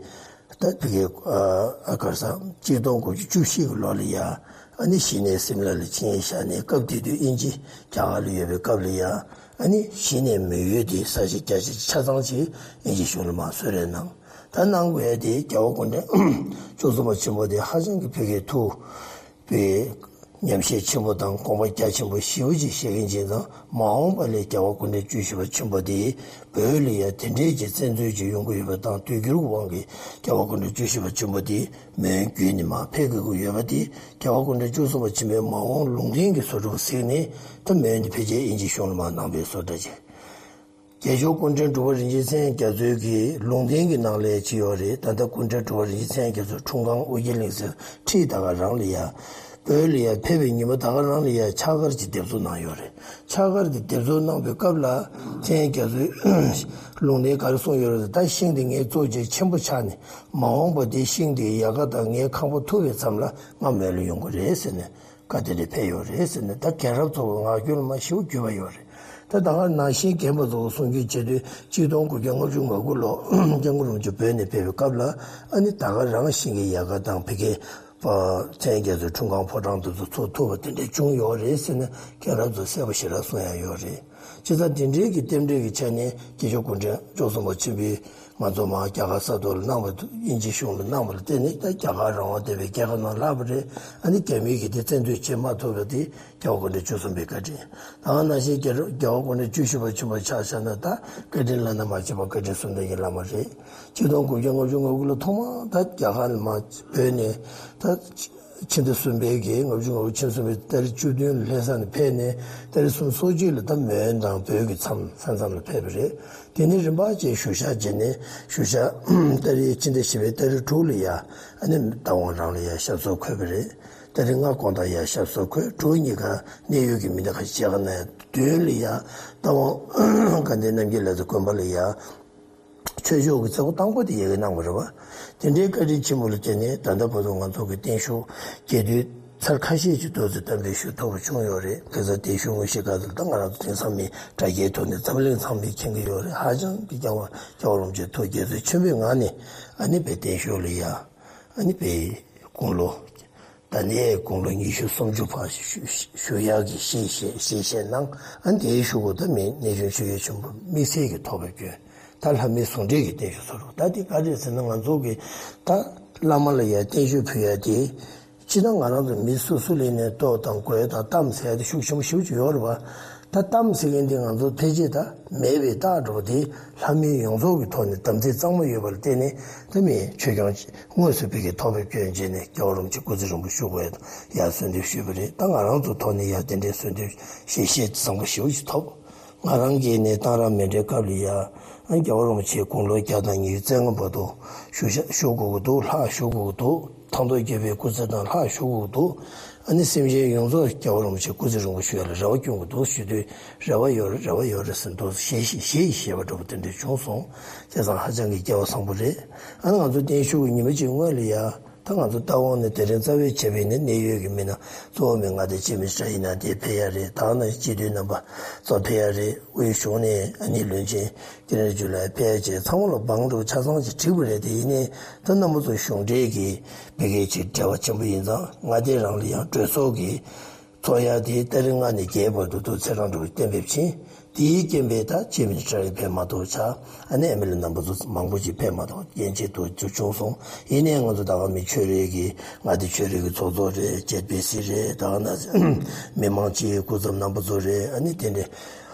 ད་ཕ་གི་ཨ་ག་རེ་ཟ་གཅིག་སྟོང་དགུ་བརྒྱ་བཅུ་བཞི་གི་ལོ་ལ་ཡ་ཨ་ནི་གཞི་ནས་སིམ་ལ་ལ་ཆིངས་ཡིག་བཞག་ནས་སྐབས་དེ་དུས་དབྱིན་ཇི་རྒྱ་གར་ལ་ཡོད་པའི་སྐབས་ལ་ཡ་ཨ་ནི་གཞི་ནས་མོན་ཡུལ་དེ་ས་ཆ་རྒྱ་ཆེ་ཆ་ཚང་ཅིག་དབྱིན་ཇི་གཞུང་ལ་མར་གསོལ་རས་གནང་། ད་གནང་དགོས་ཡ་དེ་རྒྱལ་བ་སྐུ་ཕྲེང་བཅུ་གསུམ་པ་ཆེན་པོ་དེ་ཧ་ཅང་གི་ཕ་གིའི་ཐུགས་པའི་ཉམས་བཞེས་ཆེན་པོ་དང་དགོངས་པ་རྒྱ་ཆེན་པོ་ཞེ་པོ་ཅིག་བཞེས་མཁན་ཅིག་དང་། མ་འོངས་པ་ལ་རྒྱལ་བ་སྐུ་ཕྲེང་བཅུ་བཞི་པ་ཆེན་པོ་དེ་བོད་ལ་ཡང་དེ་འདྲའི་གི་བཙན་འཛུལ་ཅིག་ཡོང་གི་ཡོད་པ་དང་། དུས་འགྱུར་གྱི་དབང་གིས་རྒྱལ་བ་སྐུ་ཕྲེང་བཅུ་བཞི་པ་ཆེན་པོ་དེ་མོན་བརྒྱུད་ནས་མར་ཕེབས་དགོས་ཀྱི་ཡོད་པ་དེ། རྒྱལ་བ་སྐུ་ཕྲེང་བཅུ་གསུམ་པ་ཆེན་པོའི་མ་འོངས་ལུང་བསྟན་གྱི་བཟོ་འདྲ་གཟིགས་ནས་ད་མོན་དེ་ཕལ་ཆེར་དབྱིན་ཇིའི་གཞུང་ལ་མར་གནང་བའི་བཟོ་འདྲ་ཅིག་རྒྱལ་མཆོག་སྐུ་ཕྲེང་དྲུག་པ་རིན་ཆེན་མཚན་རྒྱ་མཚོའི་གི་ལུང་བསྟན་གྱི་ནང་ལ་ཅི་ཡོད་རེད། ད་ལྟ་སྐུ་ཕྲེང་དྲུག་པ་རིན་ཆེན་མཚན་རྒྱ་མཚོ་འཁྲུངས་ཁང་ཨོ་རྒྱན་གླིང་ཟེར་ཁྲིད་ད་ག་རང་ལ་ཡ། བོད་ལ་ཡ་ཕེབས་པའི་ཉིན་མོ་ད་ག་རང་ལ་ཡ་ཕྱག་འཁར་ཅིག་འདེབས་འཛུགས་གནང་ཡོད་རེད། ཕྱག་འཁར་དེ་འདེབས་འཛུགས་གནང་བའི་སྐབས་ལ་མཚན་རྒྱ་མཚོའི་ལུང་བསྟན་ག་རེ་གསུངས་ཡོད་རེད། ད་ཤིང་དེ་ངའི་གཙོ་ཆེ་ཆེན་པོ་ཆགས་ནས་མ་འོངས་པ་དེ་ཤིང་དེའི་ཡལ་ག་དང་ངའི་ཁང་པ་ཐུག་པའི་མཚམས་ལ་ང་མོན་ལ་ཡོང་གི་རེད་ཟེར་ནས། བཀའ་དེ་འདྲ་ཕེབས་ཡོད་རེད་ཟེར་ནས། ད་རྒན་རབས་ཚོ་གི་ངག་རྒྱུན་ལ་མ་ཞེ་པོ་བརྒྱུད་པ་ཡོད་རེད། ད་ད་ག་ནང་བཞིན་རྒན་པ་ཚོ་གི་གསུང་རྒྱུན་བྱེད་དུས་གཅིག་སྟོང་དགུ་བརྒྱ་ལྔ་བཅུ་ང་དགུ་ལོ་སྐྱབས་མགོན་རིན་པོ་ཆེ་བོད་ནས་ཕེབས་པའི་སྐབས་ལ་ཨ་ནི་ད་ག་རང་ཤིང་གི་ཡལ་ག་དང་ཕ་གིའི་མཚན་རྒྱ་མཚོའི་འཁྲུངས་ཁང་ཕོ་བྲང་དེ་ཚོ་ཚུར་ཐུག་པ་དེ་འདྲ་བྱུང་ཡོད་རེད་ཟེར་ནས་རྒན་རབས་ཚོ་གསལ་པོ་ཞེ་དྲག་གསུང་ཡ་ཡོད་རེད། བྱས་ཙང་དེ་འདྲའི་གི་རྟེན་འབྲེལ་གྱི་ཆ་ནས་སྐྱེས་མཆོག་སྐུ་ཕྲེང་བཅུ་གསུམ་པ་ཆེན་པོས་ང་ཚོ་མར་རྒྱ་གར་ས་ཐོག་ལ་གནང་བ་དང་། དབྱིན་ཇི་གཞུང་ལ་གནང་བ་ལ་བརྟེན་ནས། ད་རྒྱ་གར་རང་དབང་ལྡན་པའི་རྒྱལ་ཁབ་ནང་ལྷག་པ་རེད། ཨ་ནི་རྒྱ་མིའི་གི་དེ་བཙན་འཛུལ་བྱེད་མ་ཐུབ་པ་དེ་རྒྱལ་བ་སྐུ་ཕྲེང་བཅུ་གསུམ་པའི་བཀའ་དྲིན། ད་ག་ནང་བཞིན་རྒྱལ་རྒྱལ་བ་སྐུ་ཕྲེང་བཅུ་བཞི་པ་ཆེན་པོ་ཆ་བཞག་ན། ད་བཀའ་དྲིན་བླ་ན་མ་མཆིས་པ་བཀའ་དྲིན་གསུམ་ལྡན་གྱི་བླ་མ་རེད། ཆིག་སྟོང་དགུ་བརྒྱ་ལྔ་བཅུ་ང་དགུ་ལ་ཐོག་མར་ད་རྒྱ་གར་ལ་མར་བོད་ནས་ད་ཕྱི་ཟླ་གསུམ་པའི་གི། ལྔ་བཅུ་ང་དགུ་ཕྱི་ཟླ་གསུམ་པའི་ཏ་རིག་བཅུ་བདུན་ལྷ་ས་ནས་ཕེབས་ནས། ཏ་རིག་སོ་གཅིག་ལ་ད་མོན་དང་བོད་ཀྱི་མཚམས་ས་མཚམས་ལ་ཕེབས་པ་རེད། དེ་ནས་རིམ་པ་བྱས་བཞུགས་ཞག་བྱས་ནས། བཞུགས་ཞག་ཏ་རིག་ཕྱི་ཟླ་བཞི་པའི་ཏ་རིག་དྲུག་ལ་ཡ། ཨ་ནི་རྟ་དབང་རང་ལ་ཡ་ཞབས་སོར་འཁོད་པ་རེད། ཏ་རིག་ལྔ་དགོང་དག་ཡ་ཞབས་སོར་འཁོད། དྲུག་ཉིན་ཀ་གནད་ཡོད་ཀྱི་མི་སྣ་ཁ་ཤས་མཇལ་ཁ་གནང་ཡ། བདུན་ལ་ཡ་རྟ་དབང་དགའ་ལྡན་རྣམ་རྒྱལ་ལགས་དང་དགོན་པ་ལ་ཡ་ཆོས་ཕྱོགས་ཀྱི་མཛད་སྒོ་དང་པོ་དེ་ཡ་གི་གནང་བ་རེད་བ། དེ་འདྲའི་བཀའ་དྲིན་ཆེན་པོ་ལ་བརྟེན་ནས་ད་ལྟ་བར་དུ་ང་ཚོ་གི་བརྟན་བཞུགས་རྒྱས་བསྡུས་ཚར་ཁ་ཤས་ཅིག་ཏོག་ཙམ་གཏན་འབེབས་ཞུ་ཐུབ་པ་བྱུང་ཡོད་རེད། དེ་ཚོ་བརྟན་བཞུགས་དངོས་གཞིའི་སྐབས་དེར་ད་ང་རང་ཚོ་དེང་སང་མི་དྲ་རྒྱའི་ཐོག་ནས་འཛམ་གླིང་ཚང་མས་མཁྱེན་གྱི་ཡོད་རེད། ཧ་ཅང་གི་རྒྱལ་བ་རྒྱལ་བ་རིན་པོ་ཆེ་ཐུགས་དགྱེས་ཚོར་ཆེན་པོའི་ངང་ནས། ཨ་ནི་དཔེ་བརྟན་བཞུགས་ལ་ཡ། ཨ་ནི་དཔེ་དགུང་ལོ། ད་ནས་དགུང་ལོ་ཉི་ཤུ་སུམ་ཅུ་བར་བཞུགས་བཞུགས་ཡག་གི་གཞེས་བཞེས་གཞེས་བཞེས་གནང་། ཨ་ནི་དེའི་གཞུག་གུ་ད་མི་གནས་ཆུང་ཆོས་རྒྱལ་ཆེན་པོ་དམིགས་བསལ་གྱི་ཐོག་ཕེབས་སྐྱོན། ད་ལྷ་མིའི་ཟུང་འབྲེལ་གྱི་བརྟན་བཞུགས་ཚོར་བ། ད་དེ་ག་རེད་ཟེར་ན། ང་ཚོ་གི་ད་བླ་མ་ལ་ཡ་བརྟན་བཞུགས་ཕུལ་ཡ་དེ། སྤྱིར་ན་ང་རང་ཚོ་མི་སོ་སོ་ལ་ནས་ལྟོ་དང་གོས་དང་གཏམ་ཟེར་ཡ་དེ་ཤུགས་ཆེན་པོ་ཞེ་པོ་ཅིག་ཡོད་རེད་བ། ད་གཏམ་ཟེར་མཁན་དེ་ང་ཚོ་ཕལ་ཆེར་ད་མེད་པའི་རྟགས་འདྲ་བོ་དེ། ལྷ་མི་ཡོངས་རྫོགས་ཀྱི་ཐོག་ནས་དམ་ཚིག་གཙང་མ་ཡོད་པ་ལ་བརྟེན་ནས། ད་མི་ཆོས་སྐྱོང་དངོས་སུ་ཕ་གིར་ཐོག་ཕེབས་སྐྱོན་བྱས་ནས་རྒྱལ་བ་རིན་པོ་ཆེ་སྐུ་ཚེ་རིང་པོ་བཞུགས་དགོས་ཡ་གསོལ་འདེབས་ཞུས་པ་རེད། ད་ང་རང་ཚོ་ཐོག་ནས་ཡ་དེ་འདྲའི་གསོལ་འདེབས་ཞལ་བཞེས་བཟང་པོ་ཞེ་པོ་ཅིག་ཐོབ། ང་རང་གིས་ནི་གཏང་རག་མཎྜལ་སྐབས་ལ་ཡ། ཨ། རྒྱལ་བ་རིན་པོ་ཆེ་དགུང་ལོ་བརྒྱ་དང་ཉི་ཤུ་རྩ་ལྔ་བར་དུ་བཞུགས་ཤ་བཞུགས་དགོས་ཀྱི་འདུག་ལྷག་བཞུགས་དགོས་ཀྱི་འདུག་ཐང་སྟོང་རྒྱལ་པོའི་སྐུ་ཚེ་དང་ལྷག་བཞུགས་དགོས་ཀྱི་འདུག་ཨ་ནི་སེམས་ཅན་ཡོངས་རྫོགས་རྒྱལ་བ་རིན་པོ་ཆེ་སྐུ་ཚེ་རིང་པོ་བཞུགས་ཡ་ལ་རེ་བ་སྐྱོན་གྱི་འདུག་ཞུ་དུས། རེ་བ་ཡོད་རེད། རེ་བ་ཡོད་རེད་ཟེར་འདུག་ཞེས་ཞེས་ཞེས་བཤད་པ་འདྲ་པོ་དེ་འདྲ་བྱུང་སོང་། བྱས་ཙང་ཧ་ཅང་གི་སྐལ་བ་བཟང་པོ་རེད། ཨ་ནི་ང་ཚོ་བརྟན་བཞུགས་ཀྱི་ཉི་མ་གཅིག་སྔོན་ལ་ཡ། ད་ང་ཚོ་རྟ་དབང་ནས་དེ་རིང་རྩ་བའི་བྱས་པའི་ནི་གནད་ཡོད་ཀྱི་མི་སྣ། གཙོ་བོ་མི་ང་དང་སྤྱི་མི་ཁྲ་ཡིན་ན་དེ་ཕེབས་ཡ་རེད། ད་ནི་སྤྱི་འཐུས་རྣམ་པ་ཚོ་ཕེབས་ཡ་རེད། དབུས་གཞུང་ནས་ཨ་ནི་བློན་ཆེན་ཀིརྟི་ནེ་ཇུ་ལགས་ཕེབས་ཡ་བྱས། ཚང་མ་ལ་བང་འགྲོ་ཆ་ཚང་ཅིག་བསྒྲིགས་པ་རེད། དེ་ཡིན་ནའི་ད་རྣམ་པ་ཚོ་གཞུང་འབྲེལ་གྱི་ཕ་གིའི་ཅིག་འབྲེལ་བ་ཆེན་པོ་ཡིན་ཙང་། མངའ་སྡེ་རང་ལ་ཡང་གྲོས་ཚོགས་ཀྱི་ཚོགས་ཡ་དེ་ཏ་རིག་ལྔ་ནས་བརྒྱད་བར་དུ་དུ་ཚེས་གྲངས་འགྲོ་གཏན་འབེབས་ཕྱིན། དེའི་རྐྱེན་པས་ད་སྤྱི་མི་ཁྲ་ཡིན་ཕེབས་མ་ཐུབ་ཆགས། ཨ་ནི་ཨེམ་ཨེལ་ཨེ་རྣམ་པ་ཚོ་མང་པོ་ཅིག་ཕེབས་མ་ཐུབ། རྐྱེན་ཆེད་དུ་བྱུང་སོང་། ཡིན་ནའི་ང་ཚོ་ད་ག་མི་ཆོས་རིག་གི་མངའ་སྡེ་ཆོས་རིག་གི་ཚོགས་གཙོ་རེད། ཅེས་པེ་སི་རེད། ད་ག་ན་མི་མང་སྤྱི་འཐུས་སྐུ་ཚབ་རྣམ་པ་ཚོ་རེད། ཨ་ནི་དེ་འདྲའི་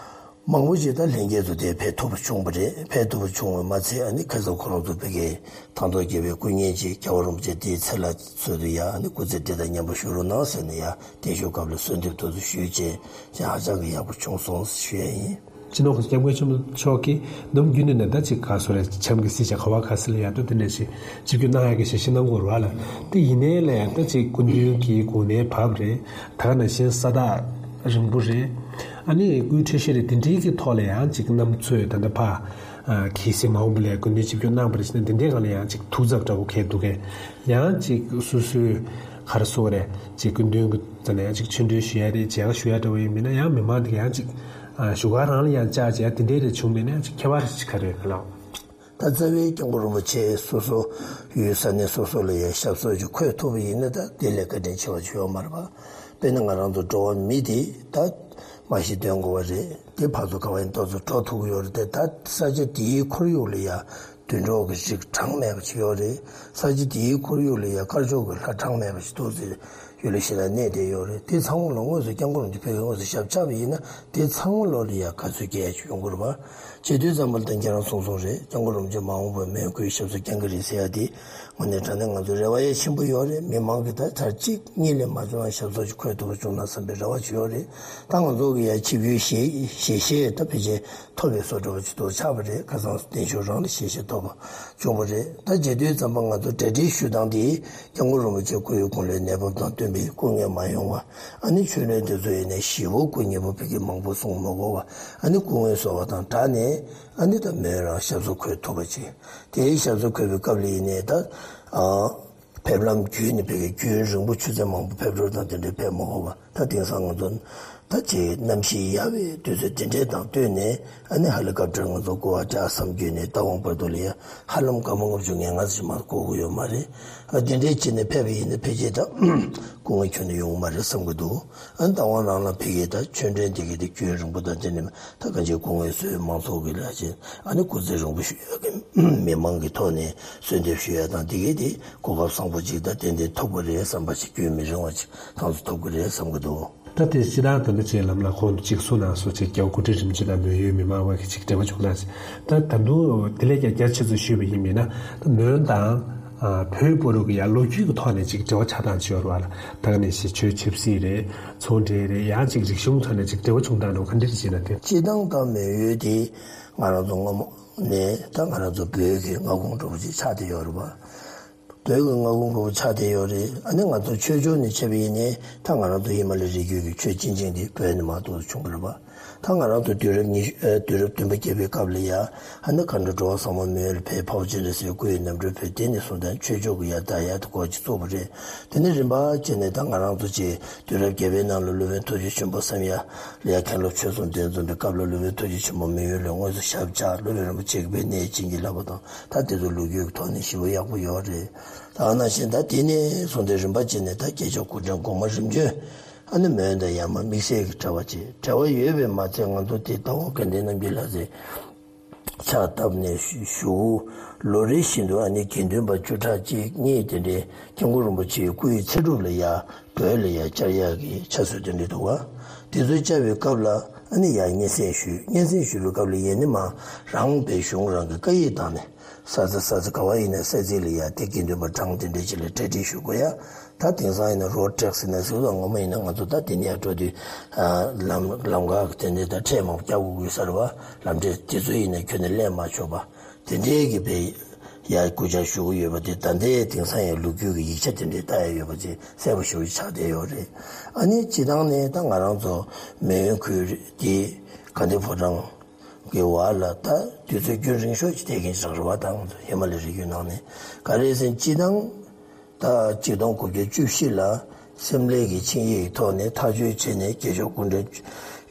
མང་པོ་ཅིག་ད་ལྷན་རྒྱས་ཚོ་དེ་ཕེབས་ཐུབ་པ་བྱུང་བ་རེད། ཕེབས་ཐུབ་པ་བྱུང་བ་མ་ཚད། ཨ་ནི་ཁ་སང་ཁོ་རང་ཚོ་ཕ་གིའི་ཐང་སྟོང་རྒྱལ་པོའི་སྐུ་བརྙན་ཅིག་རྒྱལ་བ་རིན་པོ་ཆེ་དེའི་ཚེ་ལ་ཚུལ་དུ་ཡ། ཨ་ནི་སྐུ་ཚེ་བདེ་དང་མཉམ་པར་བཞུགས་རོགས་གནང་ཟེར་ནས་ཡ། བརྟན་བཞུགས་སྐབས་ལ་གསོལ་འདེབས་ཐུགས་སུ་ཞུས་བྱས། ཅང་ཧ་ཅང་གི་ཡག་པོ་བྱུང་སོང་ཞུ་ཡ་ཡིན། སྤྱི་ནོར་གོང་ས་སྐྱབས་མགོན་ཆེན་པོ་མཆོག་གིས་ནམ་རྒྱུན་དུ་ནས་ད་ཅིག་ག་སོ་རེད། བྱམས་ཀྱི་སྲིད་བྱ་ག་བ་ག་ས་ལ་ཡ་ད་དེ་འདྲ་ཞིག་ཆིབས་བསྒྱུར་གནང་ཡ་གི་ཞལ་བཞེས་གནང་དགོས་རེད་བ་ལ། དེ་ཡིན་ནའི་ལ་ཡ་ད་ཅིག་སྐུ་མདུན་གྱི་དགུང་ལོ་བབས་རེད། ད་ག་ནང་བཞིན་ས་ཐག་རིང་པོ་རེད། ཨ་ནི་སྐུའི་འཕྲོད་བཞེས་རེད། དེ་འདྲའི་གི་ཐོག་ལ་ཡང་ཅིག་གནམ་མཚོ་ད་ལྟ་ཕ་གི་སྲིད་མ་འོངས་པ་ལ་ཡ་སྐུ་མདུན་ཆིབས་བསྒྱུར་གནང་བ་རེད་ཟེར་ན། དེ་འདྲའི་སྒང་ལ་ཡང་ཅིག་ཐུགས་འཚབ་འདྲ་བོ་གས་འདུག་གས། ཡང་ཅིག་སོ་སོའི་ག་རེ་ཟེར་དགོས་རེད། ཅིག་སྐུ་མདུན་གྱི་རྩ་ནས་ཡང་ཅིག་ཆོས་འབྲེལ་ཞུ་ཡ་རེད། མཇལ་ཁ་ཞུ་ཡ་འདྲ་བོ་ཡིན་མིན་ན། ཡང་མི་མང་དེ་ག་ཡང་ཅིག་ཨ་བཞུགས་སྒར་རང་ལ་ཡང་བཅར་བྱས་དེ་འདྲའི་རེ་བྱུང་མིན་ན། ཡང་ཅིག་ཁྱད་པར་ཅིག་ག་རེ་ཡོད་ན་ལགས། ད་རྩ་བའི་སྐྱབས་མགོན་རིན་པོ་ཆེ་སོ་སོ་ཡུལ་ས་གནས་སོ་སོ་ལ་ཡང་ཞབས་སོར་ཅིག་འཁོད་ཐུབ་པ་ཡིན་ན། ད་དེ་ལས་བཀའ་དྲིན་ཆེ་བ་ཅིག་ཡོད་མ་རེད་པ། དཔེར་ན་ང་རང་ཚོ་འགྲོ་བ་མི་དེ་ད་མ་གཞི་སྡོད་དགོས་པ་རེད། དེ་ཕར་ཚུར་ག་བ་ཡིན་ཏོག་ཙམ་འགྲོ་ཐུབ་ཀྱི་ཡོད་རེད་དེ། ད་ས་ཆ་དེའི་ཁོར་ཡུག་ལ་ཡང་དུད་འགྲོ་གི་རིགས་གྲངས་མེད་པ་ཅིག་ཡོད་རེད། ས་ཆ་དེའི་ཁོར་ཡུག་ལ་ཡང་དཀར་ཕྱོགས་ཀྱི་ལྷ་གྲངས་མེད་པ་ཅིག་ཏོག་ཙམ་ཡུལ་ལ་ཞེ་དྲག་གནས་བསྡད་ཡོད་རེད། དེ་ཚང་མ་ལ་དངོས་སུ་སྐྱབས་མགོན་རིན་པོ་ཆེ་ཕ་གིར་དངོས་སུ་ཞབས་བཅགས་པ་ཡིན་ན། དེ་ཚང་མ་ལོ་ལ་ཡང་དགའ་ཚོར་སྐྱེ་ཡ་ཅིག་ཡོང་གི་རེད་པ། བྱེད་དུས་ཙམ་པ་ལ་ད་ཁྱེད་རང་གསུངས་སོང་རེད། སྐྱབས་མགོན་རིན་པོ་ཆེ་མ་འོངས་པར་མོན་གྷོའི་ཞབས་སོར་བསྐྱང་གི་རེད་ཟེར་ཡ་དེ། དངོས་གནས་དྲང་གནས་ང་ཚོ་རེ་བ་ཡ་ཆེན་པོ་ཡོད་རེད། མི་མང་གིས་ད་ཚར་གཅིག་གཉིས་ལས་མ་བྱུང་ན་ཞབས་སོར་ཅིག་འཁོད་ཐུབ་པ་བྱུང་ན་བསམ་པའི་རེ་བ་ཅིག་ཡོད་རེད། ད་ང་ཚོ་གི་ཡ་ཆིབས་བསྒྱུར་ཞལ་ཞལ་བཞེས་ད་ཕལ་ཆེར་ཐོབ་པའི་བཟོ་འདྲ་བ་ཅིག་ཏུ་ཆགས་པ་རེད། ཁ་སང་བརྟན་བཞུགས་རང་ལ་ཞལ་བཞེས་ཐོབ་པ་བྱུང་བ་རེད། ད་བྱེད་དུས་ཙམ་པ་ང་ཚོ་གྲ་སྒྲིག་ཞུ་སྟངས་དེ། སྐྱབས་མགོན་རིན་པོ་ཆེ་སྐུ་ཡི་དགུང་ལོའི་གནས་བབ་དང་བསྟུན་པའི་སྐུ་ངལ་མ་ཡོང་བ། ཨ་ནི་ཆོས་ལུང་དེ་ཚོ་ཡིན་ནའི་ཞེ་པོ་སྐུ་ཉེ་པོ་ཕ་གིར་མང་པོ་གསུང་མ་དགོས་པ། ཨ་ནི་སྐུ་ངལ་གསོ་བ་དང་སྦྲགས་ནས། ཨ་ནི་ད་མོན་རང་ཞབས་སོར་འཁོད་ཐུབ་པ་ཅིག་དེའི་ཞབས་སོར་འཁོད་པའི་སྐབས་ལ་ཡིན་ནའི་ད། ཨ། ཕེབས་ལམ་བརྒྱུད་ནས་ཕ་གིར་རྒྱུན་རིང་པོ་ཆུ་ཚོད་མང་པོ་ཕེབས་འགྲོ་དང་དེ་འདྲའི་ཕེབས་མ་དགོས་པ། ད་དེང་སང་ང་ཚོ་ ད་ཅིག་གནམ་གཤིས་ཡག་པའི་དུས་ཚོད་དེ་འདྲའི་དང་བསྟུན་ནས། ཨ་ནི་ཧེ་ལི་ཀོབ་ཊར་ང་ཚོ་བསྐུར་བ་འདྲ་བསམ་རྒྱུ་ནས། རྟ་དབང་བར་དུ་ལ་ཡ་ཧ་ལམ་སྐར་མ་ལྔ་བཅུ་ང་ལྔ་ཙམ་མ་གཏོགས་འགོར་གྱི་ཡོད་མ་རེད། ཨ་དེ་འདྲའི་བྱས་ནས་ཕེབས་པ་ཡིན་ན་ཕལ་ཆེར་ད་སྐུ་ངལ་ཁྱོན་ནས་ཡོང་གི་མ་རེད་བསམ་གྱི་འདུག་ཨ་ནི་རྟ་དབང་རང་ལ་ཕ་གིའི་ད་ཆོས་འབྲེལ་འདི་གའི་དེ་རྒྱུན་རིང་པོ་དང་དེ་ནས་ད་གང་ཅིའི་སྐུ་ངལ་གསོས། མང་ཚོགས་ཀྱི་ལ་ཡ་ཅིག་ཨ་ནི་སྐུ་ཚེ་རིང་པོ་ཞུ་ཡག་གི་མི་མང་གི་ཐོག་ནས་གསོལ་འདེབས་ཞུ་ཡག་དང་། འདི་གའི་དེ་གོ་སྐབས་བཟང་པོ་ཅིག་ད་ཏན་ཏན་ཐོབ་ཀྱི་རེད་བསམ་པ་ཅིག་རྒྱུན་མི་རིང་བ་ཅིག་ཐག་ཆོད་ཐོབ་ཀྱི་རེད་བསམ་གྱི་འདུག་ད་དེ་སྤྱིར་བཏང་ད་ལྟ་ཅིག་ལམ་ལ་ཁོང་གཅིག་གསུང་གནང་སོང་། ཅིག་རྒྱལ་བ་སྐུ་ཕྲེང་རིམ་བྱོན་དང་མོན་ཡུལ་མི་མང་བར་གྱི་ཅིག་འབྲེལ་བ་བྱུང་ན་ཟེར། ད་ད་དུང་དེ་ལས་ཀྱང་རྒྱ་ཆེ་ཚུལ་ཞུས་པ་ཡིན་མིན་ན། ད་མོན་དང་ཨ་བོད་བར་དུ་གི་ཡང་ལོ་རྒྱུས་ཀྱི་ཐོག་ནས་ཅིག་འབྲེལ་བ་ཆགས་སྟངས་ཅིག་ཡོད་རེད་བ་ལ། ད་ག་ནང་བཞིན་ཆོས་ཆབ་སྲིད་རེད། ཚོང་འབྲེལ་རེད། ཡང་ཅིག་རིག་གཞུང་ཐོག་ནས་ཅིག་འབྲེལ་བ་བྱུང་སྟངས་འགྲོ་ག་འདྲ་ཅིག་ན་དེ། སྤྱིར་བཏང་ད་མོན་ཡུལ་དེ་ང་རང་ཚོ་སྔ་མོ་ནས་ད་ང་རང་ཚོ་བོད་ཀྱི་མངའ་ཁོངས་འདྲ་པོ་ཅིག་ཆགས་བསྡད་ཡོད་རེད་བ། བོད་ཀྱི་མངའ་ཁོངས་འདྲ་པོ་ཆགས་བསྡད་ཡོད་རེད། ཨ་ནི་ང་ཚོ་ཆོས་ཕྱོགས་ནས་བྱས་པ་ཡིན་ནའི་ད་ང་རང་ཚོ་ཧི་མ་ལ་ཡའི་རི་རྒྱུད་ཀྱི་ཆོས་སྤྱི་ཆིངས་འདི་བོད་ནས་མར་འདུག་སེ་བྱུང་བ་རེད་པ། ད་ང་རང་ཚོ་དུས་རབས་ཉི་ཤུ་ཨ་དུས་རབས་བདུན་པ་བརྒྱད་པའི་སྐབས་ལ་ཡ། ཨ་ནི་མཁའ་འགྲོ་འགྲོ་བ་ཚང་མ་མོན་ཡུལ་ལ་ཕེབས། འཕགས་པ་སྤྱན་རས་གཟིགས་སྐུ་ཡི་རྣམ་སྤྲུལ་ཕེབས། དེ་ནས་བཟུང་ད་ཆོས་ཕྱོགས་ཀྱི་ཡ་ད་ཡ་ད་སྐོར་ཅིག་བཙུགས་པ་རེད། དེ་ནས་རིམ་པ་བྱས་ནས་ད་ང་རང་ཚོ་ཅིག་དུས་རབས་བརྒྱད་པའི་ནང་ལ་སློབ་དཔོན་ཐུགས་རྗེ་ཆེན་པོ་བསམ་ཡས་ལ་ཡ་མཁན་སློབ་ཆོས་གསུམ་འདོན་བཟུང་བའི་སྐབས་ལ། སློབ་དཔོན་ཐུགས་རྗེ་ཆེན་པོ་མོན་ཡུལ་ལ་དངོས་སུ་ཞབས་བཅགས། སློབ་དཔོན་རིན་པོ་ཆེ་གིས་དཔེ་གནས་བྱིན་གྱིས་བརླབས་པ་དང་། ད་དེ་ཚོ་ལོ་རྒྱུས་ཀྱི་ཐོག་ནས་ཞེ་པོ་ཡག་པོ་ཡོད་རེད། ད་ནང་བཞིན་ད་དེ་ནས་བཟུང་སྟེ་རིམ་པ་བྱས་ནས་ད་རྒྱལ་མཆོག་སྐུ་ཕྲེང་གོང་མ་རིམ་བྱོན། ཨ་ནི་མོན་དང་ཡར་མར་དམིགས་བསལ་གྱི་འབྲེལ་བ་ཅིག་འབྲེལ་བ་ཡོད་པས་མ་ཚད། ང་ཚོ་དེ་རྟ་དབང་དགའ་ལྡན་རྣམ་རྒྱལ་ལགས་ཀྱིས་ཕྱག་བཏབ་ནས་བཞུགས། ལོ་རེ་བཞིན་དུ་ཨ་ནི་དགེ་འདུན་པ་བཅུ་ཕྲག་གཅིག་གཉིས་དེ་འདྲའི་སྐྱབས་མགོན་རིན་པོ་ཆེའི་སྐུ་ཡི་ཚེ་སྒྲུབ་ལ་ཡ་བོད་ལ་ཡ་བཅར་ཡག་གི་ཕྱག་སྲོལ་དེ་འདྲ་འདུག་ག་དེ་ཚོ་བཅར་བའི་སྐབས་ལ་ཨ་ནི་ཡར་སྙན་སེང་ཞུས། སྙན་སེང་ཞུས་པའི་སྐབས་ལ་ཡ་ནི་མར་རང་བོད་གཞུང་རང་གི་སྐད་ཡིག་བཏང་ནས། ས་ཆ་ས་ཆ་ག་བ་ཡིན་ན་ས་ཚིགས་ལ་ཡ་དེ་དགེ་འདུན་པ་གྲངས་དེ་འདྲ་ཅིག་ལ་གྲ་སྒྲིག་ཞུ་དགོས་ཡ། ད་དེང་སང་ཡིན་ན་རོཌ་ཊེག་སི་ཟེར་ནས་ཟེར་བ། སྔོན་མ་ཡིན་ན་ང་ཚོ་ད་དེ་ནས་ཡར་འགྲོ་དུས་ལམ་ལམ་ཁ་གི་དེ་འདྲའི་ད་ཁྲལ་མང་པོ་རྒྱག་དགོས་ཀྱི་ཡོད་ས་རེད་བ། ལམ་ཁྲལ་དེ་ཚོ་ཡིན་ན་ཁྱོན་ནས་ལེན་མ་ཆོག་པ། དེ་འདྲའི་གི་བའི་ཡ་སྐུལ་ལྕག་ཞུ་གི་ཡོད་པ་དེ་ད་ལྟའི་དེང་སང་ཡང་ལོ་རྒྱུས་ཀྱི་ཡིག་ཆ་དེ་འདྲའི་ལྟ་ཡ་ཡོད་པ་ཅིག་གསལ་པོ་ཞེ་པོ་ཆགས་བསྡད་ཡོད་རེད། ཨ་ནི་སྤྱིར་བཏང་ནས་ད་ང་རང་ཚོ་མོན་ཡུལ་ཁུལ་དེ་དགའ་ལྡན་ཕོ་བྲང་གི་བར་ལ་ད་དུས་ཚོད་རྒྱུན་རིང་ཤོས་ཅིག་བསྡད་མཁན་ཞིག་རེད་བ། ད་ང་ཚོ་ཧི་མ་ལ་ཡའི་རི་རྒྱུད་ནང་ནས། ག་རེ་ཟེར་ན་སྤྱིར་བཏང་ད་གཅིག་སྟོང་དགུ་བརྒྱ་བཅུ་བཞི་ལ་སེམས་ལས་ཀྱི་ཆིངས་ཡིག་གི་ཐོག་ནས་ཐག་གཅོད་བྱས་ནས། རྒྱལ་མཆོག་སྐུ་ཕྲེང་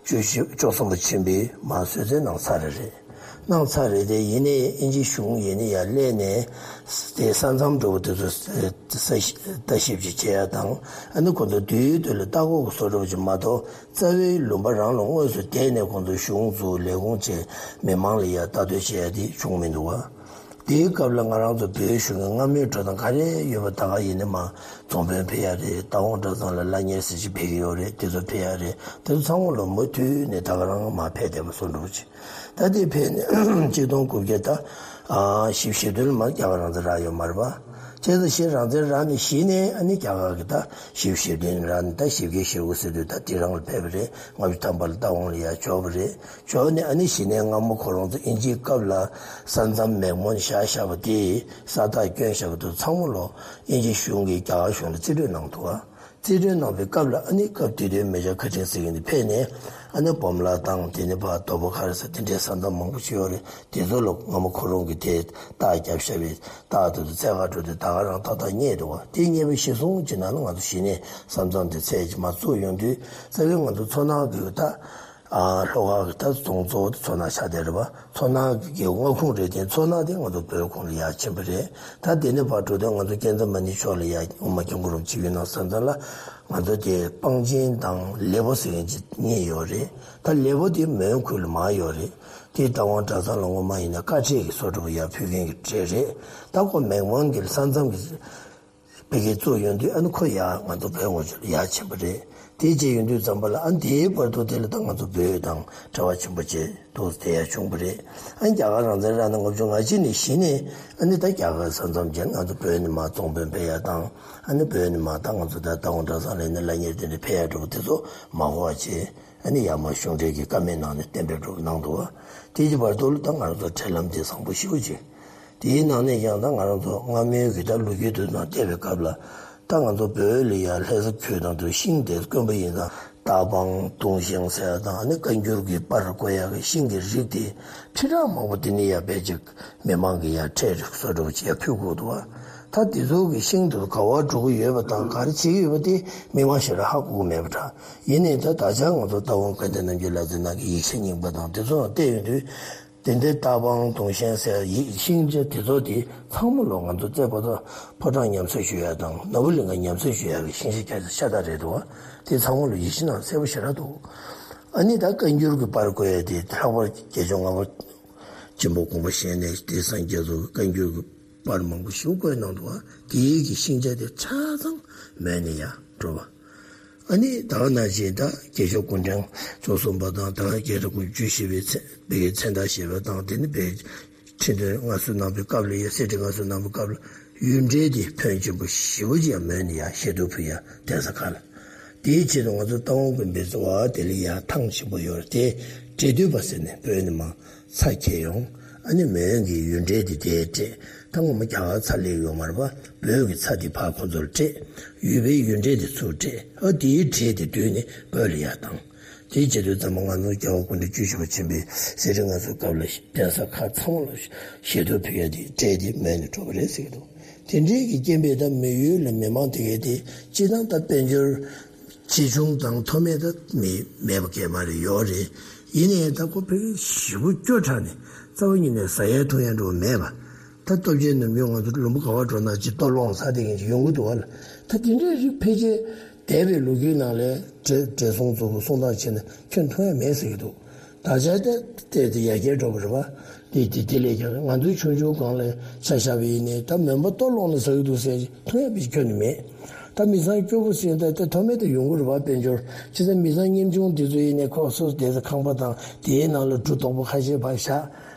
བཅུ་བཞི་བཅུ་གསུམ་པ་ཆེན་པོས་མར་གསོལ་སྩལ་གནང་ཚར་རེད། གནང་ཚར་རེད་དེ། ཡིན་ནའི་དབྱིན་ཇིའི་གཞུང་ཡིན་ནའི་ཡར་སླེབས་ནས་དེ་ས་མཚམས་འདྲ་པོ་དེ་ཚོ་ས་ཞིབ་ལྟ་ཞིབ་ཅིག་བྱེད་ཡ་དང་། ཨ་ནི་ཁོང་ཚོ་དུས་དུས་ལ་ལྟ་སྐོར་གྱི་བཟོ་འདྲ་པོ་ཅིག་མ་གཏོགས། རྩ་བའི་ལུང་པ་རང་ལ་དངོས་སུ་བསྡད་ནས་ཁོང་ཚོ་གཞུང་བཙུགས། ལས་ཁུངས་བྱས། མི་མང་ལ་ཡ་ལྟ་འདོད་བྱེད་ཡ་དེ་བྱུང་མི་འདུག་བ། དེའི་སྐབས་ལ་ང་རང་ཚོ་བོད་གཞུང་གི་སྔ་མོའི་འགྲོ་སྟངས་ག་རེ་ཡོད་པ་ད་ག་ཡིན་ནའི་མར་རྫོང་དཔོན་ཕེབས་ཡ་རེད། རྟ་དབང་གྲྭ་ཚང་ལ་བླ་གཉེར་ཟེར་ཅིག་ཕེབས་ཀྱི་ཡོད་རེད། དེ་ཚོ་ཕེབས་ཡ་རེད། དེ་ཚོ་ཚང་མ་ལོ་མུ་མཐུད་ནས་ད་ག་རང་མར་ཕེབས་བསྡད་པ་བཟོ་འདྲ་པོ་ཅིག་ད་དེ་ཕེབས་ནས་གཅིག་སྟོང་དགུ་བརྒྱ་ད་ཨ་བཞི་བཅུ་ཞེ་བདུན་ལ་མར་རྒྱ་གར་རང་བཙན་རག་ཡོད་མ་རེད་པ། བྱས་ཙང་གཞི་རང་བཙན་རག་ནས་གཞི་ནས་ཨ་ནི་རྒྱ་གར་གྱིས་ད་བཞི་བཅུ་ཞེ་བདུན་རག་ནས། ད་བཞི་བརྒྱ་ཞེ་དགུ་ཟེར་དུས་ད་དེ་རང་ལ་ཕེབས་པ་རེད། ལྔ་བཅུ་ཐམ་པ་ལ་རྟ་དབང་ལ་ཡར་འབྱོར་བ་རེད། འབྱོར་ནས་ཨ་ནི་གཞི་ནས་སྔ་མོ་ཁོ་རང་ཚོ་དབྱིན་ཇིའི་སྐབས་ལ་ས་མཚམས་མེག་མོན་བཞག་བཞག་པ་དེ། ས་རྟགས་བསྐྱོན་བཞག་པ་དེ་ཚང་མ་ལོ་དབྱིན་ཇི་གཞུང་གིས་རྒྱ་གར་གཞུང་ལ་རྩིས་སྤྲོད་གནང་འདུག་ག་རྩིས་སྤྲོད་གནང་བའི་སྐབས་ལ་ཨ་ནི་སྐབས་དེ་དུས་མེ་ཇར་ཁ་ཆེན་ཟེར་མཁན་དེ་ཕེབས་ནས། ཨ་ནི་སྦོམ་ལ་དང་། དེ་ནས་ཕར་དོ་པོ་ཁ་རི་ས་དེ་འདྲའི་ས་མཚམས་མང་པོ་ཞིག་ཡོད་རེད། དེ་ཚོ་ལ་སྔ་མོ་ཁོ་རང་གིས་དེ་རྟགས་བརྒྱབ་བཞག་པའི་རྟགས་དེ་ཚོ་འཚོལ་ག་འགྲོ་དུས་ད་ག་རང་ཏག་ཏག་རྙེད་འདུག་བ། དེ་རྙེད་པའི་གཞི་བཟུང་གི་ནང་ལ་ང་ཚོ་གཞི་ནས་ས་མཚམས་དེ་འཚོལ་གྱི་མར་བཙུགས་ཡོང་དུས། རྩ་བའི་ང་ཚོ་མཚོ་ནག་གི་ད་ཨ་ལྷོ་ཁ་གི་ད་རྫོང་གཙོ་བོ་དེ་མཚོ་སྣ་ཆགས་བསྡད་རེད་པ། མཚོ་ནག་གི་མངའ་ཁོངས་རེད་དེ། མཚོ་ནག་དེ་ང་ཚོ་བོད་ཁོངས་ལ་ཡར་ཕྱིན་པ་རེད། ད་དེ་ནས་ཕར་འགྲོ་དུས་ང་ཚོ་ཀུན་བཟང་མ་ཎི་ཕྱོགས་ལ་ཡར་དབུ་མ་སྐྱབས་མགོན་རིན་པོ་ཆེ་ཡོད་གནང་ས་མཚམས་ལ་ང་ཚོ་དེ་སྤང་ཆེན་དང་ལེ་པོ་ཟེར་མཁན་ཅིག་གཉིས་ཡོད་རེད། ད་ལེ་པོ་དེ་མོན་ཁུལ་ལ་མར་ཡོད་རེད། དེ་རྟ་དབང་གྲྭ་ཚང་ལ་སྔོན་མ་ཡིན་ན་དཀའ་སྤྲད་ཀྱི་བཟོ་འདྲ་པོ་ཡར་ཕུལ་མཁན་གྱི་གྲས་རེད། ད་ཁོ་མེག་མོན་གྱི་ས་མཚམས་ཀྱི་ཕ་གིར་བཙུགས་ཡོང་དུས། ཨ་ནི་ཁོ་ཡར་ང་ཚོ་བོད་ངོས་ཕྱོགས་ལ་ཡར་ཕྱིན་པ་རེད། དེ་བྱས་ཡོང་དུས་ཙམ་པ་ལ། ཨ་ནི་དེའི་བར་དུ་དེ་ལ་ད་ང་ཚོ་བོད་དང་འབྲེལ་བ་ཆེན་པོ་བྱས་འདུག་སེ་དེ་ཡར་བྱུང་བ་རེད། ཨ་ནི་རྒྱ་གར་རང་བཙན་རག་ནས་ལྔ་བཅུ་ང་གཅིག་ནས་གཞི་ནས། ཨ་ནི་ད་རྒྱ་གར་ས་མཚམས་བརྒྱུད་ང་ཚོ་བོད་ནས་མར་རྫོང་དཔོན་ཕེབས་ཡ་དང་། ཨ་ནི་བོད་ནས་མར་ད་ང་ཚོ་ད་རྟ་དབང་གྲྭ་ཚང་ལ་ཡིན་ན་བླ་གཉེར་དེ་འདྲ་ཕེབས་ཡ་འདྲ་པོ་དེ་ཚོ་མ་གོ་བ་བྱས། ཨ་ནི་ཡར་མར་གཞུང་འབྲེལ་གྱི་བཀའ་མོལ་གནང་ནས་གཏན་འབེབས་འདྲ་པོ་གནང་འདུག་བ། དེའི་བར་དུ་ལ་ད་ང་རང་ཚོ་འབྲེལ་ལམ་དེ་བཟང་པོ་ཞེ་པོ་ཅིག་དེའི་ནང་ནས་ཀྱང་ད་ང་རང་ཚོ་སྔ་མོའི་གི་ད་ལོ་རྒྱུས་དེ་ནང་བལྟས་པའི་སྐབས་ལ། ད་ང་ཚོ་བོད་ལ་ཡ་ལྷ་ས་ཁུལ་ནང་དུ་ཤིང་དེ་དཀོན་པོ་ཡིན་ཙང་། རྟ་སྤང་དུང་ཤིང་ཟེར་ཡ་དང་། ཨ་ནི་བཀའ་འགྱུར་གྱི་པར་བརྐོ་ཡ་གི་ཤིང་གི་རིགས་དེ་ཁྲི་ཕྲག་མང་པོ་དེ་ནས་ཡར་ཕལ་ཆེར་མི་མང་གིས་ཡར་ཁྲལ་རིགས་བཟོ་འདྲ་པོ་ཅིག་ཡར་ཕུལ་དགོས་འདུག་བ། ད་དེ་ཚོ་གི་ཤིང་དུ་ག་བ་འགྲོ་གི་ཡོད་པ་དང་ག་རེ་བྱེད་ཀྱི་ཡོད་པ་དེ་མི་མང་ཞེ་དྲག་ཧ་གོ་གི་མེད་པ་འདྲ། ཡིན་ནའི་ད་ད་ཆ་ང་ཚོ་རྟ་དབང་དགའ་ལྡན་རྣམ་རྒྱལ་ལག་རྩལ་ནང་གི་ཡིག་ཆ་རྙིང་པ་དང་དེ་ཚོ་ལ་བལྟས་ཡོང་དུས། དེ་འདྲའི་རྟ་དབང་དུང་ཞེན་ཟེར་ཡིག་ཤིང་ཆ་དེ་ཚོ་དེ་ཚང་མ་ལོ་ང་ཚོ་རྩེ་པོ་ཏ་ཕོ་བྲང་ཉམས་གསོ་ཞུ་ཡ་དང་ནོར་བུ་གླིང་ག་ཉམས་གསོ་ཞུ་ཡ་གི་ཤིང་ཆ་ཁྱད་ཤ་སྟག་རེད་འདུག་བ། དེ་ཚང་མ་ལོ་ཡིག་ཆ་ནང་གསལ་པོ་ཞེ་དྲག་འདུག་ཨ་ནི་ད་བཀའ་འགྱུར་གྱི་པར་བརྐོས་ཡ་དེ་ལྷག་པར་རྒྱལ་མཆོག་ལྔ་པ་ཆེན་པོ་དགོངས་པ་བཞེས་ནས་དེ་སངས་རྒྱས་ཚོ་གི་བཀའ་འགྱུར་གྱི་པར་མང་པོ་ཞིག་བརྐོས་གནང་འདུག་བ། དེའི་གི་ཤིང་ཆ་དེ་ཆ་ཚང་མོས་ནས་ཡ་འགྲོ་བ། ཨ་ནི་ད་ག་ནང་བཞིན་ད་རྒྱལ་མཆོག་སྐུ་ཕྲེང་བཅུ་གསུམ་པ་དང་ད་ག་རྒྱལ་རབས་དགུ་བཅུ་བཞི་པའི་ཚེ་བའི་མཚན་རྟགས་བཞེས་པ་དང་དེ་ནི་བའི་ཁྲི་འདོན་མངའ་གསོལ་གནང་བའི་སྐབས་ལ་ཡ་གསེར་ཁྲི་མངའ་གསོལ་གནང་བའི་སྐབས་ལ་ཡུལ་འབྲེལ་དེ་ཕོན་ཆེན་པོ་ཞེ་པོ་ཅིག་ཡང་མོས་ནས་ཡ་ཞལ་དུ་ཕུལ་ཡ་གདན་ས་ཁག་ལ། དེའི་ཆེད་དུ་ང་ཚོ་རྟ་དབང་དགོན་པའི་གཙོ་བོ་དེ་ལ་ཡ་ཐང་ཆེན་པོ་ཡོད་རེད་དེ་འབྲེལ་མདུད་པ་ཟེར་ནས་བོད་ནས་མར་ཚ་འཁྱེར་ཡོང་། ཨ་ནི་མོན་གྱི་ཡུལ་འབྲེལ་དེ་དེར་སྤྲད། ད་ངོ་མ་རྒྱ་གར་ཚ་སླེབས་ཡོད་མ་རེད་པ། བོད་ཀྱི་ཚ་དེ་ཕར་ཁོ་ཚོར་སྤྲད། ཡུལ་པའི་ཡུལ་འབྲེལ་དེ་ཚུར་སྤྲད། ཨ་དེའི་འབྲེལ་དེ་བསྡུས་ནས་བོད་ལ་ཡར་བཏང་། དེའི་ཆེད་དུ་ཚང་མ་ང་ཚོ་རྒྱལ་བ་སྐུ་ཕྲེང་བཅུ་བཞི་པ་ཆེན་པོའི་གསེར་ཁྲི་མངའ་གསོལ་སྐབས་ལ་གདན་ས་ཁག་ཚང་མ་ལ་ཞལ་དུ་ཕུལ་ཡ་དེ་འབྲེལ་དེ་མོས་ནས་འགྲོ་བ་རེད་ཟེར་གྱི་འདུག་དེ་འདྲའི་གི་རྐྱེན་པས་ད་མི་ཡུལ་ལ་མི་མང་དེ་གས་དེ་སྤྱིར་བཏང་ད་དཔལ་འབྱོར་ཆེ་ཆུང་དང་མཐོ་དམན་ད་མི་མེད་པ་གས་མ་རེད་ཡོད་རེད། ཡིན་ནའི་ད་ཁོ་ཕ་གི་ཞེ་པོ་སྐྱོ་དྲགས་ནས་རྩ་བ་ཉིད་ནས་ཟ་ཡ་འཐུང་ཡ་འགྲོ་བ་མེད་པ། ད་སྟོབས་ཆེན་ནམ་རྒྱུན་ང་ཚོ་ལུང་པ་ག་བ་འགྲོ་ན་ཅིག་ལྟོ་སློང་ཟ་བསྡད་མཁན་ཅིག་ཡོང་གི་འདུག་བ་ལ། ད་དེ་འདྲའི་རིགས་ཕལ་ཆེར་འདས་པའི་ལོ་རྒྱུས་ནང་ལས་བགྲེས་བགྲེས་སོང་ཚོ་གསུང་སྟངས་བྱས་ན་ཁྱོན་མཐོང་ཡ་མེད་ཟེར་གྱི་འདུག་ད་ཆ་ད་བལྟས་ཏེ་ཡར་རྒྱས་འགྲོ་བ་རེད་བ། དེ་དེ་དེ་ལས་ཀྱང་ང་ཚོའི་ཆུང་ཆུང་སྒང་ལ་ཆ་བཞག་པ་ཡིན་ནའི་ད་མོན་པ་ལྟོ་སློང་ལ་ཟ་གི་འདུག་ཟེར་མཐོང་ཡ་པའི་ཁྱོན་ནས་མེད། ད་མི་ཚང་སྐྱོ་པོ་ཟེར་ད་ད་མཐོ་དམན་དུ་ཡོང་གི་རེད་བ། དཔལ་འབྱོར་བྱས་ཙང་མི་ཚང་ཉམ་ཆུང་དེ་ཚོ་ཡིན་ནའི་ཁོ་སོ་སོ་བསྡད་ས་ཁང་པ་དང་དེའི་ནང་ལ་གྲུ་དོག་པོ་ཁ་ཤས་ཕར་བཞག་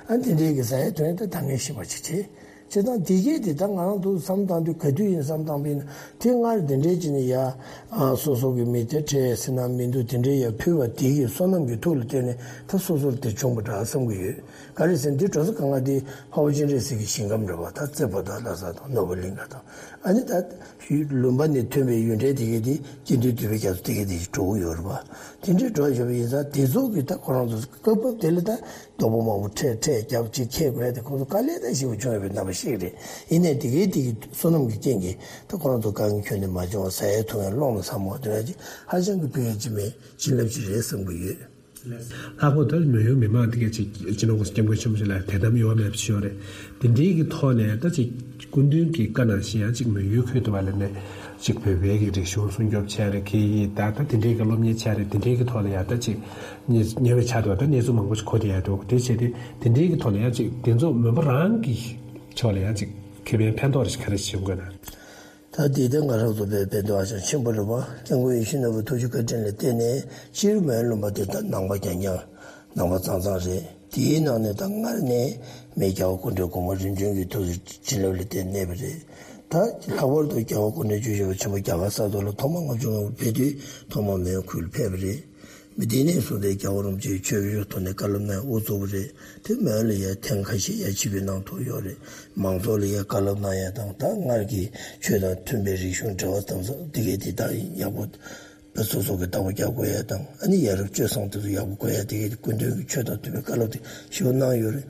ཨ་དེ་འདྲའི་གི་ཟ་ཡ་འཐུང་ཡ་ད་ད་ངས་ཤེས་པ་ཅིག་བྱེད། བྱས་ཙང་དེ་གས་དེ་ད་ང་རང་ཚོ་བསམ་བཏང་དུས་ག་དུས་ཡིན་བསམ་བཏང་པ་ཡིན་ན་དེ་སྔར་དེ་འདྲའི་ཅིག་ནས་ཡ་ཨ་སོ་སོ་གི་མི་དེ་ཁྲལ་ཟེར་ན་མི་འདུག་དེ་འདྲའི་ཡ་ཕུལ་བ་དེ་གི་བསོད་ནམས་ཀྱི་མཐུ་ལ་བརྟེན་ནས་ད་སོ་སོར་དེ་བྱུང་བ་འདྲ་བསམ་གི་ཡོད། ག་རེ་ཟེར་ན་འདི་འགྲོ་ས་གང་ག་དེ་འཕགས་པ་སྤྱན་རས་གཟིགས་ཀྱི་ཞིང་ཁམས་རེད་བ། ད་རྩེ་ཕོ་བྲང་ལྷ་ས་དང་ནོར་བུ་གླིང་ག་དང་ཨ་ནི་ད་ལུང་པ་ནས་ཐོན་པའི་ཡུལ་འབྲེལ་དེ་གས་དེ་དགེ་འདུན་འདུས་པའི་རྒྱ་མཚོ་དེ་གས་དེ་འགྲོ་གི་ཡོད་རེད་བ། དེ་འདྲའི་འགྲོ་བཞིན་པ་ཡིན་ཙང་དེ་ཚོ་གི་ད་ཁོ་རང་ཚོ་སྐབས་བབ་དེ་ལ་ད་རྡོག་པོ་མང་པོ་ཁྲལ་ཁྲལ་རྒྱབ་ཅིག་ཁྱེད་དགོས་ཏེ་ཁོ་ཚོ་དཀའ་ལས་ད་ཞེ་པོ་བྱུང་ཡོད་པའི་རྣམ་པ་ཞིག་རེད། ཡིན་ནའི་དེ་གའི་དེ་གི་བསོད་ནམས་ཀྱི་རྐྱེན་གྱིས་ད་ཁོ་རང་ཚོ་དཀའ་ངལ་ཁྱོན་ནས་མ་བྱུང་བ་ཟ་ཡས་འཐུང་ཡས་སློང་ལ་ཚང་མ་དེ་འདྲ་ཅིག་ཧ་ཅང་གི་ཕན་ཡས་ཅིག་མེད་བྱིན་རླབས་ཅིག་རེད་བསམ་གྱི་ཡོད། ལྷག་པར་དུ་མོན་ཡུལ་མི་མང་དེ་གས་ཅིག་སྤྱི་ནོར་གོང་ས་སྐྱབས་མགོན་ཆེན་པོ་ཞིག་ལ་དད་དམ་ཡོད་མེད་ཅིག་ཡོད་རེད། དེ་འདྲའི་གི་ཐོག་ནས་ད་ཅིག་སྐུ་མདུན་གྱི་བཀའ་ནང་བཞིན་ཡང་ཅིག་མོན་ཡུལ་ཁུལ་དུ་བ་ལ་ནས་ཅིག་བོད་པའི་གི་རིག་གཞུང་སྲུང་སྐྱོབ་བྱས་རེད། གི་ཡིས་ད་ད་དེ་འདྲའི་གི་སློབ་གཉེར་བྱས་རེད། དེ་འདྲའི་གི་ཐོག་ལ་ཡང་ད་ཅིག་ཉེ་ཉེ་བའི་ཆར་དུ་ད་གནས་ཚུལ་མང་པོ་ཞིག་གོ་བསྡད་ཡ་འདུག་དེ་བྱས་ཏེ་དེ་འདྲའི་གི་ཐོག་ནས་ཡང་ཅིག་དེ་ཚོ་མོན་པ་རང་གི་ཕྱོགས་ལ་ཡང་ཅིག་ཁེ་ཕན་ཕན་ཐོགས་རེ་ཞིག་ག་རེ་བྱེད་དགོས་ན། ད་དེ་ལྟར་ང་རང་ཚོ་བོད་ཕན་ཐོགས་ཧ་ཅང་ཆེན་པོ་རེད་བ། སྐྱབས་མགོན་ཡིད་བཞིན་ནོར་བུའི་ཐུགས་རྗེ་བཀའ་དྲིན་ལ་བརྟེན་ནས་སྤྱིར་མོན་ལུང་པ་དེ་ད་ནང་པ་རྐྱང་རྐྱང་ནང་པ་གཙང་གཙང་རེད། དེའི་ནང་ནས་ད་སྔར་ནས་མི་རྒྱལ་བ་སྐུ་ཕྲེང་གོང་མ་རིམ་བྱོན་གྱི་ཐུགས་སུ་བྱིན་རླབས་ལ་བརྟེན་གནས་པ་རེད། ད་ལྷག་པར་དུ་རྒྱལ་བ་སྐུ་ཕྲེང་བཅུ་བཞི་པ་ཆེན་པོ་རྒྱ་གར་ས་ཐོག་ལ་ཐོག་མར་ལྔ་བཅུ་ང་དགུ་ཕེབས་དུས་ཐོག་མར་མོན་ཁུལ་ལ་ཕེབས་པ་རེད། མི་དེ་ནས་བཟུང་སྟེ་རྒྱལ་བ་རིན་པོ་ཆེའི་ཆོས་ཕྱོགས་ཐོག་ནས་བཀའ་སློབ་གནང་དབུ་བཙུགས་པ་རེད། དེ་མོན་ལ་ཡ་ཐེངས་ཁ་ཤས་ཡ་ཆིབས་བསྒྱུར་གནང་ཐུབ་ཡོད་རེད། མང་ཚོགས་ལ་ཡ་བཀའ་སློབ་གནང་ཡ་དང་ད་སྔར་གྱི་ཆོས་དང་མཐུན་པའི་རིག་གཞུང་འབྲེལ་བ་དམ་ཟབ་དེ་གས་དེ་དག་ཡག་པོ་སོ་སོ་གི་བདག་པོ་རྒྱག་དགོས་ཡ་དང་ཨ་ནི་ཡ་རབས་སྤྱོད་བཟང་དེ་ཚོ་ཡག་པོ་དགོས་ཡ་དེ་གས་དེ་སྐུ་མདུན་གྱི་ཆོས་དང་མཐུན་པའི་བཀའ་སློབ་དེ་ཞེ་པོ་གནང་ཡོད་རེད།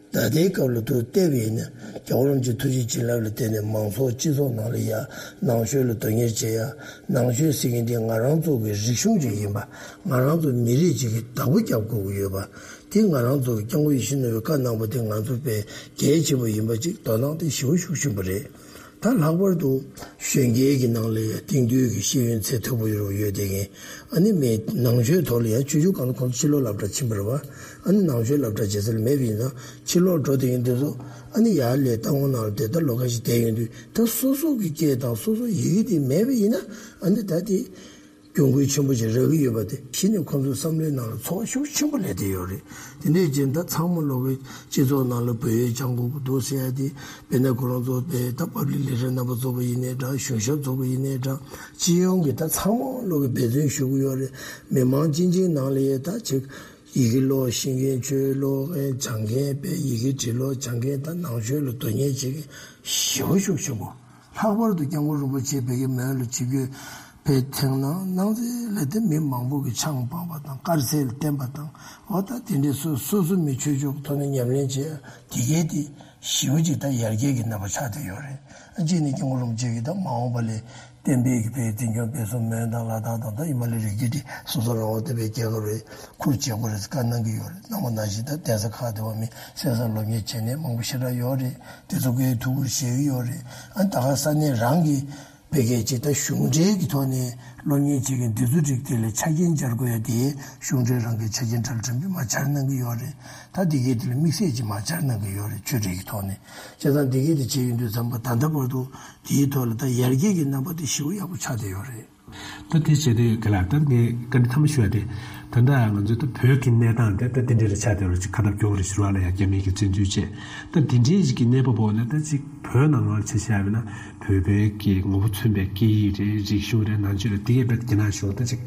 ད་ལྟའི་སྐབས་ལ་ཐུགས་བལྟས་པ་ཡིན་ན་རྒྱལ་བ་རིན་པོ་ཆེའི་ཐུགས་རྗེ་བྱིན་རླབས་ལ་བརྟེན་ནས་མང་ཚོགས་སྤྱི་ཚོགས་ནང་ལ་ཡ་ནང་ཆོས་ལ་དོན་གཉེར་བྱེད་ཡ། ནང་ཆོས་ཟེར་མཁན་དེ་ང་རང་ཚོ་གི་རིག་གཞུང་ཅིག་ཡིན་པ། ང་རང་ཚོ་མི་རིགས་ཅིག་གི་བདག་པོ་རྒྱབ་དགོས་ཀྱི་ཡོད་པ། དེ་ང་རང་ཚོ་གི་སྐྱབས་མགོན་ཡིད་བཞིན་ནོར་བུའི་བཀའ་གནང་པ་དེ་ང་ཚོ་དཔེ་གལ་ཆེན་པོ་ཡིན་པ་ཅིག་དོ་སྣང་དེ་ཞེ་པོ་ཤུགས་ཆེན་པོ་རེད། ད་ལྷག་པར་དུ་གཞོན་སྐྱེས་ཀྱི་ནང་ལ་ཡ་དེང་དུས་ཀྱི་ཤེས་ཡོན་ཚད་མཐོ་པོ་ཡོད་ཡོད་དེ་ངས་ཨ་ནི་མི་ནང་ཆོས་ཐོག་ལ་ཡ་ཆོས་ཕྱོགས་གང་ལ་ཁོང་ཚོ་ཕྱི་ལོགས་སློབ་གྲྭ་ཕྱིན་པ་རེད་བ། ཨ་ནི་ནང་ཆོས་སློབ་གྲྭ་བྱེད་ས་ལ་མེད་པ་ཡིན་ན་ཕྱི་ལོགས་འགྲོ་དེ་ཡིན་དུས་ཚོ་ཨ་ནི་ཡར་ལས་རྟ་དབང་ནང་ལ་དེ་ལྟར་ལོ་ཁ་ཤས་བསྡད་ཡོང་དུས་ད་སོ་སོ་གི་སྐད་དང་སོ་སོ་ཡི་གེ་དེ་མེད་པ་ཡིན་ན་ཨ་ནི་ད་དེ་གྱོང་གུད་ཆེན་པོ་ཞིག་རག་གི་ཡོད་པ་དེ་གཞི་ནས་ཁོང་ཚོའི་བསམ་བློའི་ནང་ལ་ཚོར་བ་ཤུགས་ཆེན་པོ་སླེབས་བསྡད་ཡོད་རེད། དེ་འདྲའི་རྐྱེན་ད་ཚང་མ་ལོག་གི་སྤྱི་ཚོགས་ནང་ལ་བོད་ཡིག་སྦྱང་དགོས་ཀྱི་འདུག་ཟེར་ཡ་དེ་དཔེར་ན་ཁོ་རང་ཚོ་དཔེ་ད་པབ་ལིག་ལེགས་སྦྱར་རྣམ་པ་ཚོགས་པ་ཡིན་ནའི་འདྲ་གཞུང་ཞབས་ཚོགས་པ་ཡིན་ནའི་འདྲ་སྤྱི་ཡོངས་ཀྱི་ད་ཚང་མ་ལོག་གི་འབད་བརྩོན་ཞུ་གི་ཡོད་རེད། མི་མང་སྤྱི་འཆིང་ནང་ལ་ཡ་ད་ཅིག་ཡི་གེ་ཀློག་ཤེས་མཁན་ཆོས་ཀློག་མཁན་སྦྱང་མཁན་དཔེ་ཡི་གེ་འབྲི་ཀློག་སྦྱང་མཁན་ད་ནང་ཆོས་ལ་དོ་གཉེར་བྱེད་མཁན་ཞེ་པོ་ཤུགས་ཆེན་པོ། ལྷག་པར་དུ་སྐྱབས་མགོན་རིན་པོ་ཆེ་བོད་ཀྱི་མོན་ལ་ཆིབས་བསྒྱུར་ཕེབས་ཐེངས་ནང་གནང་ཚེ་ལ་དེ་མི་མང་པོ་གིས་ཆང་སྤངས་པ་དང་དཀར་ཟས་ལ་བརྟེན་པ་དང་འོ་ད་དེ་འདྲའི་སོ་སོ་སོ་མི་ཆོས་ཕྱོགས་ཐོག་ནས་ཉམས་ལེན་བྱེད་ཡ་དེ་གས་དེ་ ཞེ་པོ་ཅིག་ད་ཡར་རྒྱས་ཀྱི་རྣམ་པ་ཆགས་བསྡད་ཡོད་རེད། ཨ་གཅིག་ནི་སྐྱབས་མགོན་རིན་པོ་ཆེ་གིས་ད་མ་འོངས་པ་ལ་བསྟན་པའི་གི་བོད་འཛིན་སྐྱོང་སྤེལ་གསུམ་མོན་དང་ལ་དྭགས་དང་ད་ཧི་མ་ལའི་རི་རྒྱུད་དེ་སོ་སོ་རང་དབང་བསྟན་པའི་རྒྱལ་ཁབ་རེད། ཁུར་བྱེད་དགོས་རེད་བཀའ་གནང་གི་ཡོད་རེད། གནང་བ་ནང་བཞིན་ད་གདན་ས་ཁག་དེ་བ་མི་གསན་བསམ་སློབ་གཉེར་བྱེད་མཁན་མང་པོ་ཞེ་དྲག་ཡོད་རེད། དེ་ཚོ་གིས་ཐུགས་ཁུར་བཞེས་ཀྱི་ཡོད་རེད། ཨ་ད་ག་ས་གནས་རང་གི་བོད་སྐད་ཅིག་ད་གཞུང་འབྲེལ་གྱི་ཐོག་ནས་སློབ་གཉེར་བྱེད་མཁན་འདི་ཚོ་རིགས་དེ་ལ་ཆ་རྐྱེན་སྦྱར་དགོས་ཡ་དེ་གཞུང་འབྲེལ་རང་གི་ཆ་རྐྱེན་ཁྲལ་ཁྲིམས་དེ་མར་སྦྱར་གནང་གི་ཡོད་རེད། ད་འདི་གས་དེ་ལ་དམིགས་བསལ་ཅིག་མར་སྦྱར་གནང་གི་ཡོད་རེད། ཆོས་འབྲེལ་གྱི་ཐོག་ནས་བྱས་ཙང་འདི་གས་དེ་བྱས་ཡོང་དུས་ཙམ་པ་ད་ལྟ་བར་དུ་དེའི་ཐོག་ལ་ད་ཡར་རྒྱས་ཀྱི་རྣམ་པ་དེ་ཞེ་པོ་ཡག་པོ་ཆགས་བསྡད་ཡོད་རེད། ད་དེ་བྱས་དུས་ག་ལ་ད་ངས་བཀའ་འདྲི་ཐ་མ་ཞུ་ཡ་དེ། ད་ལྟ་ང་ཚོ་ད་བོད་ཀྱི་གནས་སྟངས་དེ་ད་དེ་འདྲ་རེ་ཆགས་བསྡད་ཡོད་རེད། ཅིག་ཁ་སྟབས་སྐྱོ་བོ་རེད་ཟེར་བ་ལ་ཡང་རྒྱ་མི་གི་བཙན་འཛུལ་བྱས། ད་དེ་འདྲའི་ཞིག་གི་གནས་བབ་འོག་ནས་ད་ཅིག་བོད་ནང་ལོགས་ཆ་བཞག་པ་ཡིན་ན་བོད་པའི་གི་ངོ་བོ་མཚོན་པའི་སྐད་ཡིག་རེད། རིག་གཞུང་རེད། ནང་ཆོས་རེད། དེ་གས་རྦད་རྒྱ་ནག་གཞུང་ད་ཅིག་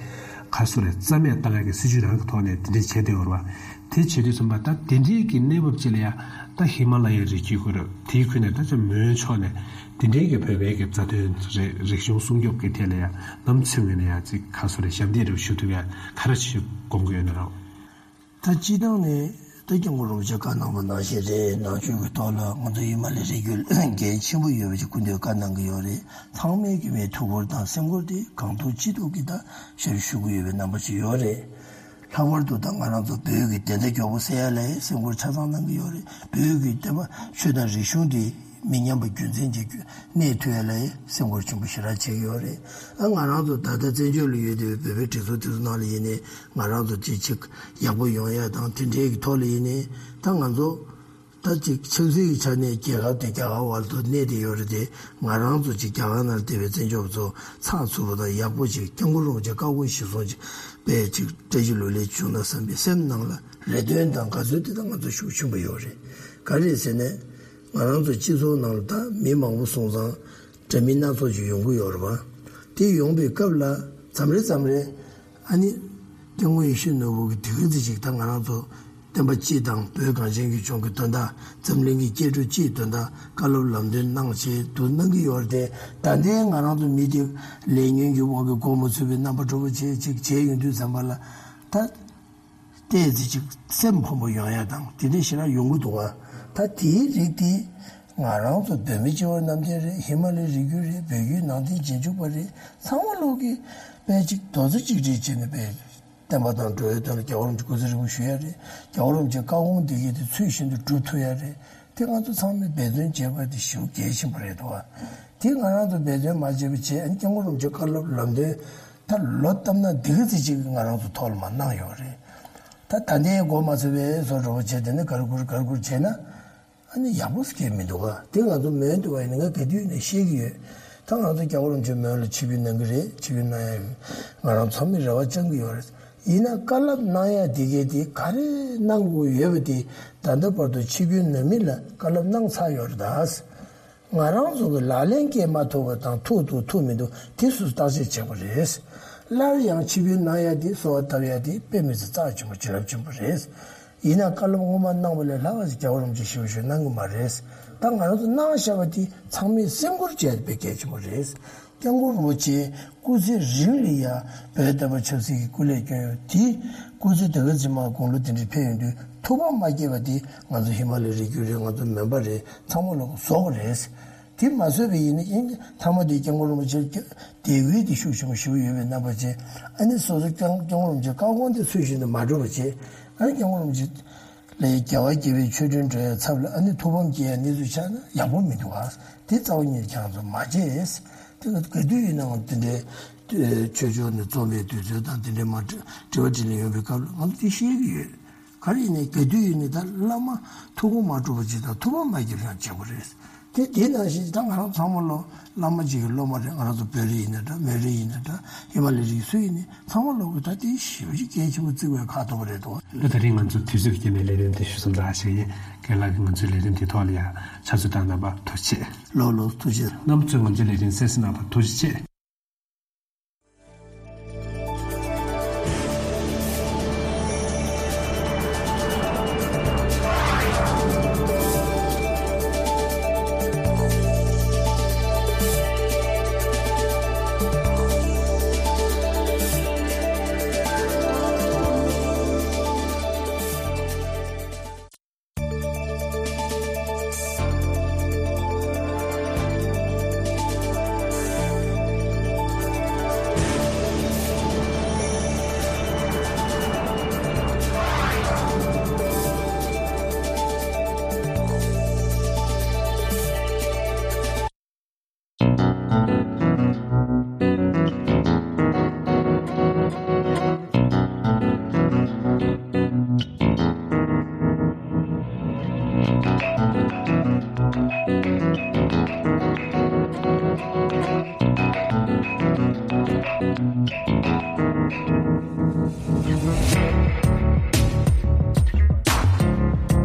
ཁ་གསོ་རེད། རྩ་མེད་བཏང་ཡ་གི་སྲིད་ཇུས་རང་གི་ཐོག་ནས་དེ་འདྲ་བྱས་བསྡད་ཡོད་རེད་བ། དེ་བྱེད་དུས་ཙམ་པ་ད་དེ་འདྲའི་གི་གནས་བབ་ཅིག་ལ་ཡ་ད་ཧི་མ་ལ་ཡའི་རི་རྒྱུད་ཁུལ་རེད། དེའི་ཁུལ་ནས་ད་ཅིག་མོན་ཕྱོགས་ནས་དེ་འདྲའི་གི་བོད་པའི་གི་རྩ་དོན་རེད། རིག་གཞུང་སྲུང་སྐྱོབ་ཀྱི་ཐད་ལ་ཡ་ནམ་ཚུན་ངོས་ནས་ཡ་ཅིག་ཁ་གསོ་རེད། ཞབས་འདེགས་རེ་ཞུ་ཐུབ་ཡ་ག་རེ་ཞིག་དགོངས་ཀྱི་ཡོད་ན་རོགས། ད་སྤྱིར་བཏང་ནས་ད་སྐྱབས་མགོན་རིན་པོ་ཆེ་བཀའ་གནང་བ་ནང་བཞིན་རེད། ནང་ཆོས་ཀྱི་ཐོག་ལ་ང་ཚོ་ཧི་མ་ལའི་རི་རྒྱུད་འགན་ཆེན་པོ་ཡོད་པ་ཅིག་སྐུ་མདུན་བཀའ་གནང་གི་ཡོད་རེད། ཚང་མས་ཀྱི་མའི་ཐུགས་ཁུར་དང་སེམས་ཁུར་དེ་གང་ཐུབ་ཅི་ཐུབ་ཀྱིས་ད་ཞབས་ཞུ་གི་ཡོད་པའི་རྣམ་པ་ཅིག་ཡོད་རེད། ལྷག་པར་དུ་ད་ང་རང་ཚོ་བོད་ཀྱི་བདེན་མཐའ་མགྱོགས་པོ་གསལ་ཡ་ལ་སེམས་ཁུར་ཆ་ཚང་གནང་གི་ཡོད་རེད། བོད་ཀྱི་བསྟན་པ་ཆོས་དང་རིག་གཞུང་དེ་མི་ཉམས་པ་རྒྱུན་འཛིན་གྱི་གནས་ཐུབ་ཡ་ལ་སེམས་ཁུར་ཆེན་པོ་ཞེ་དྲག་བྱེད་ཀྱི་ཡོད་རེད། ཨ་ང་རང་ཚོ་ད་ལྟ་བཙན་བྱོལ་ལ་ཡོད་བསྡད་པའི་བོད་པའི་སྒྲིག་འཛུགས་དེ་ཚོ་ནང་ལ་ཡིན་ནའི་ང་རང་ཚོ་དེ་ཅིག་ཡག་པོ་ཡོང་ཡ་དང་དེ་འདྲའི་གི་ཐོག་ལ་ཡིན་ནའི་ད་ང་ཚོ་ད་ཅིག་ཆབ་སྲིད་ཀྱི་ཆ་ནས་རྒྱལ་ཁབ་དེ་རྒྱ་གར་བར་དུ་གནས་བསྡད་ཡོད་རེད་དེ། ང་རང་ཚོ་ཅིག་རྒྱ་གར་ནང་བསྡད་པའི་བཙན་བྱོལ་བ་ཚོ་ཚགས་ཚུད་པོ་དང་ཡག་པོ་ཅིག་སྐྱབས་མགོན་རིན་པོ་ཆེ་བཀའ་དགོངས་གཞིར་བཟུང་ཅིག་དཔེ་ཅིག་བཀྲ་ཤིས་ལོ་ལེགས་བྱུང་ན་བསམ་པའི་སེམས་ནང་ལ་རེ་འདུན་དང་དགའ་ཚོར་དེ་དག་ང་ཚོ་ཤུགས་ཆེན་པོ་ཡོད་རེད། ག་རེ་ཟེར་ན། ང་རང་ཚོ་སྤྱི་ཚོགས་ནང་ལ་ད་མི་མང་པོ་སོང་ཙང་འདྲ་མིན་སྣ་ཚོགས་ཅིག་ཡོང་གི་ཡོད་རེད་བ། དེ་ཡོང་པའི་སྐབས་ལ་མཚམས་རེ་མཚམས་རེ་ཨ་ནི་སྐྱབས་མགོན་ཡིད་བཞིན་ནོར་བུ་གིས་དེ་ག་ཚོད་ཅིག་ད་ང་རང་ཚོ་བསྟན་པ་སྤྱི་དང་བོད་གངས་ཅན་གྱི་ལྗོངས་ཀྱི་དོན་དག་འཛམ་གླིང་གི་སྐྱེ་འགྲོ་སྤྱིའི་དོན་དག་བཀའ་སློབ་ལམ་སྟོན་གནང་བྱས་འདུག་གནང་གི་ཡོད་རེད་དེ། ད་ལྟའི་ང་རང་ཚོ་མི་དེ་ལས་ཉོན་གྱི་དབང་གིས་གོ་མ་ཚོད་པའི་རྣམ་པ་འདྲ་པོ་བྱས་ཅིག་བྱས་ཡོང་དུས་ཙམ་པ་ལ་ད། ཏོག་ཙམ་ཅིག་སེམས་ཕམ་པོ་ཡོང་ཡ་དང་དེ་འདྲ་ཞེ་དྲག་ཡོང་གི་འདུག་ག་ད་དེའི་རིགས་དེ་ང་རང་ཚོ་བོད་མི་སྤྱི་བོ་གནམ་བསྟན་རེད། ཧི་མ་ལའི་རི་རྒྱུད་རེད། བོད་བརྒྱུད་ནང་བསྟན་རྗེས་འཇུག་པ་རེད། ཚང་མ་ལོག་གིས་དཔེ་ཅིག་རྡོག་རྩ་གཅིག་སྒྲིལ་བྱས་ནས་དཔེ་བསྟན་པ་དང་འགྲོ་བའི་དོན་ལ་རྒྱལ་བ་རིན་པོ་ཆེ་སྐུ་ཚེ་རིང་པོ་བཞུགས་ཡ་རེད། རྒྱལ་བ་རིན་པོ་ཆེའི་བཀའ་དགོངས་འདི་གས་དེ་ཚུལ་བཞིན་དུ་སྒྲུབ་ཐུབ་ཡ་རེད། དེ་ང་ཚོ་ཚང་མས་འབད་བརྩོན་བྱས་པ་དེ་ཞེ་པོ་གལ་ཆེན་པོ་རེད་འདུག་ག་དེ་ང་རང་ཚོ་འབད་བརྩོན་མ་བྱས་པ་བྱས་ཨ་ནི་སྐྱབས་མགོན་རིན་པོ་ཆེའི་བཀའ་སློབ་ལམ་སྟོན། ད་ལོ་བཏབ་ན་འདི་ག་ཚོད་ཅིག་ང་རང་ཚོ་ཐོག་ལ་མར་གནང་ཡོད་རེད། ད་ད་ལྟའི་མགོ་མ་ཚོས་པའི་བཟོ་འདྲ་པོ་བྱས་དེ་ནི་གར་བསྐུར་གར་བསྐུར་བྱས་ན་ཨ་ནི་ཡག་པོ་སྐྱེ་མི་འདུག་ག་དེ་ང་ཚོ་མོན་དུ་བ་ཡིན་ན་ང་ག་དུས་ནས་ཤེས་ཀྱི་ཡོད། ད་ང་ཚོ་རྒྱལ་བ་རིན་པོ་ཆེ་མོན་ལ་ཆིབས་བསྒྱུར་གནང་གི་རེད། ཆིབས་བསྒྱུར་གནང་ཡ་ཡོད། ང་རང་ཚང་མས་རེ་བ་བཅང་གི་ཡོད་རེད། ཡིན་ན་བཀའ་སློབ་གནང་ཡ་དེ་གས་དེ་ག་རེ་གནང་དགོས་ཡོད་པ་དེ་ད་ལྟ་བར་དུ་ཆིབས་བསྒྱུར་གནང་མི་ལ་བཀའ་སློབ་གནང་ཚར་ཡོད་རེད་ད། ང་རང་ཚོ་གི་ལག་ལེན་འཁེལ་མ་ཐུབ་པ་དང་ཐུབ་འདུག་ཐུབ་མི་འདུག་དེ་སུས་བརྟག་དཔྱད་བྱེད་དགོས་རེད། སླར་ཡང་ཆིབས་བསྒྱུར་གནང་ཡ་དེ་གསོལ་བ་བཏབ་ཡ་དེ་དཔེ་མི་སྲིད་རྩ་ཆེན་པོ་བྱིན་རླབས་ཆེན་པོ་རེད། ཡིན་ན་བཀའ་སློབ་སྔོན་མ་གནང་བ་ལས་ལྷག་པ་ཞིག་རྒྱལ་བ་རིན་པོ་ཆེ་ཞེ་པོ་ཞིག་གནང་གི་མ་རེད། ད་ང་རང་ཚོ་གནང་བཞག་པ་དེ་ཚང་མས་སེམས་ཁུར་བྱས་ཏེ་དཔེ་གལ་ཆེན་པོ་རེད། སྐྱབས་མགོན་རིན་པོ་ཆེ་སྐུ་ཚེ་རིང་ལ་ཡ་བོད་བསྟན་པ་ཆབ་སྲིད་ཀྱི་སྐུ་ལས་བསྐྱོན་ཡོད་དེ། སྐུ་ཚེ་དེ་ག་ཚོད་མར་དགུང་ལོ་དེ་འདྲ་ཕེབས་ཡོང་དུས་ཐུགས་ཕམ་མ་སྐྱེས་པ་དེ་ང་ཚོ་ཧི་མ་ལའི་རི་རྒྱུད་རེད། ང་ཚོ་མོན་པ་རེད། ཚང་མ་ལོག་གིས་བཟོ་དགོས་རེད། དེ་མ་བཟོས་པ་ཡིན་ན་ཨིན་མཐའ་མ་དེ་སྐྱབས་མགོན་རིན་པོ་ཆེ་དད་གུས་དེ་ཤུགས་ཆེན་པོ་ཞེ་པོ་ཡོད་པའི་རྣམ་པ་བྱས། ཨ་ནི་སོ་སོ་སྐྱབས་སྐྱབས་མགོན་རིན་པོ་ཆེའི་བཀའ་དགོངས་དེ་ཚུལ་བཞིན་དུ་མ་སྒྲུབ་པ་བྱས། ཨ་ནི་སྐྱབས་མགོན་རིན་པོ་ཆེ་ལས་རྒྱལ་བ་དགྱེས་པའི་མཆོད་སྤྲིན་སྒྲོན་ཡ་ཚབ་ལ་ཨ་ནི་ཐུགས་ཕམ་སྐྱེ་ཡ་གནས་ཚུལ་ཆགས་ན་ཡག་པོ་མི་འདུག་ག་དེ་རྩ་བ་ཉིད་ཁྱེད་རང་ཚོ་མ་བྱེད། དེ་ག་ག་དུས་ཡིན་ནའང་དེ་འདྲའི་ཆོས་ཕྱོགས་ནས་འཛོམས་པའི་དུས་ཚོད་དང་དེ་འདྲའི་མ་དྲི་བ་དྲིས་ལན་ཡོང་བའི་སྐབས་ལ་ང་ཚོ་དེ་ཤེས་ཀྱི་ཡོད། ག་རེ་ཡིན་ནའི་ག་དུས་ཡིན་ནའི་ད་བླ་མ་ཐུགས་དགོངས་མ་གྲུབ་པ་ཅིག་དང་ཐུགས་ཕམ་མ་སྐྱེ་ཡ་བྱེད་དགོས་རེད། དེ་དེ་ནང་བཞིན་ད་ང་རང་ཚང་མ་ལོ་བླ་མ་གཅིག་གི་སློབ་མ་རེད། ང་རང་ཚོ་བོད་རིགས་ཡིན་ན་འདྲ། མོན་རིགས་ཡིན་ན་འདྲ། ཧི་མ་ལ་ཡའི་རིགས་སུ་ཡིན་ནའི་ཚང་མ་ལོག་གིས་ད་དེ་ཞེ་པོ་ཅིག་གལ་ཆེན་པོ་བརྩི་དགོས་ཁག་ཐུག་པ་རེད་དོ། ད་ད་རིང་ང་ཚོ་དུས་ཚོད་ཀྱི་རྐྱེན་པས་ལས་རིམ་དེ་ཞུ་མཚམས་རེད་ཞུ་ཡིན། རྒན་ལགས་ཀྱིས་ང་ཚོའི་ལས་རིམ་དེ་ཐོག་ལ་ཡང་ཕྱག་ཚོད་བཏང་གནང་བར་ཐུགས་རྗེ་ཆེ། ལགས་ལགས་ཐུགས་རྗེ་ཆེ། རྣམ་པ་ཚོས་ང་ཚོའི་ལས་རིམ་གསན་གཟིགས་གནང་བར་ཐུགས་རྗེ་ཆེ།